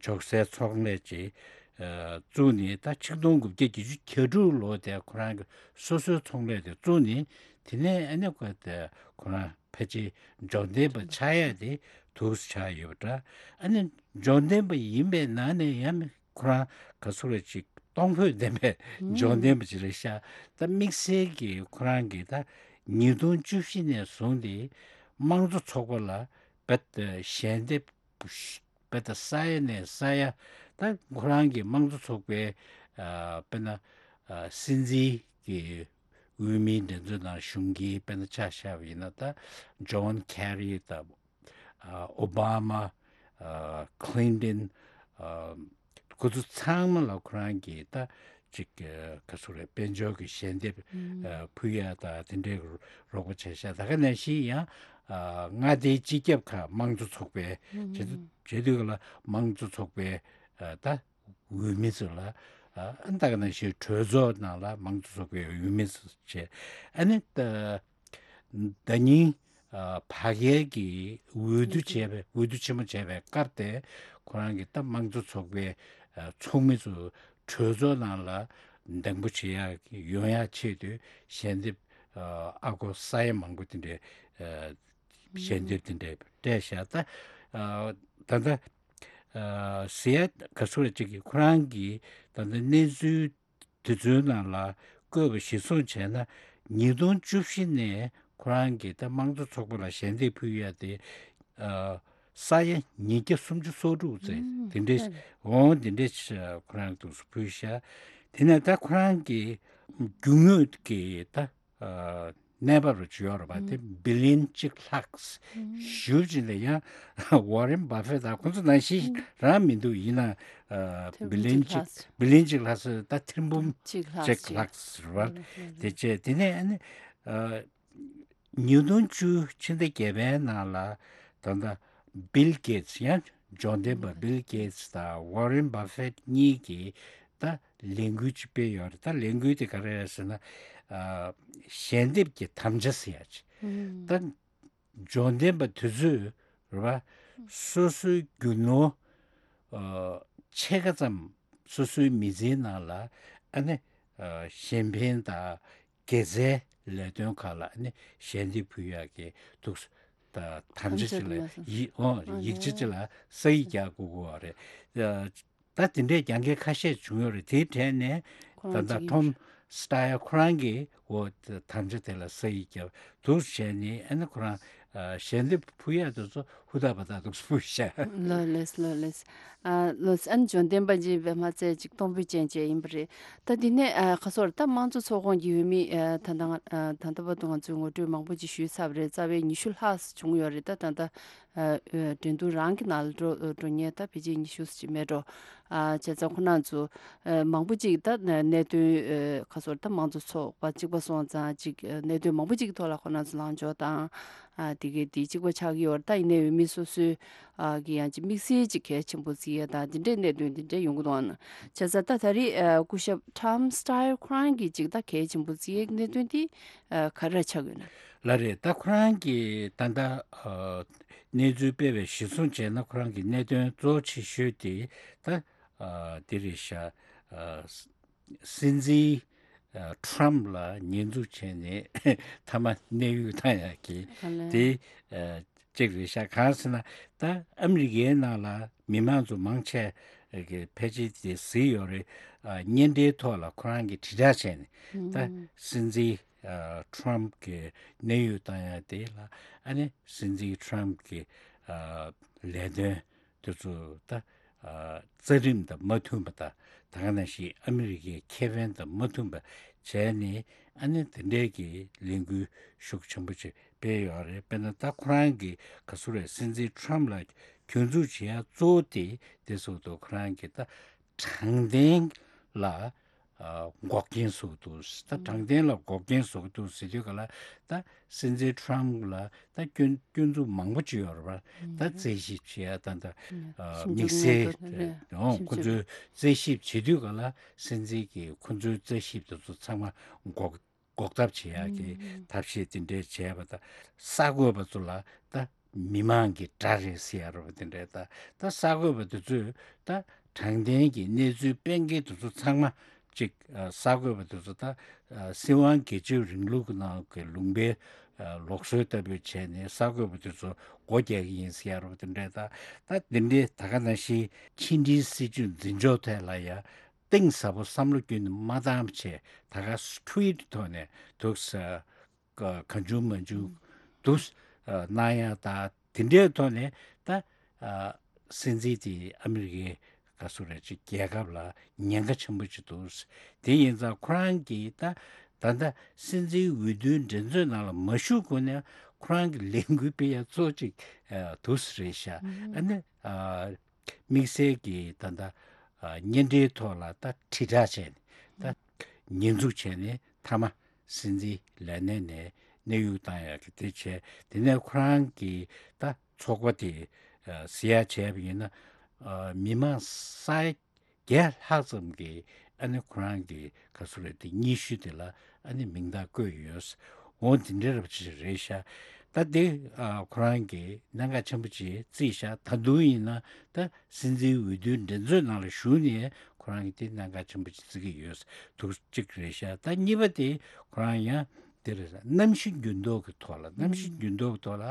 འཇོག་སའི་ཚོང་ལས་ཅིག་བཙུགས་ནས། ད་ཆིག་སྟོང་དགུ་བརྒྱ་བརྒྱད་ཅུ་གྱ་དྲུག་ལོ་དེ་ཁོ་རང་གི་སོ་སོའི་ཚོང་ལས་དེ་བཙུགས་ནས། དེ་ནས་ཨ་ནི་ཁོ་དེ་ཁོ་རང་ཕལ་ཆེར་འབྱོར་ལྡན་པ་ཆགས་ཡ་དེ་འདུག་སེ་ཆགས་ཡོད་པ་འདྲ། ཨ་ནི་འབྱོར་ལྡན་པ་ཡིན་པའི་ནང་ནས་ཡང་ཁོ་རང་ག་ཚོད་རེད་ཅིག་གཏོང་ཕོད་ལྡན་པའི་འབྱོར་ལྡན་པ་ཅིག་རེད་ཤག་ད་དམིགས་བསལ་གྱི་ཁོ་རང་གིས་ད་ཉིས་སྟོང་བཅུ་བཞི་ནས་བཟུང་སྟེ་དམངས་གཙོ་ཚོགས་པ་ལ་རྦད་དེ་ཞལ་འདེབས་རྦད་དེ་ས་ཡ་ནས་ས་ཡ། ད་ཁོ་རང་གི་དམངས་གཙོ་ཚོགས་པའི་ཨ་དཔེར་ན་ཨ་སྲིད་འཛིན་གྱི་འོས་མིའི་འགྲན་རྩོད་ནང་ཞུགས་མཁན་དཔེར་ན་ཆ་བཞག་པ་ཡིན་ན། ད་ཇོན་ཁེ་རི་དང་ཨ་ཨོ་བྷ་མ། ཨ་ཁི་ལིན་ཏོན། ཨ་ཁོ་ཚོ་ཚང་མ་ལ་ཁོ་རང་གིས་ད་ཅིག་ཨ་ག་ཚོད་རེད། དཔལ་འབྱོར་གྱི་ཞལ་འདེབས་ཨ་ཕུལ་ཡ་དང་དེ་འདྲའི་རོགས་པ་བྱས་ཤག་ད་ག་ནང་བཞིན་ཡང་ཨ་མངའ་སྡེའི་སྤྱི་ཁྱབ་ཁག་དམངས་གཙོ་ཚོགས་པའི་བྱེད་དུས་བྱེད་དུས་ལ་དམངས་གཙོ་ཚོགས་པའི་ཨ་ད་འོས་མི་ཚོ་ལ། ཨ་ད་ག་ནང་བཞིན་གྲོས་ཚོགས་ནང་ལ་དམངས་གཙོ་ཚོགས་པའི་འོས་མི་ཚོ་བྱས། ཨ་ནི་ད་ཟླ་ཉིན་ཨ་ཕ་གིར་གྱི་འོས་བསྡུ་བྱས་པའི་འོས་བསྡུ་ཆེན་མོ་བྱས་པའི་སྐབས་དེ་ཁོ་རང་གི་ད་དམངས་གཙོ་ཚོགས་པའི་ ཚོགས་མི་ཚོ་གྲོས་ཚོགས་ནང་ལ་གདེང་སྤོ་བྱེད་ཡག་ཡོང་ཡག་ཆེད་དུ་ཞལ་འདེབས་ཨ་ཁོ་ས་ཡ་མང་པོ་དེ་འདྲའི་ཞལ་འདེབས་དེ་འདྲའི་སྤྲད་བཞག་ད་ད་ལྟ་ཟེར་ཡ་ག་ཚོད་ཅིག་གིས་ཁོ་རང་གིས་ད་ལྟ་གནས་ཚུལ་དེ་ཚོའི་ནང་ལ་བཀོད་པ་གཞིར་བཟུང་བྱས་ན་ཉིས་སྟོང་བཅུ་བཞི་ནས་ཁོ་རང་གིས་ད་དམངས་གཙོ་ཚོགས་པ་ལ་ཞལ་འདེབས་ཕུལ་ཡ་དེ་ས་ཡ་ཉིས་བརྒྱ་སུམ་ཅུ་སོ་དྲུག་ཙམ་དེ་འདྲའི་འོང་དེ་འདྲའི་ཁོ་རང་འདུག་སེ་ཕུལ་ཤག་དེ་ནས་ད་ཁོ་རང་གི་རྒྱུ་དངོས་ཀྱི་ད་གནས་བབ་རུ་བྱུང་ཡོད་རེད་པ། དེ་བི་ལིན་གཅིག་ལྷག་ཞུ་བ་ཅིག་ལ་ཡང་ཝ་རེན་བྷ་ཧྥེ་ད་ཁོང་ཚོ་ནང་བཞིན་རང་མི་འདུག་ཡིན་ན་ཨ་ཐེར་འབུམ་བི་ལིན་གཅིག་ལྷག་བི་ལིན་གཅིག་ལྷག་ཙམ་ད་ཐེར་འབུམ་གཅིག་ལྷག་གཅིག་ལྷག་ཙམ་རེད་པ། དེ་བྱས་དེ་ནས་ཨ་ནི་ཨ་ཉིས་སྟོང་བཅུ་ཕྱི་ཟླ་བརྒྱད་པའི་ནང་ལ་ད་ལྟ་བིལ་གེ་ཏི་སི་ཡང་འབྱོར་ལྡན་པ་བིལ་གེ་ཏི་སི་དང་ཝ་རེན་བྷ་ཧྥེ་གཉིས་ཀྱིས་ད་ལས་འགུལ་ཅིག་སྤེལ་ཡོད་རེད། ད་ལས་འགུལ་དེ་ག་རེ་རེད་ཟེར་ན་ཨ་ཞལ་འདེབས་ཀྱི་དམ་བཅའ་ཟེར་ཡ་ཅིག་ད་འབྱོར་ལྡན་པ་དེ་ཚོས་རེད་པ། སོ་སོའི་རྒྱུ་ནོར་ཨ་ཕྱེད་ཀ་ཙམ་སོ་སོའི་མི་ཚེའི་ནང་ལ་ཨ་ནི་ཨ་གཞན་ཕན་དང་དགེ་རྩའི་ལས་དོན་ཁག་ལ་ཨ་ནི་ཞལ་འདེབས་ཕུལ་ཡག་གི་འདུག་ད་དམ་བཅའ་ཅིག་ལ་ཡིག་ཨོ་ཡིག་ཆ་ཅིག་ལ་ས་ཡིག་རྒྱག་དགོས་ཀྱི་ཡོད་རེད། ད་དེ་འདྲའི་རྒྱང་འགྱེད་ཁ་ཤས་བྱུང་ཡོད་རེད། དེའི་གྲས་ནས་ཁོ་ད་རང་ལྟ་གཅིག་ཡིན་ཊོམ་སི་ཊ་ཡར་ཁོ་རང་གིས་འོ་དམ་བཅའ་དེ་ལ་ས་ཡིག་བརྒྱབ་འདུག་བྱས་ནས་ཨ་ནི་ཁོ་རང་ཞལ་འདེབས་ཕུལ་ཡག་དེ་ཚོ་ཧུར་ཐག་པ་ཐག་འདུག་ཕུལ་ཤག་ལགས་ལགས་ལགས་ལགས། ཨ་ལགས་ཨ་ནི་འབྱོར་ལྡན་པ་ཅིག་པད་མ་རྩེ་ཅིག་གཏོང་ཕོད་ཅན་ཅིག་ཡིན་པ་རེད། ད་འདི་ནས་ཨ་ཁ་སོར་ད་དམངས་གཙོ་ཚོགས་ཁོངས་ཀྱི་འོས་མི་ཨ་ད་ལྟ་ང་ཨ་ད་ལྟ་བར་དུ་ང་ཚོས་ངོ་སྤྲོད་མང་པོ་ཅིག་ཞུས་ཚར་བ་རེད། རྩ་བའི་ཉི་ཤུ་ལྷག་བྱུང་ཡོད་རེད། ད་ད་ལྟ་ཨ་ཨ་འགྲན་བསྡུར་རང་གི་ནང་ལ་འགྲོ་འགྲོ་མཁན་ད་ཕལ་ཆེར་ཉི་ཤུ་ཙམ་ཅིག་མེད་འགྲོ། ཨ་བྱས་ཙང་ཁོ་རང་ཚོ་ཨ་མང་པོ་ཅིག་ད་གནད་དོན་ཨ་ཁ་སོར་ད་དམངས་གཙོ་ཚོགས་པ་གཅིག་པ་སོང་ཙང་ཅིག་ཨ་གནད་དོན་མང་པོ་ཅིག་གི་ཐོག་ལ་ཁོ་རང་ཚོ་ལངས་ཕྱོགས་དང་། ཨ་དེ་གའི་དེ་གཅིག་པ་ཆགས་ཀྱི་ཡོད་རེད། ད་ཡིན་ནའི་འོས་མི་སོ་སོའི་ཨ་གི་ཡང་ཅིག་དམིགས་བསལ་ཅིག་གལ་ཆེན་པོ་བརྩི་ཡས་དང་དེ་འདྲའི་གནད་དོན་དེ་འདྲ་ཡོང་གི་འདུག་ཨ་ནི་བྱས་ཙང་ད་ད་རེས་ཨ་སྐུ་ཞབས་ཊོམ་སི་ཊ་ཡར་ཁོ་རང་གིས་ཅིག་ད་གལ་ཆེན་པོ་བརྩི་ཡས་གནད་དོན་དེ་ཨ་ག་རེ་ཆགས་ཡོད་ན། ལགས་རེད། ད་ཁོ་རང་གིས་ད་ལྟ་ཨ་གནས་ཚུལ་སྤེལ་བའི་གཞིར་བཟུང་བྱས་ན་ཁོ་རང་གི་གནད་དོན་གཙོ་ཆེ་ཤོས་དེ་ད་ཨ་དེ་རེད་ཤག་ཨ་སྲིད་འཛིན་ཨ་ཊམ་ལ་ཉེས་འཛུགས་བྱས་ནས་མཐའ་མ་གནས་དབྱུང་བཏང་ཡག་གི་ཨ་ལས། དེ་ཨ་གཅིག་རེད་ཤག་གང་ཟེར་ན་ད་ཨ་མི་རི་ཀའི་ནང་ལ་མི་མང་ཚོ་མང་ཆེ་གི་ཕལ་ཆེར་དེ་གཟིགས་ཡོད་རེད། ཨ་བརྙན་འཕྲིན་ཐོག་ལ་ཁོ་རང་གིས་དྲིལ་བསྒྲགས་བྱས་ནས་ད་ཨུམ་སྲིད་འཛིན་ཨ་ཊམ་གི་གནས་དབྱུང་བཏང་ཡག་དེ་ལ་ཨ་ནི་སྲིད་འཛིན་ཊམ་གི་ཨ་ལས་དོན་དེ་ཚོ་ད་ཨ་རྩ་རིམ་དང་མ་མཐུན་པ་དང་ད་ག་ནང་བཞིན་ཨ་མི་རི་ཀའི་ཁེ་ཕན་དང་མ་མཐུན་པ་བྱས་ནས་ཨ་ནི་དེ་འདྲའི་གི་ལས་འགུལ་ཤུགས་ཆེན་པོ་ཅིག་སྤེལ་ཡོད་རེད། དཔེར་ན་ད་ཁོ་རང་གི་ག་ཚོད་རེད། སྲིད་འཛིན་ཊམ་ལ་གྱོང་འཛུགས་བྱེད་ཡ་གཙོ་བོ་དེ་དེ་སོགས་དུ་ཁོ་རང་གི་ད་དྲང་བདེན་ལ་ཨ་འགོག་རྐྱེན་བཟོ་འདུག་ད་དྲང་བདེན་ལ་འགོག་རྐྱེན་བཟོ་འདུག་ཟེར་དུས་ག་ལ་ད་སྲིད་འཛིན་ཊམ་ལ་ད་སྐྱོན་སྐྱོན་འཛུགས་མང་པོ་ཅིག་ཡོད་རེད་པ། ད་རྩད་ཞིབ་བྱེད་ཡ་ད་ད་ཨ་དམིགས་བསལ་ཨོ་ཁོ་ཚོའི་རྩད་ཞིབ་བྱེད་དུས་ག་ལ་སྲིད་འཛིན་གྱིས་ཁོ་ཚོའི་རྩད་ཞིབ་དེ་ཚོ་ཚང་མ་འགོག་འགོག་ཐབས་བྱེད་ཡག་གི་ཐབས་ཤེས་དེ་འདྲས་བྱས་པ་དང་། གསར་འགོད་པ་ཚོ་ལ་ད་མི་མང་གི་དགྲ་རེད་ཟེར་ཡ་རེད་པ། དེ་འདྲས་ད་ད་གསར་འགོད་པ་དེ་ཚོས་ད་དྲང་བདེན་གྱི་གནས་ཚུལ་སྤེལ་མཁན་དེ་ཚོ་ཚང་མ་གཅིག་ཨ་གསར་འགོད་པ་དེ་ཚོ་ད་ཨ་སྲིད་དབང་སྒེར་གཅོད་རིང་ལུགས་ཀྱི་ནང་གི་ལུང་པའི་ཨ་ལུགས་སྲོལ་ལྟ་བུ་བྱས་ནས་གསར་འགོད་པ་དེ་ཚོ་སྒོ་རྒྱག་གི་ཡིན་ཟེར་ཡ་རེད་པ། དེ་འདྲས་ད་ད་དེ་འདྲས་ད་ག་ནང་བཞིན་ཕྱི་འབྲེལ་སྲིད་ཇུས་འཛིན་ཕྱོགས་ཐད་ལ་ཡ་གཏིང་ཟབ་པོ་བསམ་བློ་བསྐྱོན་ནས་མ་བཏང་བྱས་ད་ག་ཊུ་ཝིཊ་ཐོག་ནས་འདུག་ས་ག་གང་བྱུང་མང་བྱུང་འདུག་ཨ་གནང་ཡ་ད་དེ་འདྲའི་ཐོག་ནས་ད་ཨ་སྲིད་འཛིན་དེ་ཨ་མི་རི་ཀའི་ག་སུ་རེད་ཅིག་རྒྱལ་ཁབ་ལ་ཉེན་ཁ་ཆེན་པོ་ཅིག་འདུག་དེ་ཡིན་ཙང་ཁོ་རང་གིས་ད་ད་ལྟ་སྲིད་འཛིན་འོས་བསྡུའི་འགྲན་རྩོད་ནང་ལ་མ་ཞུགས་གོང་ནས་ཁོ་རང་གི་ལས་འགུལ་སྤེལ་ཡ་གཙོ་ཅིག་ཨ་འདུག་ས་རེད་ཤག་ཨ་ནི་ཨ། དམིགས་བསལ་གྱི་ད་ལྟ་ཨ་བརྙན་འཕྲིན་ཐོག་ལ་ད་དྲིལ་བསྒྲགས་བྱས་ནས་ད་ཉེས་འཛུགས་བྱས་ནས་མཐའ་མ་སྲིད་འཛིན་ལས་གནས་ནས་གནས་དབྱུང་བཏང་ཡག་གི་དེ་བྱས། དེ་ནས་ཁོ་རང་གི་ད་ཚོགས་པ་དེ་ཨ་ཟེར་ཡག་བྱས་པ་ཡིན་ན་ཨ་མི་མང་ས་ཡ་བརྒྱད་ལྷག་ཙམ་གྱིས་ཨ་ནི་ཁོ་རང་གི་ག་སུ་རེད་དེ་སྙན་ཞུ་དེ་ལ་ཨ་ནི་མིང་རྟགས་བཀོད་ཡོད། འོ་དེ་འདྲ་རབ་ཅིག་རེད་ཤག་ད་དེ་ཨ་ཁོ་རང་གིས་གནད་འགག་ཆེན་པོ་ཅིག་བརྩིས་ཤག་ད་དུང་ཡིན་ན་ད་སྲིད་འཛིན་འོས་བསྡུའི་འགྲན་རྩོད་ནང་ལ་ཞུགས་ནས་ཁོ་རང་གིས་དེ་གནད་འགག་ཆེན་པོ་ཅིག་བརྩི་གི་ཡོད་འདུག་གཅིག་རེད་ཤག་ད་གཉིས་པ་དེ་ཁོ་རང་ཡང་དེ་རེད། གནམ་གཤིས་འགྱུར་ལྡོག་གི་ཐོག་ལ། གནམ་གཤིས་འགྱུར་ལྡོག་གི་ཐོག་ལ་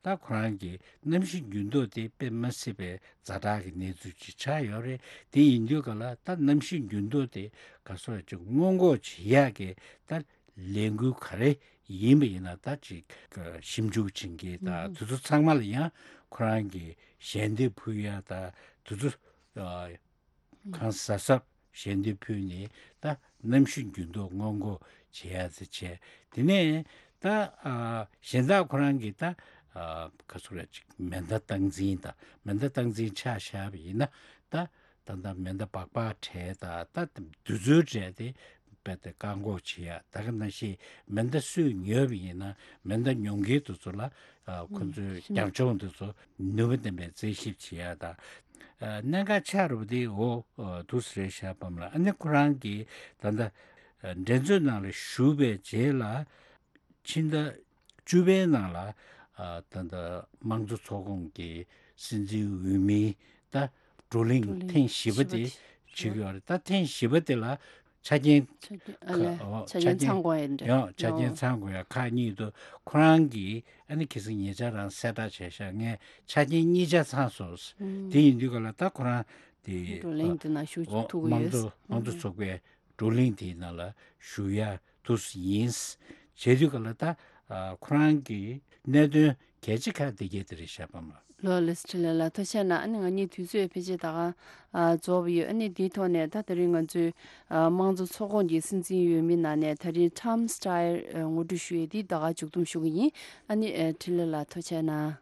ད་ཁོ་རང་གིས་གནམ་གཤིས་འགྱུར་ལྡོག་དེ་དཔེ་མ་སྲིད་པའི་ཛ་དྲག་གི་གནས་ཚུལ་ཅིག་ཆགས་ཡོད་རེད། དེ་ཡིན་དུས་ག་ལ་ད་གནམ་གཤིས་འགྱུར་ལྡོག་དེ་ག་སོ་ཅིག་སྔོན་འགོག་བྱེད་ཡག་གི་ད་ལས་འགུལ་ག་རེ་ཡིན་པ་ཡིན་ན་ད་ཅིག་ཞིབ་འཇུག་བྱེད་མཁན་ད་དེ་ཚོ་ཚང་མ་ལ་ཡང་ཁོ་རང་གིས་ཞལ་འདེབས་ཕུལ་ཡ་ད་དེ་ཚོ་གང་གཟབ་གཟབ་ཞལ་འདེབས་ཕུལ་ནས་ད་གནམ་གཤིས་འགྱུར་ལྡོག་སྔོན་འགོག་བྱེད་ཡ་ཟེར་བྱས། དེ་ནས་ད་གཞན་དག་ཁོ་རང་གིས་ད་ག་ཚོད་རེད་ཅིག་མེ་མདའ་སྟངས་འཛིན་ད་མེ་མདའ་སྟངས་འཛིན་ཆ་བཞག་པ་ཡིན་ན་ད་ད་ལྟ་མེ་མདའ་སྦག་སྦག་བྲལ་ད་ད་དུས་ཚོད་བྲལ་ཏེ། རྦད་དེ་བཀག་འགོག་བྱེད་ཡ། ད་ག་ནང་བཞིན་མེ་མདའ་སུས་ཉོས་པ་ཡིན་ན་མེ་མདའ་ཉོ་མཁན་དེ་ཚོ་ལ་ཨ་ཁོ་ཚོའི་རྒྱབ་ལྗོངས་དེ་ཚོ་ནུས་པ་ལྡན་པའི་རྩད་ཞིབ་བྱེད་ཡ་དང་། ཨ་གནད་འགག་ཆགས་རུ་དེ་འོ་ཨ་དུས་རེད་ཤག་པ་མ་ལ། ཨ་ནི་ཁོ་རང་གིས་ད་ལྟ་ཨ་འགྲན་རྩོད་ནང་ལ་ཞུགས་པའི་རྗེས་ལ་ཕྱི་ཟླ་བཅུ་པའི་ནང་ལ་ཨ་ད་ལྟ་དམངས་གཙོ་ཚོགས་ཁོངས་ཀྱི་སྲིད་འཛིན་འོས་མི་ད་བགྲོ་གླེང་བགྲོ་གླེང་ཐེངས་བཞི་པ་བཞི་པ་དེ་དེ་བྱེད་ཀྱི་ཡོད་རེད། ད་ཐེངས་བཞི་པ་དེ་ལ་ཆ་རྐྱེན་ཆ་རྐྱེན་ཨ་ལས་ཁ་ཨོ་ཆ་རྐྱེན་ཚང་དགོས་ཡ་འདྲ། ཡང་ཆ་རྐྱེན་ཨོ་ཚང་དགོས་ཡ་ཁག་གཉིས་འདུག་ཁོ་རང་གིས་ཨ་ནི་ཁ་སང་ཉེ་ཆར་རང་གསལ་བསྒྲགས་བྱས་ཤག་ངས་ཆ་རྐྱེན་གཉིས་ཆ་ཚང་སོང་། ཨུམ། དེ་ཡིན་དུས་ག་ལ་ད་ཁོ་རང་དེ་བགྲོ་གླེང་དེ་ནང་ཞུགས་ཨོ་ཐུབ་ཀྱི་དམངས་ཡོད། གཙོ་དམངས་གཙོ་ཚོགས་པའི་བགྲོ་གླེང་དེའི་ནང་ལ་ཞུགས་ཡ་དུས་ཡིན། བྱེད་དུས་ག་ལ་ད་ཨ་ཁོ་རང་གི་གནད་དོན་གལ་ཆེ་ཁག་དེ་གས་དེ་རེད་ཤག་པ་མ། ལོ་ལེ་སི་ཁྲི་ལེ་ལ་ཐུགས་རྗེ་གནང་། ཨ་ནི་ང་གཉིས་དུས་ཚོད་ཕལ་ཆེར་ད་ག་ཨ་རྫོགས་པ་ཡོད། ཨ་ནི་དེའི་ཐོག་ནས་ད་དེ་རིང་ང་ཚོའི་ཨ་དམངས་གཙོ་ཚོགས་ཁོངས་ཀྱི་སྲིད་འཛིན་འོས་མི་ནང་ནས་ད་རིང་Tom Steyer ཨ་ངོ་སྤྲོད་ཞུ་ཡས་འདི་ད་ག་མཇུག་བསྡོམས་ཞུ་གི་ཡིན། ཨ་ནི་ཨ་ཁྲི་ལེ་ལ་ཐུགས་རྗེ་གནང་།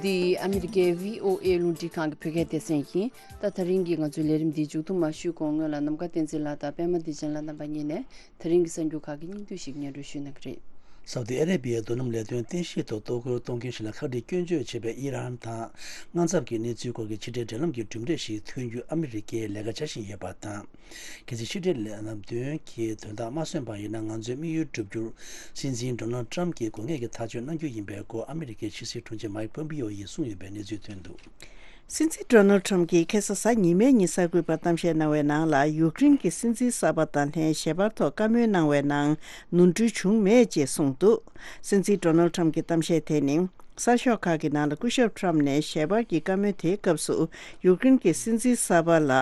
འདི་ཨ་མི་རི་ཀའི་བྷི་ཨོ་ཨེ་རླུང་འཕྲིན་ཁང་གི་བོད་སྐད་སྡེ་ཚན་ཡིན། ད་ད་རིང་གི་ང་ཚོའི་ལས་རིམ་འདི་མཇུག་བསྡོམས་མ་ཞུས་གོང་སྔོན་ལ་ནམ་མཁའ་བསྟན་འཛིན་ལགས་དང་པད་མ་བདེ་ཆེན་ལགས་རྣམ་པ་གཉིས་ནས་ད་རིང་གི་གསར་འགྱུར་ཁག་གི་སྙིང་བསྡུས་ཤིག་སྙན་སྒྲོན་ཞུ་གནང་གི་རེད། སའུ་ཏི་ཨ་རེ་པི་ཡའི་རྡོ་སྣུམ་ལས་དོན་རྟེན་གཞི་ཐོག་གཏོར་རྒོལ་གཏོང་མཁན་ཞིག་ལ་ཁ་བྲལ་སྐྱོན་བརྗོད་བྱས་པའི་ཨི་རན་དང་དངངས་འཚབ་ཀྱི་གནས་ཚུལ་སྐོར་གྱི་ཕྱི་འབྲེལ་འབྲེལ་ལམ་གྱི་གྲུབ་འབྲས་ཤིག་ཐོན་རྒྱུ་ཨ་མི་རི་ཀས་ལས་ཀ་བྱ་བཞིན་ཡོད་པ་དང་། གལ་སྲིད་ཕྱི་འབྲེལ་ལམ་སྟོན་གྱི་དོན་དག་མ་སོན་པ་ཡིན་ན་ང་ཚོའི་དམིགས་ཡུལ་བསྒྲུབ་རྒྱུར་སྲིད་འཛིན་ཌོ་ནལ་ཊམ་གྱིས་དགོས་ངེས་ཀྱི་ཐག་གཅོད་གནང་རྒྱུ་ཡིན་པའི་སྐོར་ཨ་མི་རི་ཀའི་ཕྱི་སྲིད་དྲུང་ཆེ་མའིག་པོམ་པི་ཡོ་ཡིས་གསུངས་ཡོད་པའི་གནས་ཚུལ་ཐོན་འདུག་སྲིད་འཛིན་ཌོ་ནལ་ཊམ་གྱིས་ཁ་སང་གཟའ་ཉི་མའི་ཉིན་གསར་འགོད་པར་གཏམ་བཤད་གནང་བའི་ནང་ལ་ཡུཀ་རེན་གྱི་སྲིད་འཛིན་གསར་པ་དང་ལྷན་ཞལ་པར་ཐོག་བཀའ་མོལ་གནང་བའི་ནང་ནོར་འཁྲུལ་བྱུང་མེད་ཅེས་གསུངས་འདུག་སྲིད་འཛིན་ཌོ་ནལ་ཊམ་གྱི་གཏམ་བཤད་དེ་ནི། གསར་ཤོག་ཁག་གི་ནང་ལ་སྐུ་ཞབས་ཊམ་ནས་ཞལ་པར་གྱི་བཀའ་མོལ་དེའི་སྐབས་སུ་ཡུཀ་རེན་གྱི་སྲིད་འཛིན་གསར་པ་ལ་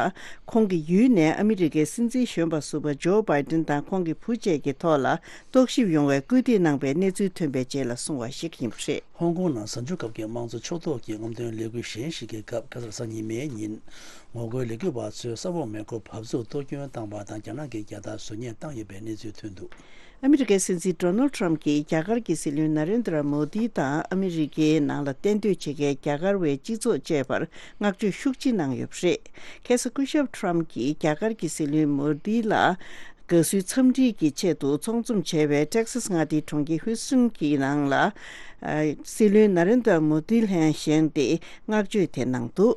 ཁོང་གི་ཡུལ་ནས་ཨ་མི་རི་ཀའི་སྲིད་འཛིན་གཞོན་པ་ཟུར་པ་ཇོ་བྷའི་ཏིན་དང་ཁོང་གི་བུ་བཅས་ཀྱི་ཐོག་ལ་རྟོག་ཞིབ་ཡོང་བའི་སྐུལ་འདེད་གནང་པའི་གནས་ཚུལ་ཐོན་པའི་རྗེས་ལ་གསུངས་པ་ཞིག་ཡིན་པ་རེད། ཧོང་ཀོང་ནང་གཟའ་མཇུག་སྐབས་ཀྱི་དམངས་གཙོ་ཕྱོགས་གཏོགས་ཀྱི་རྔམ་སྟོན་ལས་འགུལ་གཞན་ཞིག་གི་སྐབས་ཁ་སང་གཟའ་ཉི་མའི་ཉིན། ངོ་རྒོལ་ལས་འགུལ་བ་ཚོས་ས་འོག་མེ་འཁོར་འབབ་ཚུགས་གཏོར་སྐྱོན་བཏང་བ་དང་རྒྱ་ནག་གི་རྒྱལ་དར་བཟོ་ཉེས་བཏང་ཡོད་པའི་གནས་ཚུལ་ཐོན་འདུག་ཨ་མི་རི་ཀའི་སྲིད་འཛིན་ཌོ་ནལ་ཊམ་གྱིས་རྒྱ་གར་གྱི་སྲིད་བློན་ན་རེན་དྲ་མོ་དི་དང་ཨ་མི་རི་ཀའི་ནང་ལ་གཏན་སྡོད་བྱེད་མཁན་རྒྱ་གར་བའི་སྤྱི་ཚོགས་བཅས་པར་བསྔགས་བརྗོད་ཤུགས་ཆེ་གནང་ཡོད་པ་རེད། ཁ་སང་སྐུ་ཞབས་ཊམ་གྱིས་རྒྱ་གར་གྱི་སྲིད་བློན་མོ་དི་ལ་དགའ་བསུའི་འཚམས་འདྲི་གི་ཆེད་དུ་ཚོགས་འཛོམས་བྱས་པའི་ཊེག་སཱས་མངའ་སྡེའི་གྲོང་ཁྱེར་ཧུས་ཊོན་གྱི་ནང་ལ། ཨ་སྲིད་བློན་ན་རེན་དྲ་མོ་དི་ལྷན་བཞེངས་ཏེ་བསྔགས་བརྗོད་དེ་གནང་འདུག་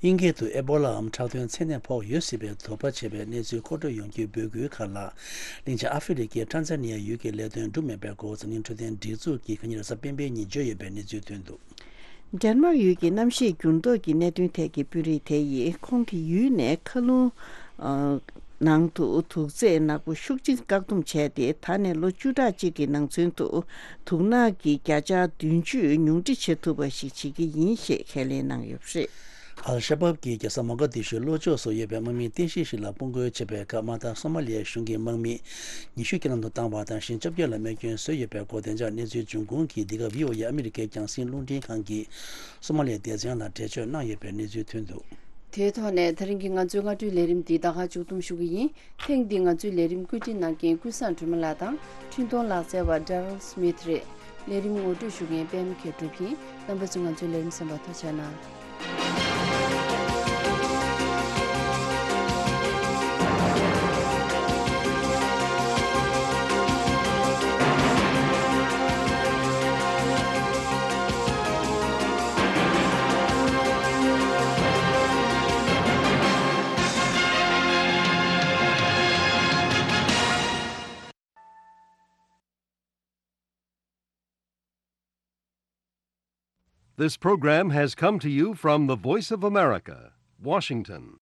དབྱིན་སྐད་དུ་ཨེ་བོ་ལའམ་ཁྲག་དོན་མཚན་ནད་ཕོག་ཡོད་སྲིད་པའི་དོགས་པ་བྱས་པའི་གནས་ཚུལ་མཁོ་སྤྲོད་ཡོང་རྒྱུའི་འབོད་སྐུལ་ཁག་ལ། གླིང་ཆེན་ཨ་ཧྥེ་རི་ཁའི་ཊན་ཛ་ནི་ཡ་ཡུལ་གྱི་ལས་དོན་འགྲུབ་མེད་པའི་སྐོར་འཛམ་གླིང་འཕྲོད་བསྟེན་སྒྲིག་འཛུགས་ཀྱིས་ཁ་ཉིན་རེས་གཟའ་སྤེན་པའི་ཉིན་བརྗོད་ཡོད་པའི་གནས་ཚུལ་ཐོན་འདུག་ཌེན་མཱག་ཡུལ་གྱི་གནམ་གཤིས་འགྱུར་ལྡོག་གི་གནད་དོན་ཐད་ཀྱི་དཔོན་རིགས་དེ་ཡིས་ཁོང་གི་ཡུལ་ནས་མཁའ་རླུང་ནང་དུ་དུག་རྫས་ནག་པོ་ཤུགས་ཆེན་བཀག་སྡོམ་བྱས་ཏེ། ད་ནས་ལོ་བཅུ་ཕྲག་གཅིག་གི་ནང་ཚུན་དུ་དུག་ནག་གི་བརྒྱ་ཆ་བདུན་ཅུ་ཉུང་འཕྲི་བྱེད་ཐུབ་པ་ཞིག་བྱེད་ཀྱི་ཡིན་ཞེས་ཁས་ལེན་གནང་ཡོད་པ་རེད། ཨལ་ཤ་བབ་ཀྱིས་རྒྱལ་ས་མོག་ག་དི་ཤུའི་ལྷོ་ཕྱོགས་སུ་ཡོད་པའི་དམག་མི་རྟེན་གཞི་ཞིག་ལ་དཔུང་རྒོལ་བྱས་པའི་སྐབས། དམག་དང་སོ་མ་ལི་ཡའི་གཞུང་གི་དམག་མི་ཉི་ཤུ་རྐྱེན་ལམ་དུ་བཏང་བ་དང་། གཞན་བཅོ་བརྒྱད་ལ་རྨས་སྐྱོན་བཟོས་ཡོད་པའི་སྐོར། བདེ་འཇགས་གནས་ཚུལ་འབྱུང་ཁུངས་ཀྱིས་འདི་ག་བྷི་ཨོ་ཨེ་ཨ་མི་རི་ཀའི་རྒྱང་སྲིང་རླུང་འཕྲིན་ཁང་གི་སོ་མ་ལི་ཡའི་སྡེ་ཚན་ལ་འགྲེལ་བརྗོད་གནང་ཡོད་པའི་གནས་ཚུལ་ཐོན་འདུག་དེའི་ཐོག་ནས་ད་རིང་གི་ང་ཚོའི་སྔ་དྲོའི་ལས་རིམ་འདི་ད་ག་མཇུག་བསྡོམས་ཞུ་གི་ཡིན། ཐེངས་འདིའི་ང་ཚོའི་ལས་རིམ་བཀོད་སྒྲིག་གནང་མཁན་ཀུན་བཟང་སྒྲོལ་མ་ལགས་དང་འཕྲིན་གཏོང་ལག་རྩལ་བ་Daryl Smith་རེད། ལས་རིམ་ངོ་སྤྲོད་ཞུ་མཁན་པད་མ་མཁས་གྲུབ་ཡིན། རྣམ་པ་ཚོས་ང་ཚོའི་ལས་རིམ་གསན་པར་ཐུགས་རྗེ་གནང་། This program has come to you from the Voice of America, Washington.